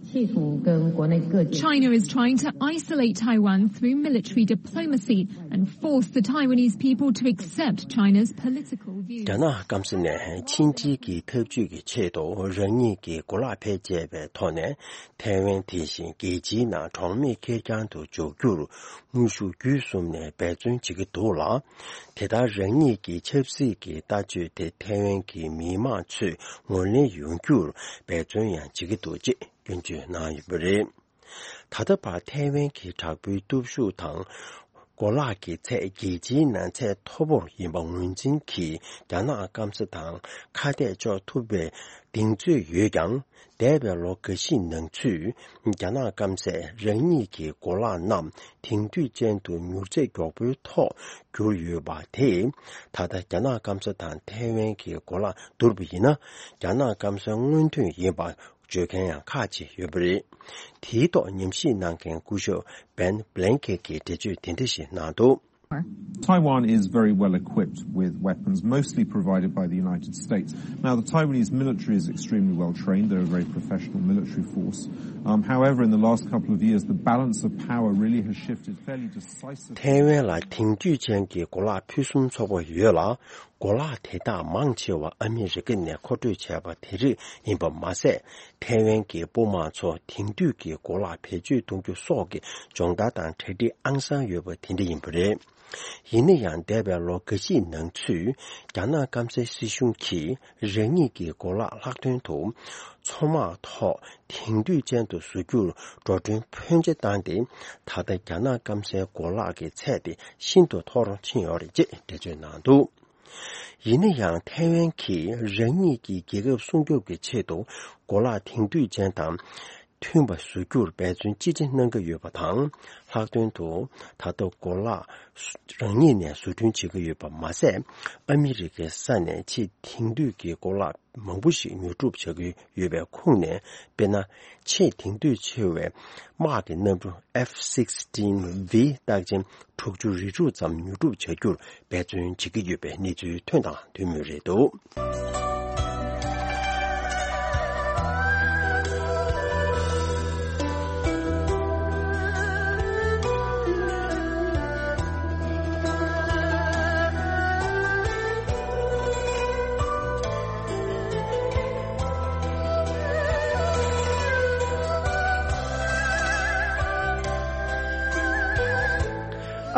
企图跟国内各地 China is trying to isolate Taiwan through military diplomacy and force the Taiwanese people to accept China's political views. རྒྱ་ནག་སྐམ་ས་ནས་ཕྱི་འབྲེལ་གྱི་འཐབ་ཇུས་ཀྱི་ཆེད་དུ་རང་ཉིད་ཀྱི་གོ་ལག་ཕལ་ཆེ་བའི་ཐོག་ནས་ཐའེ་ཝན་དེ་བཞིན་རྒྱལ་སྤྱིའི་ནང་གྲོང་མི་ཁེར་རྐྱང་དུ་འཇོག་རྒྱུར་དངོས་ཤུགས་བརྒྱུད་གསུམ་ནས་འབད་བརྩོན་བྱེད་ཀྱི་འདུག་ལ། དེ་ལྟར་རང་ཉིད་ཀྱི་ཆབ་སྲིད་ཀྱི་ལྟ་སྤྱོད་དེ་ཐའེ་ཝན་གྱི་མི་དམངས་ཚོས་ངོས་ལེན་ཡོང་རྒྱུར་འབད་བརྩོན་ཡང་བྱེད་ཀྱི་འདུག་ཅེས་སྐྱོན་བརྗོད་གནང་ཡོད་པ་རེད། ད་ལྟ་བར་ཐའེ་ཝན་གྱི་དྲག་པོའི་སྟོབས་ཤུགས་དང་གོ་ལག་གི་ཚད་རྒྱལ་སྤྱིའི་ནང་ཚད་མཐོ་པོར་ཡིན་པ་ངོས་འཛིན་གྱིས་རྒྱ་ནག་སྐམ་ས་དང་ཁ་གཏད་གཅོག་ཐུབ་པའི་གདེང་ཚོད་ཡོད་ཀྱང་། འདས་པའི་ལོ་འགའ་ཞིག་ནང་ཚུད་རྒྱ་ནག་སྐམ་སས་རང་ཉིད་ཀྱི་གོ་ལག་རྣམས་དེང་དུས་ཅན་དུ་མྱུར་ཚད་མགྱོགས་པོའི་ཐོག་གྱུར་ཡོད་པ་དེས། ད་ལྟ་རྒྱ་ནག་སྐམ་ས་དང་ཐའེ་ཝན་གྱི་གོ་ལག་བསྡུར་བ་ཡིན་ན། རྒྱ་ནག་སྐམ་སའི་སྔོན་ཐོན་ཡིན་པ་བརྗོད་མཁན་ཡང་ཁག་ཅིག་ཡོད་པ་རེད། དེའི་ཐོག་ཉམས་ཞིབ་གནང་མཁན་སྐུ་ཞབས་Ben Blanket གྱིས་འགྲེལ་བརྗོད་དེ་འདྲ་ཞིག་གནང་འདུག Taiwan is very well equipped with weapons, mostly provided by the United States. Now, the Taiwanese military is extremely well trained. They're a very professional military force. Um, however, in the last couple of years, the balance of power really has shifted fairly decisively. ཐའེ་ཝན་ལ་དེང་དུས་ཅན་གྱི་གོ་ལག་ཕུན་སུམ་ཚོགས་པ་ཡོད་ལ། གོ་ལག་དེ་དག་མང་ཆེ་བ་ཨ་མི་རི་ཀ་ནས་མཁོ་སྤྲོད་བྱས་པ་དེ་རིགས་ཡིན་པ་མ་ཟད། ཐའེ་ཝན་གྱི་དཔུང་དམག་ཚོ་དེང་དུས་ཀྱི་གོ་ལག་བེད་སྤྱོད་གཏོང་རྒྱུ་སོགས་ཀྱི་སྦྱོང་བརྡར་དང་གྲ་སྒྲིག་ཨང་གསར་ཡོད་པ་དེ་འདྲ་ཡིན་པ་རེད། ཡིན་ན་ཡང་། འདས་པའི་ལོ་འགའ་ཞིག་ནང་ཚུད་རྒྱ་ནག་སྐམ་སའི་སྲིད་གཞུང་གིས་རང་ཉིད་ཀྱི་གོ་ལག་ལྷག་དོན་དུ་མཚོ་དམག་ཐོག་དེང་དུས་ཅན་དུ་བཟོ་རྒྱུར་འགྲོ་གྲོན་ཕོན་ཆེ་བཏང་སྟེ། ད་ལྟ་རྒྱ་ནག་སྐམ་སའི་གོ་ལག་གི་ཚད་དེ་ཤིན་ཏུ་མཐོ་རུ་ཕྱིན་ཡོད་རེད་ཅེས་འགྲེལ་བརྗོད་གནང་འདུག་ཡིན་ན་ཡང་། ཐའེ་ཝན་གྱིས་རང་ཉིད་ཀྱི་རྒྱལ་ཁབ་སྲུང་སྐྱོབ་ཀྱི་ཆེད་དུ་གོ་ལག་དེང་དུས་ཅན་དང་མཐུན་པ་བཟོ་རྒྱུར་འབད་བརྩོན་ཅི་ཆེ་གནང་གི་ཡོད་པ་དང་། ལྷག་དོན་དུ་ད་ལྟ་གོ་ལག་རང་ཉིད་ནས་བཟོ་སྐྲུན་བྱེད་ཀྱི་ཡོད་པ་མ་ཟད། ཨ་མི་རི་ཀའི་ས་ནས་ཆེས་དེང་དུས་ཀྱི་གོ་ལག་མང་པོ་ཞིག་ཉོ་སྒྲུབ་བྱ་གི་ཡོད་པའི་ཁོངས་ནས། དཔེར་ན། ཆེས་དེང་དུས་ཆེ་བའི་དམག་གི་གནམ་གྲུ་F sixteen V རྟགས་ཅན་དྲུག་ཅུ་རེ་དྲུག་ཙམ་ཉོ་སྒྲུབ་བྱ་རྒྱུར་འབད་བརྩོན་བྱེད་ཀྱི་ཡོད་པའི་གནས་ཚུལ་ཐོན་དང་ཐོན་མུས་རེད་འདུག་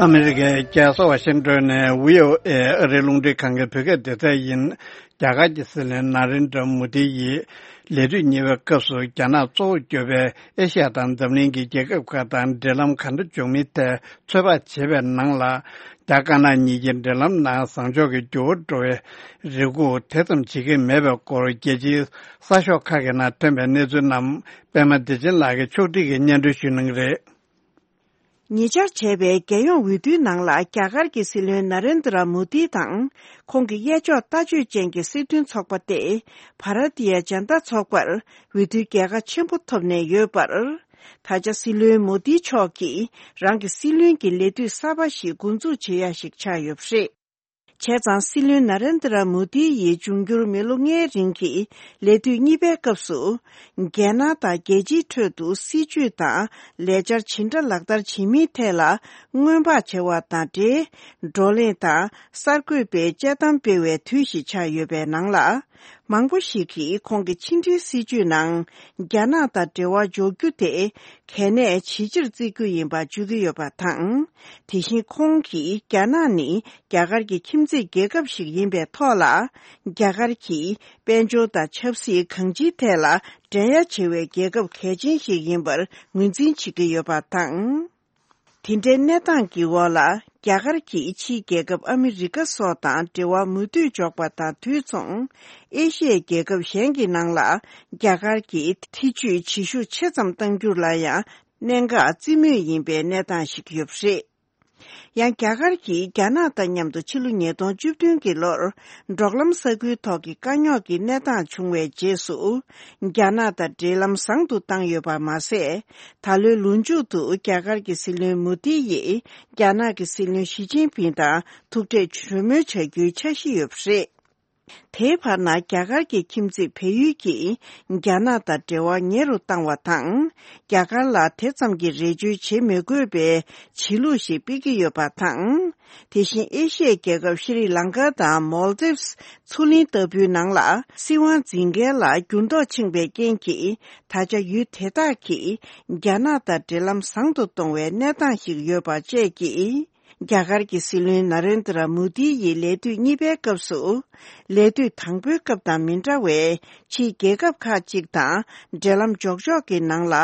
ཨ་མི་རི་ཀའི་རྒྱལ་ས་ཝ་ཤིང་ཏོན་ནས་བྷི་ཨོ་ཨེ་ཨ་རིའི་རླུང་འཕྲིན་ཁང་གི་བོད་སྐད་སྡེ་ཚན་ཡིན། རྒྱ་གར་གྱི་སྲིད་བློན་ན་རེན་དྲ་མོ་དི་ཡིས་ལས་དུས་གཉིས་པའི་སྐབས་སུ་རྒྱ་ནག་གཙོ་བོ་གྱུར་པའི་ཨེ་ཤ་ཡ་དང་འཛམ་གླིང་གི་རྒྱལ་ཁབ་ཁག་དང་འབྲེལ་ལམ་ག་འདྲ་འཇོག་མིན་ཐད་ཚོད་དཔག་བྱེད་པའི་ནང་ལ། རྒྱ་དཀར་ནག་གཉིས་ཀྱི་འབྲེལ་ལམ་ནང་བཟང་ཕྱོགས་ཀྱི་འགྱུར་བ་འགྲོ་བའི་རེ་སྒུག་དེ་ཙམ་བྱེད་ཀྱི་མེད་པའི་སྐོར། རྒྱལ་སྤྱིའི་གསར་ཤོག་ཁག་གི་ནང་ཐོན་པའི་གནས་ཚུལ་རྣམས་པད་མ་བདེ་ཆེན་ལགས་ཀྱིས་ཕྱོགས་སྒྲིག་གིས་སྙན་སྒྲོན་ཞུ་གནང་གི་རེད། ཉེ་ཆར་བྱས་པའི་རྒྱལ་ཡོངས་འོས་བསྡུའི་ནང་ལ། རྒྱ་གར་གྱི་སྲིད་བློན་ན་རེན་དྲ་མོ་དི་དང་། ཁོང་གི་གཡས་ཕྱོགས་ལྟ་སྤྱོད་ཅན་གྱི་སྲིད་དོན་ཚོགས་པ་སྟེ། བྷ་ར་ཏི་ཡ་ཇན་ཏ་ཚོགས་པར་འོས་བསྡུའི་རྒྱལ་ཁ་ཆེན་པོ་ཐོབ་ནས་ཡོད་པར། ད་ཆ་སྲིད་བློན་མོ་དི་མཆོག་གིས་རང་གི་སྲིད་བློན་གྱི་ལས་དུས་གསར་པ་ཞིག་འགོ་འཛུགས་བྱེད་ཡ་ཞིག་ཆགས་ཡོད་པ་རེད། བྱས་ཙང་སྲིད་བློན་ན་རེན་དྲ་མོ་དི་ཡི་འབྱུང་འགྱུར་མི་ལོ་ལྔའི་རིང་གི་ལས་དུས་གཉིས་པའི་སྐབས་སུ། རྒྱལ་ནང་དང་རྒྱལ་སྤྱིའི་ཁྲོད་དུ་སྲིད་བྱུས་དང་ལས་འཆར་ཇི་འདྲ་ལག་བསྟར་བྱེད་མིན་ཐད་ལ་སྔོན་དཔག་བྱ་བ་དང་འབྲེལ། བགྲོ་གླེང་དང་གསར་འགོད་པའི་དཔྱད་གཏམ་སྤེལ་བའི་དུས་ཤིག་ཆགས་ཡོད་པའི་ནང་ལ། མང་པོ་ཞིག་གིས་ཁོང་གི་ཕྱི་འབྲེལ་སྲིད་བྱུས་ནང་རྒྱ་ནག་དང་འབྲེལ་བ་འཇོག་རྒྱུ་དེ་གལ་གནད་ཇེ་ཆེར་བརྩི་རྒྱུ་ཡིན་པ་བརྗོད་ཀྱི་ཡོད་པ་དང་། དེ་བཞིན་ཁོང་གིས་རྒྱ་ནག་ནི་རྒྱ་གར་གྱི་ཁྱིམ་མཚེས་རྒྱལ་ཁབ་ཞིག་ཡིན་པའི་ཐོག་ལ། རྒྱ་གར་གྱིས་དཔལ་འབྱོར་དང་ཆབ་སྲིད་གང་ཅིའི་ཐད་ལ་འགྲན་ཡ་ཆེ་བའི་རྒྱལ་ཁབ་གལ་ཆེན་ཞིག་ཡིན་པར་ངོས་འཛིན་བྱེད་ཀྱི་ཡོད་པ་དང་། དེ་འདྲའི་གནས་སྟངས་ཀྱི་འོག་ལ། རྒྱ་གར་གྱིས་ཕྱིའི་རྒྱལ་ཁབ་ཨ་མི་རི་ཀ་སོགས་དང་འབྲེལ་བ་མུ་མཐུད་འཇོག་པ་དང་དུས་མཚུངས། ཨེ་ཤི་ཡའི་རྒྱལ་ཁབ་གཞན་གྱི་ནང་ལ། རྒྱ་གར་གྱི་ཐེ་ཇུས་བྱེད་ཤུགས་ཆེ་ཙམ་གཏང་རྒྱུ་ལ་ཡང་གནད་འགག་རྩིས་མོས་ཡིན་པའི་གནས་སྟངས་ཤིག་ཡོད་པ་རེད། ཡང་རྒྱ་གར་གྱིས་རྒྱ་ནག་དང་མཉམ་དུ་ཕྱི་ལོ་ཉིས་སྟོང་བཅུ་བདུན་གྱི་ལོར། འབྲོག་ལམ་ས་ཁུལ་ཐོག་གི་དཀའ་རྙོག་གི་གནས་སྟངས་བྱུང་བའི་རྗེས་སུ། རྒྱ་ནག་དང་འབྲེལ་ལམ་བཟང་དུ་བཏང་ཡོད་པ་མ་ཟད། ད་ལོའི་ལོ་མཇུག་ཏུ་རྒྱ་གར་གྱི་སྲིད་བློན་མོ་དི་ཡིས་རྒྱ་ནག་གི་སྲིད་བློན་ཞི་ཅིན་ཕིང་དང་ཐུག་འཕྲད་གྲོས་མོལ་བྱ་རྒྱུའི་འཆར་གཞི་ཡོད་པ་རེད། དེའི་བར་ན་རྒྱ་གར་གྱི་ཁྱིམ་མཚེས་བལ་ཡུལ་གྱིས་རྒྱ་ནག་དང་འབྲེལ་བ་ཉེ་རུ་བཏང་བ་དང་། རྒྱ་གར་ལ་དེ་ཙམ་གྱི་རེ་བཅོལ་བྱེད་མི་དགོས་པའི་བྱེད་ལུགས་ཤིག་སྤེལ་གྱི་ཡོད་པ་དང་། དེ་བཞིན་ཨེ་ཤི་ཡའི་རྒྱལ་ཁབ་ཤྲི་ལང་ཀ་དང་མོལ་དིབ་མཚོ་གླིང་ལྟ་བུའི་ནང་ལ་སྲིད་དབང་འཛིན་མཁན་ལ་འགྱུར་ལྡོག་ཕྱིན་པའི་རྐྱེན་གྱིས། ད་ཆ་ཡུལ་དེ་དག་གིས་རྒྱ་ནག་དང་འབྲེལ་ལམ་བཟང་དུ་གཏོང་བའི་གནས་སྟངས་ཤིག་ཡོད་པ་བཅས་ཀྱིས། རྒྱ་གར་གྱི་སྲིད་བློན་ན་རེན་དྲ་མོ་དི་ཡི་ལས་དུས་གཉིས་པའི་སྐབས་སུ། ལས་དུས་དང་པོའི་སྐབས་དང་མི་འདྲ་བའི་ཕྱིའི་རྒྱལ་ཁབ་ཁག་ཅིག་དང་འབྲེལ་ལམ་འཇོག་ཕྱོགས་ཀྱི་ནང་ལ་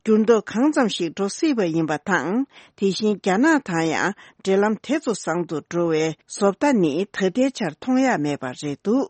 འགྱུར་ལྡོག་གང་ཙམ་ཞིག་འགྲོ་སྲིད་པ་ཡིན་པ་དང་། དེ་བཞིན་རྒྱ་ནག་དང་ཡང་འབྲེལ་ལམ་དེ་ཚོ་བཟང་དུ་འགྲོ་བའི་བཟོ་ལྟ་ནི་ད་ལྟའི་ཆར་མཐོང་ཡ་མེད་པ་རེད་འདུག།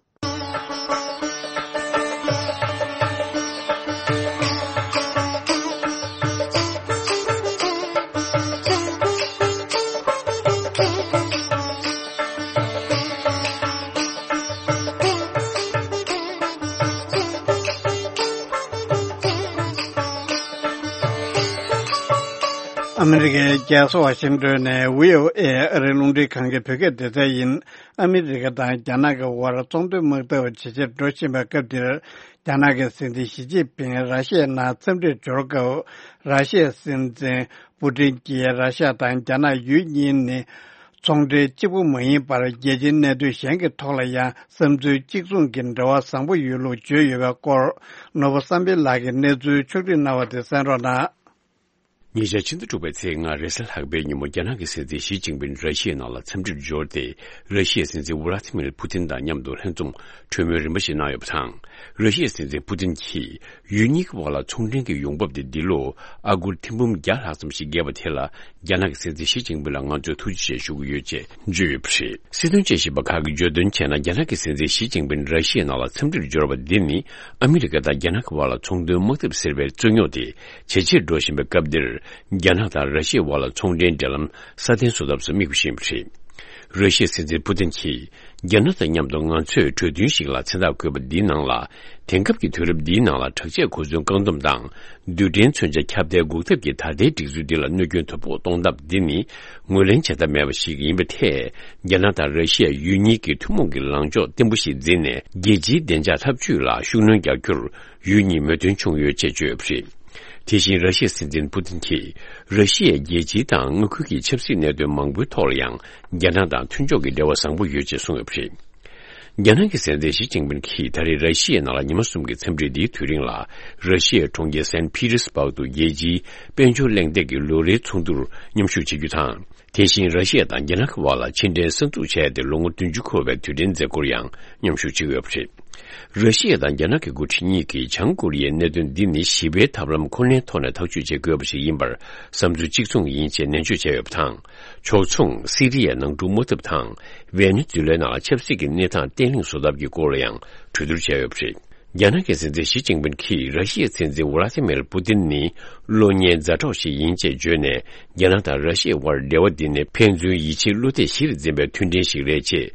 ཨ་མི་རི་ཀའི་རྒྱལ་ས་ཝ་ཤིང་ཏོན་ནས་བྷི་ཨོ་ཨེ་ཨ་རིའི་རླུང་འཕྲིན་ཁང་གི་བོད་སྐད་སྡེ་ཚན་ཡིན། ཨ་མི་རི་ཀ་དང་རྒྱ་ནག་གི་དབར་ཚོང་དོན་དམག་འཐབ་ཇེ་ཆེར་འགྲོ་བཞིན་པའི་སྐབས་འདིར། རྒྱ་ནག་གི་སྲིད་འཛིན་ཞི་ཅིན་ཕིང་ར་ཤི་ཡའི་ནང་འཚམས་འདྲིར་འབྱོར་སྐབས། ར་ཤི་ཡའི་སྲིད་འཛིན་པུ་ཏིན་གྱིས་ར་ཤི་ཡ་དང་རྒྱ་ནག་ཡུལ་གཉིས་ནི་ཚོང་འབྲེལ་གཅིག་པུ་མ་ཡིན་པར། རྒྱལ་སྤྱིའི་གནད་དོན་གཞན་གྱི་ཐོག་ལ་ཡང་བསམ་ཚུལ་གཅིག་མཚུངས་ཀྱི་འབྲེལ་བ་བཟང་པོ་ཡོད་ལུགས་བརྗོད་ཡོད་པའི་སྐོར། ནོར་བུ་བསམ་འཕེལ་ལགས་ཀྱིས་གནས་ཚུལ་ཕྱོགས་སྒྲིག་གནང་བ་དེ་གསན་རོགས་གནང་། ཉེ་ཆར་ཕྱི་ཟླ་དྲུག་པའི་ཚེས་ལྔ་རེས་གཟའ་ལྷག་པའི་ཉིན་མོ། རྒྱ་ནག་གི་སྲིད་འཛིན་ཞི་ཅིན་ཕིང་ར་ཤི་ཡའི་ནང་ལ་འཚམས་འདྲིར་འབྱོར་ཏེ། ར་ཤི་ཡའི་སྲིད་འཛིན་ཝུ་ལ་ཏི་མིར་པུ་ཏིན་དང་མཉམ་དུ་ལྷན་འཛོམས་གྲོས་མོལ་རིམ་པ་ཞིག་གནང་ཡོད་པ་དང་། ར་ཤི་ཡའི་སྲིད་འཛིན་པུ་ཏིན་གྱིས། ཡུལ་གཉིས་ཀྱི་དབར་ལ་ཚོང་འབྲེལ་གྱི་ཡོང་འབབ་དེ་འདི་ལོ་ཨ་སྒོར་ཐེར་འབུམ་བརྒྱ་ལྷག་ཙམ་ཞིག་བརྒལ་བ་དེ་ལ། རྒྱ་ནག་གི་སྲིད་འཛིན་ཞི་ཅིན་ཕིང་ལ་ང་ཚོས་ཐུགས་རྗེ་ཆེ་ཞུ་གི་ཡོད་ཅེས་བརྗོད་ཡོད་པ་རེད། སྲིད་དོན་དཔྱད་ཞིབ་པ་ཁག་གིས་བརྗོད་དོན་བྱས་ན། རྒྱ་ནག་གི་སྲིད་འཛིན་ཞི་ཅིན་ཕིང་ར་ཤི་ཡའི་ནང་ལ་འཚམས་འདྲིར་འབྱོར་བ་འདི་ནི། ཨ་མི་རི་ཀ་དང་རྒྱ་ནག་གི་དབར་ལ་ཚོང་དོན་དམག་འཐབ་ཟེར་བའི་རྩོད་རྙོག་དེ་ཇེ་ཆེར་འགྲོ་བཞིན་པའི་སྐབས་འདིར། རྒྱ་ནག་དང་ར་ཤི་ཡའི་དབར་ལ་ཚོང་འབྲེལ་འབྲེལ་ལམ་སྲ་བརྟན་བཟོ་ཐབས་སུ་དམིགས་པ་ཞིག་ཡིན་པ་རེད། ར་ཤི་ཡའི་སྲིད་འཛིན་པུ་ཏིན་གྱིས། རྒྱ་ནག་དང་མཉམ་དུ་ང་ཚོས་གྲོས་མཐུན་ཞིག་ལ་མཚན་རྟགས་བཀོད་པ་འདིའི་ནང་ལ། དེང་སྐབས་ཀྱི་དུས་རབས་འདིའི་ནང་ལ་དྲག་ཆས་གོ་མཚོན་བཀག་སྡོམ་དང་། རྡུལ་ཕྲན་མཚོན་ཆ་ཁྱབ་གདལ་འགོག་ཐབས་ཀྱི་ད་ལྟའི་སྒྲིག་འཛུགས་འདི་ལ་གནོད་སྐྱོན་དོ་ཕོག་གཏོང་ཐབས་འདི་ནི་ངོས་ལེན་བྱ་ཐབས་མེད་པ་ཞིག་ཡིན་པའི་ཐད། རྒྱ་ནག་དང་ར་ཤི་ཡ་ཡུལ་གཉིས་ཀྱི་ཐུན་མོང་གི་ལངས་ཕྱོགས་བརྟན་པོ་ཞིག་འཛིན་ནས། རྒྱལ་སྤྱིའི་བདེ་འཇགས་འཐབ་ཇུས་ལ་ཤུགས་སྣོན་རྒྱག་རྒྱུར་ཡུལ་གཉིས་མོས་མཐུན་བྱུང་ཡོད་ཅེས་བརྗོད་ཡོད་པ་རེད། དེ་བཞིན་ར་ཤི་ཡའི་སྲིད་འཛིན་པུ་ཏིན་གྱིས། ར་ཤི་ཡས་རྒྱལ་སྤྱིའི་དང་མངའ་ཁུལ་གྱི་ཆབ་སྲིད་གནད་དོན་མང་པོའི་ཐོག་ལ་ཡང་། རྒྱ་ནག་དང་མཐུན་ཕྱོགས་ཀྱི་འབྲེལ་བ་བཟང་པོ་ཡོད་ཅེས་གསུངས་ཡོད་པ་རེད། རྒྱ་ནག་གི་སྲིད་འཛིན་ཞི་ཅིན་ཕིང་གིས་ད་རེས་ར་ཤི་ཡའི་ནང་ལ་ཉི་མ་གསུམ་གྱི་འཚམས་འདྲི་འདིའི་དུས་རིང་ལ། ར་ཤི་ཡའི་གྲོང་ཁྱེར་སན་ཕི་ཏེར་སྦག་ཏུ་རྒྱལ་སྤྱིའི་དཔལ་འབྱོར་གླེང་སྟེགས་ཀྱི་ལོ་རེའི་ཚོགས་འདུར་མཉམ་ཞུགས་བྱེད་རྒྱུ་དང་། དེ་བཞིན་ར་ཤི་ཡ་དང་རྒྱ་ནག་གི་དབར་ལ་ཕྱི་འབྲེལ་གསར་འཛུགས་བྱས་ཏེ་ལོ་ངོ་བདུན་ཅུ་འཁོར་བའི་དུས་དྲན་མཛད་སྒོར་ཡང་མཉམ་ཞུགས་བྱེད་ཀྱི་ཡོད་པ་རེད། ར་ཤི་ཡ་དང་རྒྱ་ནག་གི་འགོ་ཁྲིད་གཉིས་ཀྱིས་བྱང་ཀོ་རི་ཡའི་གནད་དོན་འདི་ནི་ཞི་བའི་ཐབས་ལམ་ཁོ་ནའི་ཐོག་ནས་ཐག་གཅོད་བྱེད་དགོས་པ་ཞིག་ཡིན་པར་བསམ་ཚུལ་གཅིག་མཚུངས་ཡིན་ཅེས་ནན་བརྗོད་བྱས་ཡོད་པ་དང་། ཕྱོགས་མཚུངས་སི་རི་ཡའི་ནང་འཁྲུག་མ་ཐེབས་དང་། ཝེ་ནེ་ཛུ་ལའི་ནང་ལ་ཆབ་སྲིད་ཀྱི་གནས་སྟངས་བརྟན་ལྷིང་བཟོ་ཐབས་ཀྱི་སྐོར་ལ་ཡང་གྲོས་བསྡུར་བྱས་ཡོད་པ་རེད། རྒྱ་ནག་གི་སྲིད་འཛིན་ཞི་ཅིན་ཕིང་གིས་ར་ཤི་ཡའི་སྲིད་འཛིན་ཝ་ལ་ཏི་མིར་པུ་ཏིན་ནི་གློག་བརྙན་ཛ་དྲག་ཞིག་ཡིན་ཅེས་བརྗོད་ནས། རྒྱ་ནག་དང་ར་ཤི་ཡའི་དབར་འབྲེལ་བ་འདི་ནི་ཕན་ཚུན་ཡིད་ཆེས་བློ་གཏད་གཞིར་འཛིན་པའི་མཐུན་འབྲེལ་ཞིག་རེད་ཅེས།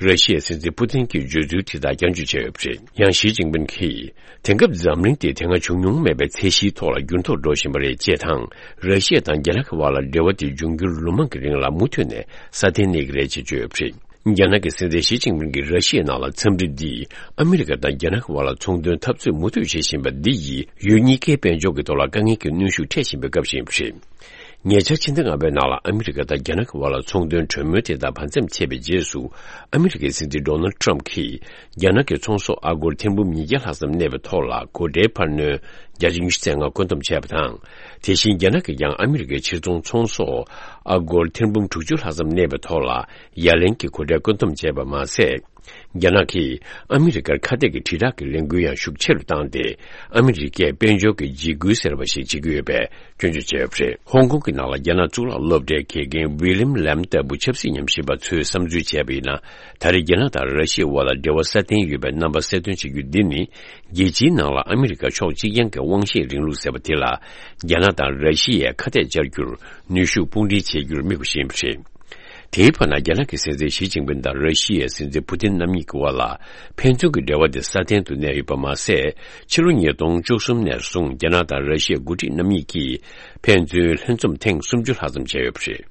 ར་ཤི་ཡའི་སྲིད་འཛིན་པུ་ཏིན་གྱི་བརྗོད་ཚུལ་དེ་དག་བསྐྱར་བརྗོད་བྱས་ཡོད་པ་རེད། ཡང་ཞི་ཅིན་ཕིང་གིས། དེང་སྐབས་འཛམ་གླིང་དེ་དེ་སྔ་བྱུང་མྱོང་མེད་པའི་ཚད་གཞིའི་ཐོག་ལ་འགྱུར་ལྡོག་འགྲོ་བཞིན་པ་རེད་ཅེས་དང་། ར་ཤི་ཡ་དང་རྒྱ་ནག་གི་དབར་ལ་འབྲེལ་བ་དེ་འབྱུང་འགྱུར་ལོ་མང་གི་རིང་ལ་མུ་མཐུད་ནས་སྲ་བརྟན་གནས་ཀྱི་རེད་ཅེས་བརྗོད་ཡོད་པ་རེད། རྒྱ་ནག་གི་སྲིད་འཛིན་ཞི་ཅིན་ཕིང་གིས་ར་ཤི་ཡའི་ནང་ལ་འཚམས་འདྲི་འདིས་ཨ་མི་རི་ཀ་དང་རྒྱ་ནག་གི་དབར་ལ་ཚོང་དོན་འཐབ་རྩོད་མུ་མཐུད་བྱེད་བཞིན་པ་འདི་ཡིས་ཡུལ་གཉིས་ཀའི་དཔལ་འབྱོར་གྱི་ཐོག་ལ་དཀའ་ངལ་གྱི་གནོན་ཤུགས་འཕྲད་བཞིན་པའི་སྐབས་ཤིག་ཡིན་པ་རེད། ཉེ་ཆར་ཕྱི་ཟླ་ལྔ་པའི་ནང་ལ་ཨ་མི་རི་ཀ་དང་རྒྱ་ནག་གི་དབར་ལ་ཚོང་དོན་གྲོས་མོལ་དེ་དག་བར་མཚམས་ཆད་པའི་རྗེས་སུ། ཨ་མི་རི་ཀའི་སྲིད་འཛིན་ཌོ་ནལ་ཊམ་གྱིས་རྒྱ་ནག་གི་ཚོང་ཟོག་ཨ་སྒོར་ཐེར་འབུམ་ཉིས་བརྒྱ་ལྷག་ཙམ་གནས་པའི་ཐོག་ལ་སྒོ་ཁྲལ་འཕར་སྣོན་བརྒྱ་ཆ་ཉི་ཤུ་རྩ་ལྔ་བཀོད་འདོམས་བྱས་པ་དང་། དེ་བཞིན་རྒྱ་ནག་གིས་ཀྱང་ཨ་མི་རི་ཀའི་ཕྱིར་ཚོང་ཚོང་ཟོག་ཨ་སྒོར་ཐེར་འབུམ་དྲུག་ཅུ་ལྷག་ཙམ་གནས་པའི་ཐོག་ལ་ཡ་ལན་གྱི་སྒོ་ཁྲལ་བཀོད་འདོམས་བྱས་པ་མ་ཟད། རྒྱ་ནག་གིས་ཨ་མི་རི་ཀར་ཁ་གཏད་ཀྱི་དྲིལ་བསྒྲགས་ཀྱི་ལས་འགུལ་ཡང་ཤུགས་ཆེ་རུ་བཏང་སྟེ། ཨ་མི་རི་ཀས་དཔལ་འབྱོར་གྱི་འཇིགས་སྐུལ་ཟེར་བ་ཞིག་བྱེད་ཀྱི་ཡོད་པའི་སྐྱོན་བརྗོད་བྱས་ཡོད་པ་རེད། ཧོང་ཀོང་གི་ནང་ལ་རྒྱ་ནག་གཙུག་ལག་སློབ་གྲྭའི་དགེ་རྒན་ཝི་ལིམ་ལེམ་ལྟ་བུ་ཆབ་སྲིད་ཉམས་ཞིབ་པ་ཚོས་བསམ་ཚུལ་བྱས་པ་ཡིན་ན། ད་རེས་རྒྱ་ནག་དང་ར་ཤི་ཡའི་དབར་ལ་འབྲེལ་བ་སྲ་བརྟན་ཡོད་པའི་རྣམ་པ་གསལ་སྟོན་བྱེད་རྒྱུ་འདི་ནི། རྒྱལ་སྤྱིའི་ནང་ལ་ཨ་མི་རི་ཀ་ཕྱོགས་གཅིག་རྐྱང་གི་དབང་ཤེད་རིང་ལུགས་ཟེར་བ་དེ་ལ། རྒྱ་ནག་དང་ར་ཤི་ཡས་ཁ་གཏད་བཅར་རྒྱུར་ནུས་ཤུགས་དཔུང་སྒྲིལ་བྱེད་རྒྱུར་དམིགས་པ་ཞིག་ཡིན་པ་རེད། དེའི་བར་ན། རྒྱ་ནག་གི་སྲིད་འཛིན་ཞི་ཅིན་ཕིང་དང་ར་ཤི་ཡའི་སྲིད་འཛིན་པུ་ཏིན་རྣམ་གཉིས་ཀྱི་དབར་ལ་ཕན་ཚུན་གྱི་འབྲེལ་བ་དེ་སྲ་བརྟན་དུ་གནས་ཡོད་པ་མ་ཟད། ཕྱི་ལོ་ཉིས་སྟོང་བཅུ་གསུམ་ནས་བཟུང་རྒྱ་ནག་དང་ར་ཤི་ཡའི་འགོ་ཁྲིད་རྣམ་གཉིས་ཀྱིས་ཕན་ཚུན་ལྷན་འཛོམས་ཐེངས་སུམ་ཅུ་ལྷག་ཙམ་བྱས་ཡོད་པ་རེད།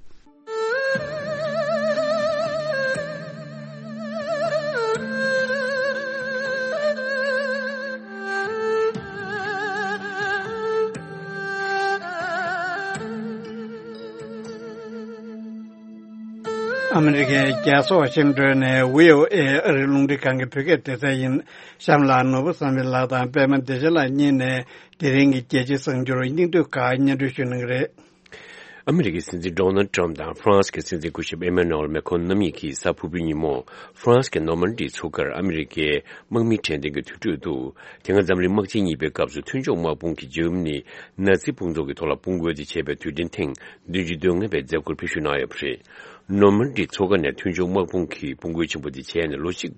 ཨ་མི་རི་ཀའི་རྒྱལ་ས་ཝ་ཤིང་ཏོན་ནས་བྷི་ཨོ་ཨེ་ཨ་རིའི་རླུང་འཕྲིན་ཁང་གི་བོད་སྐད་སྡེ་ཚན་ཡིན། གཤམ་ལ་ནོར་བུ་བསམ་འཕེལ་ལགས་དང་པད་མ་བདེ་ཆེན་ལགས་གཉིས་ནས་དེ་རིང་གི་རྒྱལ་སྤྱིའི་གསར་འགྱུར་སྙིང་བསྡུས་ཁག་སྙན་སྒྲོན་ཞུ་གནང་གི་རེད། ཨ་མི་རི་ཀའི་སྲིད་འཛིན་ཌོ་ནལ་ཊམ་དང་ཧྥ་རན་སི་གི་སྲིད་འཛིན་སྐུ་ཞབས་ཨེ་མེ་ནུ་ཨེལ་མེ་ཁོན་རྣམ་གཉིས་ཀྱིས་གཟའ་ཕུར་བུའི་ཉིན་མོ། ཧྥ་རན་སི་གི་ནོར་མན་ཌི་མཚོ་ཁར་ཨ་མི་རི་ཀའི་དམག་མི་དྲན་རྟེན་གྱི་དུས་དྲུག་ཏུ། དེ་སྔ་འཛམ་གླིང་དམག་ཆེན་གཉིས་པའི་སྐབས་སུ་མཐུན་ཕྱོགས་དམག་དཔུང་གིས་འཇར་མ་ནི་ནཱ་ཛི་དཔུང་ཚོགས་ཀྱི་ཐོག་ལ་དཔུང་རྒོལ་དེ་བྱས་པའི་དུས་དྲན་ཐེངས་བདུན་ཅུ་དོན་ལྔ་པའི་མཛད་སྒོར་ཕེབས་ཞུགས་གནང་ཡོད་པ་རེད། ནོར་མན་ཌི་མཚོ་ཁ་ནས་མཐུན་ཕྱོགས་དམག་དཔུང་གིས་དཔུང་རྒོལ་ཆེན་པོ་དེ་བྱས་ནས་ལོ་གཅིག་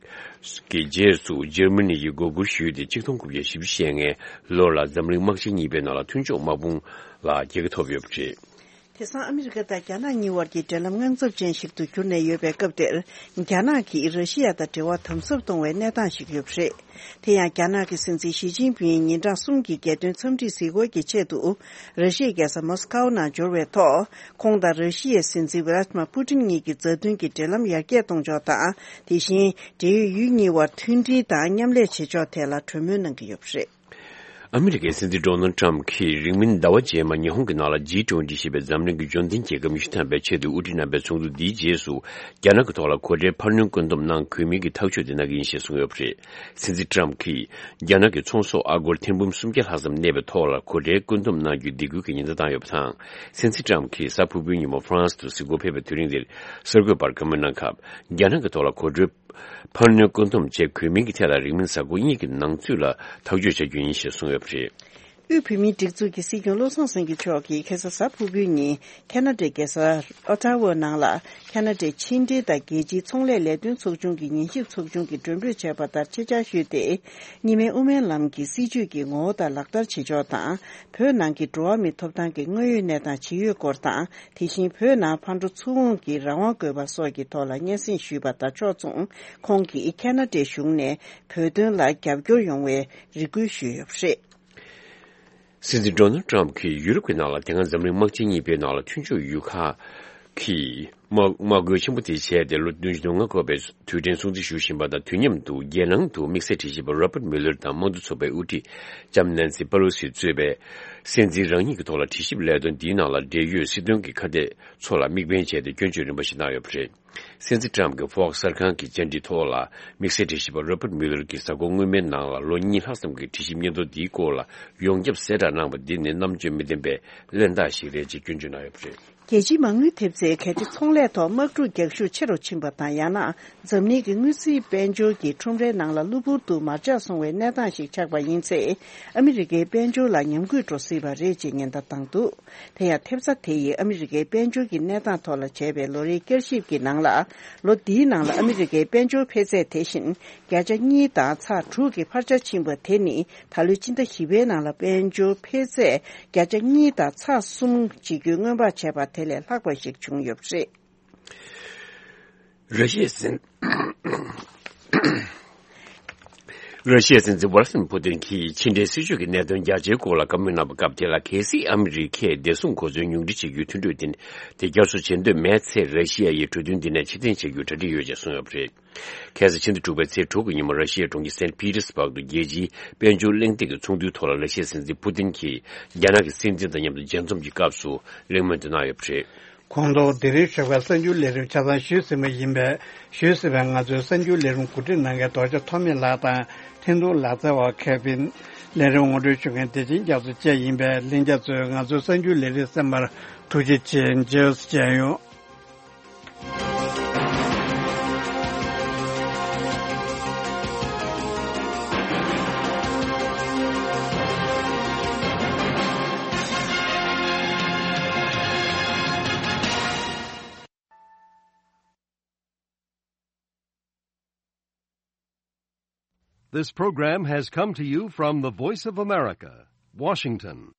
གི་རྗེས་སུ་འཇར་མ་ནི་ཡིས་མགོ་སྒུར་ཞུས་ཏེ། ཆིག་སྟོང་དགུ་བརྒྱ་བཞི་བཅུ་ཞེ་ལྔའི་ལོ་ལ་འཛམ་གླིང་དམག་ཆེན་གཉིས་པའི་ནང་ལ་མཐུན་ཕྱོགས་དམག་དཔུང་ལ་རྒྱལ་ཁ་ཐོབ་ཡོད་པ་རེད། དེང་སང་ཨ་མི་རི་ཀ་དང་རྒྱ་ནག་གཉིས་དབར་གྱི་འབྲེལ་ལམ་དངངས་འཚབ་ཅན་ཞིག་ཏུ་གྱུར་ནས་ཡོད་པའི་སྐབས་དེར། རྒྱ་ནག་གིས་ར་ཤི་ཡ་དང་འབྲེལ་བ་དམ་ཟབ་གཏོང་བའི་གནས་སྟངས་ཤིག་ཡོད་པ་རེད། དེ་ཡང་རྒྱ་ནག་གི་སྲིད་འཛིན་ཞི་ཅིན་ཕིང་ཉིན་གྲངས་གསུམ་གྱི་རྒྱལ་དོན་འཚམས་འདྲིའི་གཟིགས་སྐོར་གྱི་ཆེད་དུ། ར་ཤི་ཡའི་རྒྱལ་ས་མོ་སི་ཀའོ་ནང་འབྱོར་བའི་ཐོག་ཁོང་དང་ར་ཤི་ཡའི་སྲིད་འཛིན་ཝི་ལ་ཏི་མ་པུ་ཏིན་གཉིས་ཀྱི་མཛའ་མཐུན་གྱི་འབྲེལ་ལམ་ཡར་རྒྱས་གཏོང་ཕྱོགས་དང་། དེ་བཞིན་འབྲེལ་ཡོད་ཡུལ་གཉིས་དབར་མཐུན་སྒྲིལ་དང་མཉམ་ལས་བྱེད་ཕྱོགས་ཐད་ལ་གྲོས་མོལ་གནང་གི་ཡོད་པ་རེད། ཨ་མི་རི་ཀའི་སྲིད་འཛིན་ཌོ་ནལ་ཊམ་གྱིས་རིང་མིན་ཟླ་བ་རྗེས་མ་ཉི་ཧོང་གི་ནང་ལ་ཇི་ཊུ་ཝེན་ཊི་ཞེས་པའི་འཛམ་གླིང་གི་འབྱོར་ལྡན་རྒྱལ་ཁབ་ཉི་ཤུ་ཐམ་པའི་ཆེད་དུ་དབུ་ཁྲིད་རྣམ་པའི་ཚོགས་འདུ་འདིའི་རྗེས་སུ། རྒྱ་ནག་གི་ཐོག་ལ་སྒོ་ཁྲལ་འཕར་སྣོན་བཀོད་འདོམས་གནང་དགོས་མིན་གྱི་ཐག་གཅོད་དེ་གནང་གི་ཡིན་ཞེས་གསུངས་ཡོད་པ་རེད། སྲིད་འཛིན་ཊམ་གྱིས་རྒྱ་ནག་གི་ཚོང་ཟོག་ཨ་སྒོར་ཐེར་འབུམ་སུམ་བརྒྱ་ལྷག་ཙམ་གནས་པའི་ཐོག་ལ་སྒོ་ཁྲལ་བཀོད་འདོམས་གནང་རྒྱུའི་སྡིགས་སྐུལ་གྱི་ཉེན་བརྡ་བཏང་ཡོད་པ་དང་། སྲིད་འཛིན་ཊམ་གྱིས་གཟའ་ཕུར་བུའི་ཉིན་མོ་ཧྥ་རན་སི་དུ་གཟིགས་སྐོར་ཕེབས་པའི་དུས་རིང་འདིར། གསར་འགོད་པར་བཀའ་མོལ་གནང་སྐབས། རྒྱ་ནག་གི་ཐོག་ལ་སྒོ་ཁྲལ་འཕར་སྣོན་བཀོད་འདོམས་བྱེད་དགོས་མིན་གྱི་ཐད་ལ་རིང་མིན་གཟའ་འཁོར་གཉིས་ཀྱི་ནང་ཚུད་ལ་ཐག་གཅོད་བྱ་རྒྱུ་ཡིན་ཞེས་གསུངས་ཡོད་པ་རེད། དབུས་བོད་མིའི་སྒྲིག་འཛུགས་ཀྱི་སྲིད་སྐྱོང་བློ་བཟང་སེང་གེ་མཆོག་གིས་ཁ་སང་གཟའ་ཕུར་བུའི་ཉིན་ཁ་ན་ཌའི་རྒྱལ་ས་ཨོ་ཊ་ཝ་ནང་ལ་ཁ་ན་ཌའི་ཕྱི་འབྲེལ་དང་རྒྱལ་སྤྱིའི་ཚོང་ལས་ལས་དོན་ཚོགས་ཆུང་གི་ཉན་ཞིབ་ཚོགས་ཆུང་གི་མགྲོན་འབོད་བྱས་པ་ལྟར་ཆེད་བཅར་ཞུས་ཏེ། གཉིས་སྨན་དབུ་མའི་ལམ་གྱི་སྲིད་བྱུས་ཀྱི་ངོ་བོ་དང་ལག་བསྟར་བྱེད་ཕྱོགས་དང་། བོད་ནང་གི་འགྲོ་བ་མིའི་ཐོབ་ཐང་གི་དངོས་ཡོད་གནས་སྟངས་ཇི་ཡོད་སྐོར་དང་། དེ་བཞིན་བོད་ནང་ཕར་འགྲོ་ཚུར་འོང་གི་རང་དབང་དགོས་པ་སོགས་ཀྱི་ཐོག་ལ་སྙན་སེང་ཞུས་པ་དང་ཕྱོགས་མཚུངས། ཁོང་གིས་ཁ་ན་ཌའི་གཞུང་ནས་བོད་དོན་ལ་རྒྱབ་སྐྱོར་ཡོང་བའི་རེ་སྐུལ་ཞུས་ཡོད་པ་རེད། སྲིད་འཛིན་ཌོ་ནལ་ཊམ་གྱིས་ཡུ་རོབ་ཀྱི་ནང་ལ་དེ་སྔ་འཛམ་གླིང་དམག་ཆེན་གཉིས་པའི་ནང་ལ་མཐུན་ཕྱོགས་ཡུལ་ཁག་གིས་དམག་དམག་རྒོལ་ཆེན་པོ་དེ་བྱས་ཏེ། ལོ་བདུན་ཅུ་དོན་ལྔ་འཁོར་བའི་དུས་དྲན་སྲུང་བརྩི་ཞུ་བཞིན་པ་དང་། དུས་མཉམ་དུ་རྒྱལ་ནང་དུ་དམིགས་བསལ་དྲི་ཞིབ་པ་རོ་པར་མུ་ལར་དང་དམངས་གཙོ་ཚོགས་པའི་དབུ་ཁྲིད་ལྕམ་ནན་སི་པ་ལོ་སི་གཙོས་པའི་སྲིད་འཛིན་རང་ཉིད་ཀྱི་ཐོག་ལ་དྲི་ཞིབ་ལས་དོན་འདིའི་ནང་ལ་འབྲེལ་ཡོད་སྲིད་དོན་གྱི་ཁ་གཏད་ཚོ་ལ་དམིགས་འབེན་བྱས་ཏེ་སྐྱོན་བརྗོད་རིམ་པ་ཞིག་གནང་ཡོད་པ་རེད། སྲིད་འཛིན་ཊམ་གྱིས་ཧྥོག་སི་གསར་ཁང་གི་བཅར་འདྲི་ཐོག་ལ། དམིགས་བསལ་དྲི་ཞིབ་པ་རོ་པར་མུ་ལར་གྱིས་གཟའ་འཁོར་སྔོན་མའི་ནང་ལ་ལོ་གཉིས་ལྷག་ཙམ་གྱི་དྲི་ཞིབ་སྙན་ཐོ་འདིའི་སྐོར་ལ་ཡོངས་ཁྱབ་གསལ་བསྒྲགས་གནང་བ་འདི་ནི་རྣམ་དཔྱོད་མི་ལྡན་པའི་གླེན་རྟགས་ཤིག་རེད་ཅེས་སྐྱོན་བརྗོད་གནང་ཡོད་པ་རེད། རྒྱལ་སྤྱིའི་མ་དངུལ་ཐེབས་རྩས་གལ་ཏེ་ཚོང་ལས་ཐོག་དམག་འཁྲུག་རྒྱག་ཤུགས་ཆེ་རུ་ཕྱིན་པ་དང་། ཡང་ན་འཛམ་གླིང་གི་དངུལ་རྩིས་དཔལ་འབྱོར་གྱི་ཁྲོམ་རའི་ནང་ལ་གློ་བུར་དུ་མར་ཆག་སོང་བའི་གནས་སྟངས་ཤིག་ཆགས་པ་ཡིན་ཚེ། ཨ་མི་རི་ཀའི་དཔལ་འབྱོར་ལ་ཉམས་རྒུད་འགྲོ་སྲིད་པ་རེད་ཅེས་ཉེན་བརྡ་བཏང་འདུག་དེ་ཡང་ཐེབས་རྩ་དེ་ཡིས་ཨ་མི་རི་ཀའི་དཔལ་འབྱོར་གྱི་གནས་སྟངས་ཐོག་ལ་བྱས་པའི་ལོ་རེའི་བསྐྱར་ཞིབ་ཀྱི་ནང་ལ། ལོ་འདིའི་ནང་ལ་ཨ་མི་རི་ཀའི་དཔལ་འབྱོར་འཕེལ་ཚད་དེ་བཞིན་བརྒྱ་ཆ་གཉིས་དང་ཚེག་དྲུག་གི་འཕར་ཆ་ཕྱིན་པ་དེ་ནི། ད་ལོའི་སྤྱི་ཟླ་བཞི་པའི་ནང་ལ་དཔལ་འབྱོར་འཕེལ་ཚད་བརྒྱ་ཆ་གཉིས་དང་ཚེག་གསུམ་ཇི་བསྐྱོད་སྔོན་དཔག་བྱས་པ་དེ་ལས་ལྷག་པ་ཞིག་བྱུང་ཡོད་པ་རེད། ར་ཤི་ཡའི་སྲིད། ར་ཤི་ཡའི་སྲིད་འཛིན་ཝ་ལ་ཏི་མིར་ཕུ་ཏིན་གྱིས་ཕྱི་འབྲེལ་སྲིད་ཇུས་ཀྱི་གནད་དོན་རྒྱ་ཆེའི་སྐོར་ལ་བཀའ་མོལ་གནང་བའི་སྐབས་དེ་ལ། གལ་སྲིད་ཨ་མི་རི་ཀས་བདེ་སྲུང་གོ་མཚོན་ཉུང་འཕྲི་བྱེད་རྒྱུའི་མཐུན་གྲོས་དེ་དེ་བསྐྱར་གསོ་བྱེད་འདོད་མེད་ཚེ། ར་ཤི་ཡ་ཡིས་གྲོས་མཐུན་འདི་ནས་ཕྱིར་འཐེན་བྱེད་རྒྱུའི་གྲ་སྒྲིག་ཡོད་ཅེས་གསུངས་ཡོད་པ་རེད། ཁ་སང་ཕྱི་ཟླ་དྲུག་པའི་ཚེས་དྲུག་གི་ཉིན་མོ། ར་ཤི་ཡའི་གྲོང་ཁྱེར་སེན་ཕི་ཏེར་སྦུག་ཏུ་རྒྱལ་སྤྱིའི་དཔལ་འབྱོར་གླེང་སྟེགས་ཀྱི་ཚོགས་འདུའི་ཐོག་ལ། ར་ཤི་ཡའི་སྲིད་འཛིན་ཕུ་ཏིན་གྱིས་རྒྱ་ནག་གི་སྲིད་འཛིན་དང་མཉམ་དུ་མཇལ་འཛོམས་ཀྱི་སྐབས་སུ་གླེང་མོལ་དེ་གནང་ཡོད་པ་རེད། ཁོང་ཚོ་དེ་རིང་ཞོགས་པའི་གསར་འགྱུར་ལས་རིམ་ཆ་ཚང་ཞུས་ཟིན་པ་ཡིན་པས། ཞུས་ཟིན་པའི་ང་ཚོའི་གསར་འགྱུར་ལས་རིམ་གོ་སྒྲིག་གནང་མཁན་རྡོ་རྗེ་ཐོགས་མེད་ལགས་དང་། འཕྲིན་གཏོང་ལག་རྩལ་བ་ཁེ་ཕིན། ལས་རིམ་ངོ་སྤྲོད་ཞུ་མཁན་བདེ་ཆེན་རྒྱ་མཚོ་བཅས་ཡིན་པས། ལྷན་རྒྱས་ཚོས་ང་ཚོའི་གསར་འགྱུར་ལས་རིམ་གསན་པར་ཐུགས་རྗེ་ཆེ། མཇལ་བྱས་ཡོང་། This program has come to you from the Voice of America, Washington.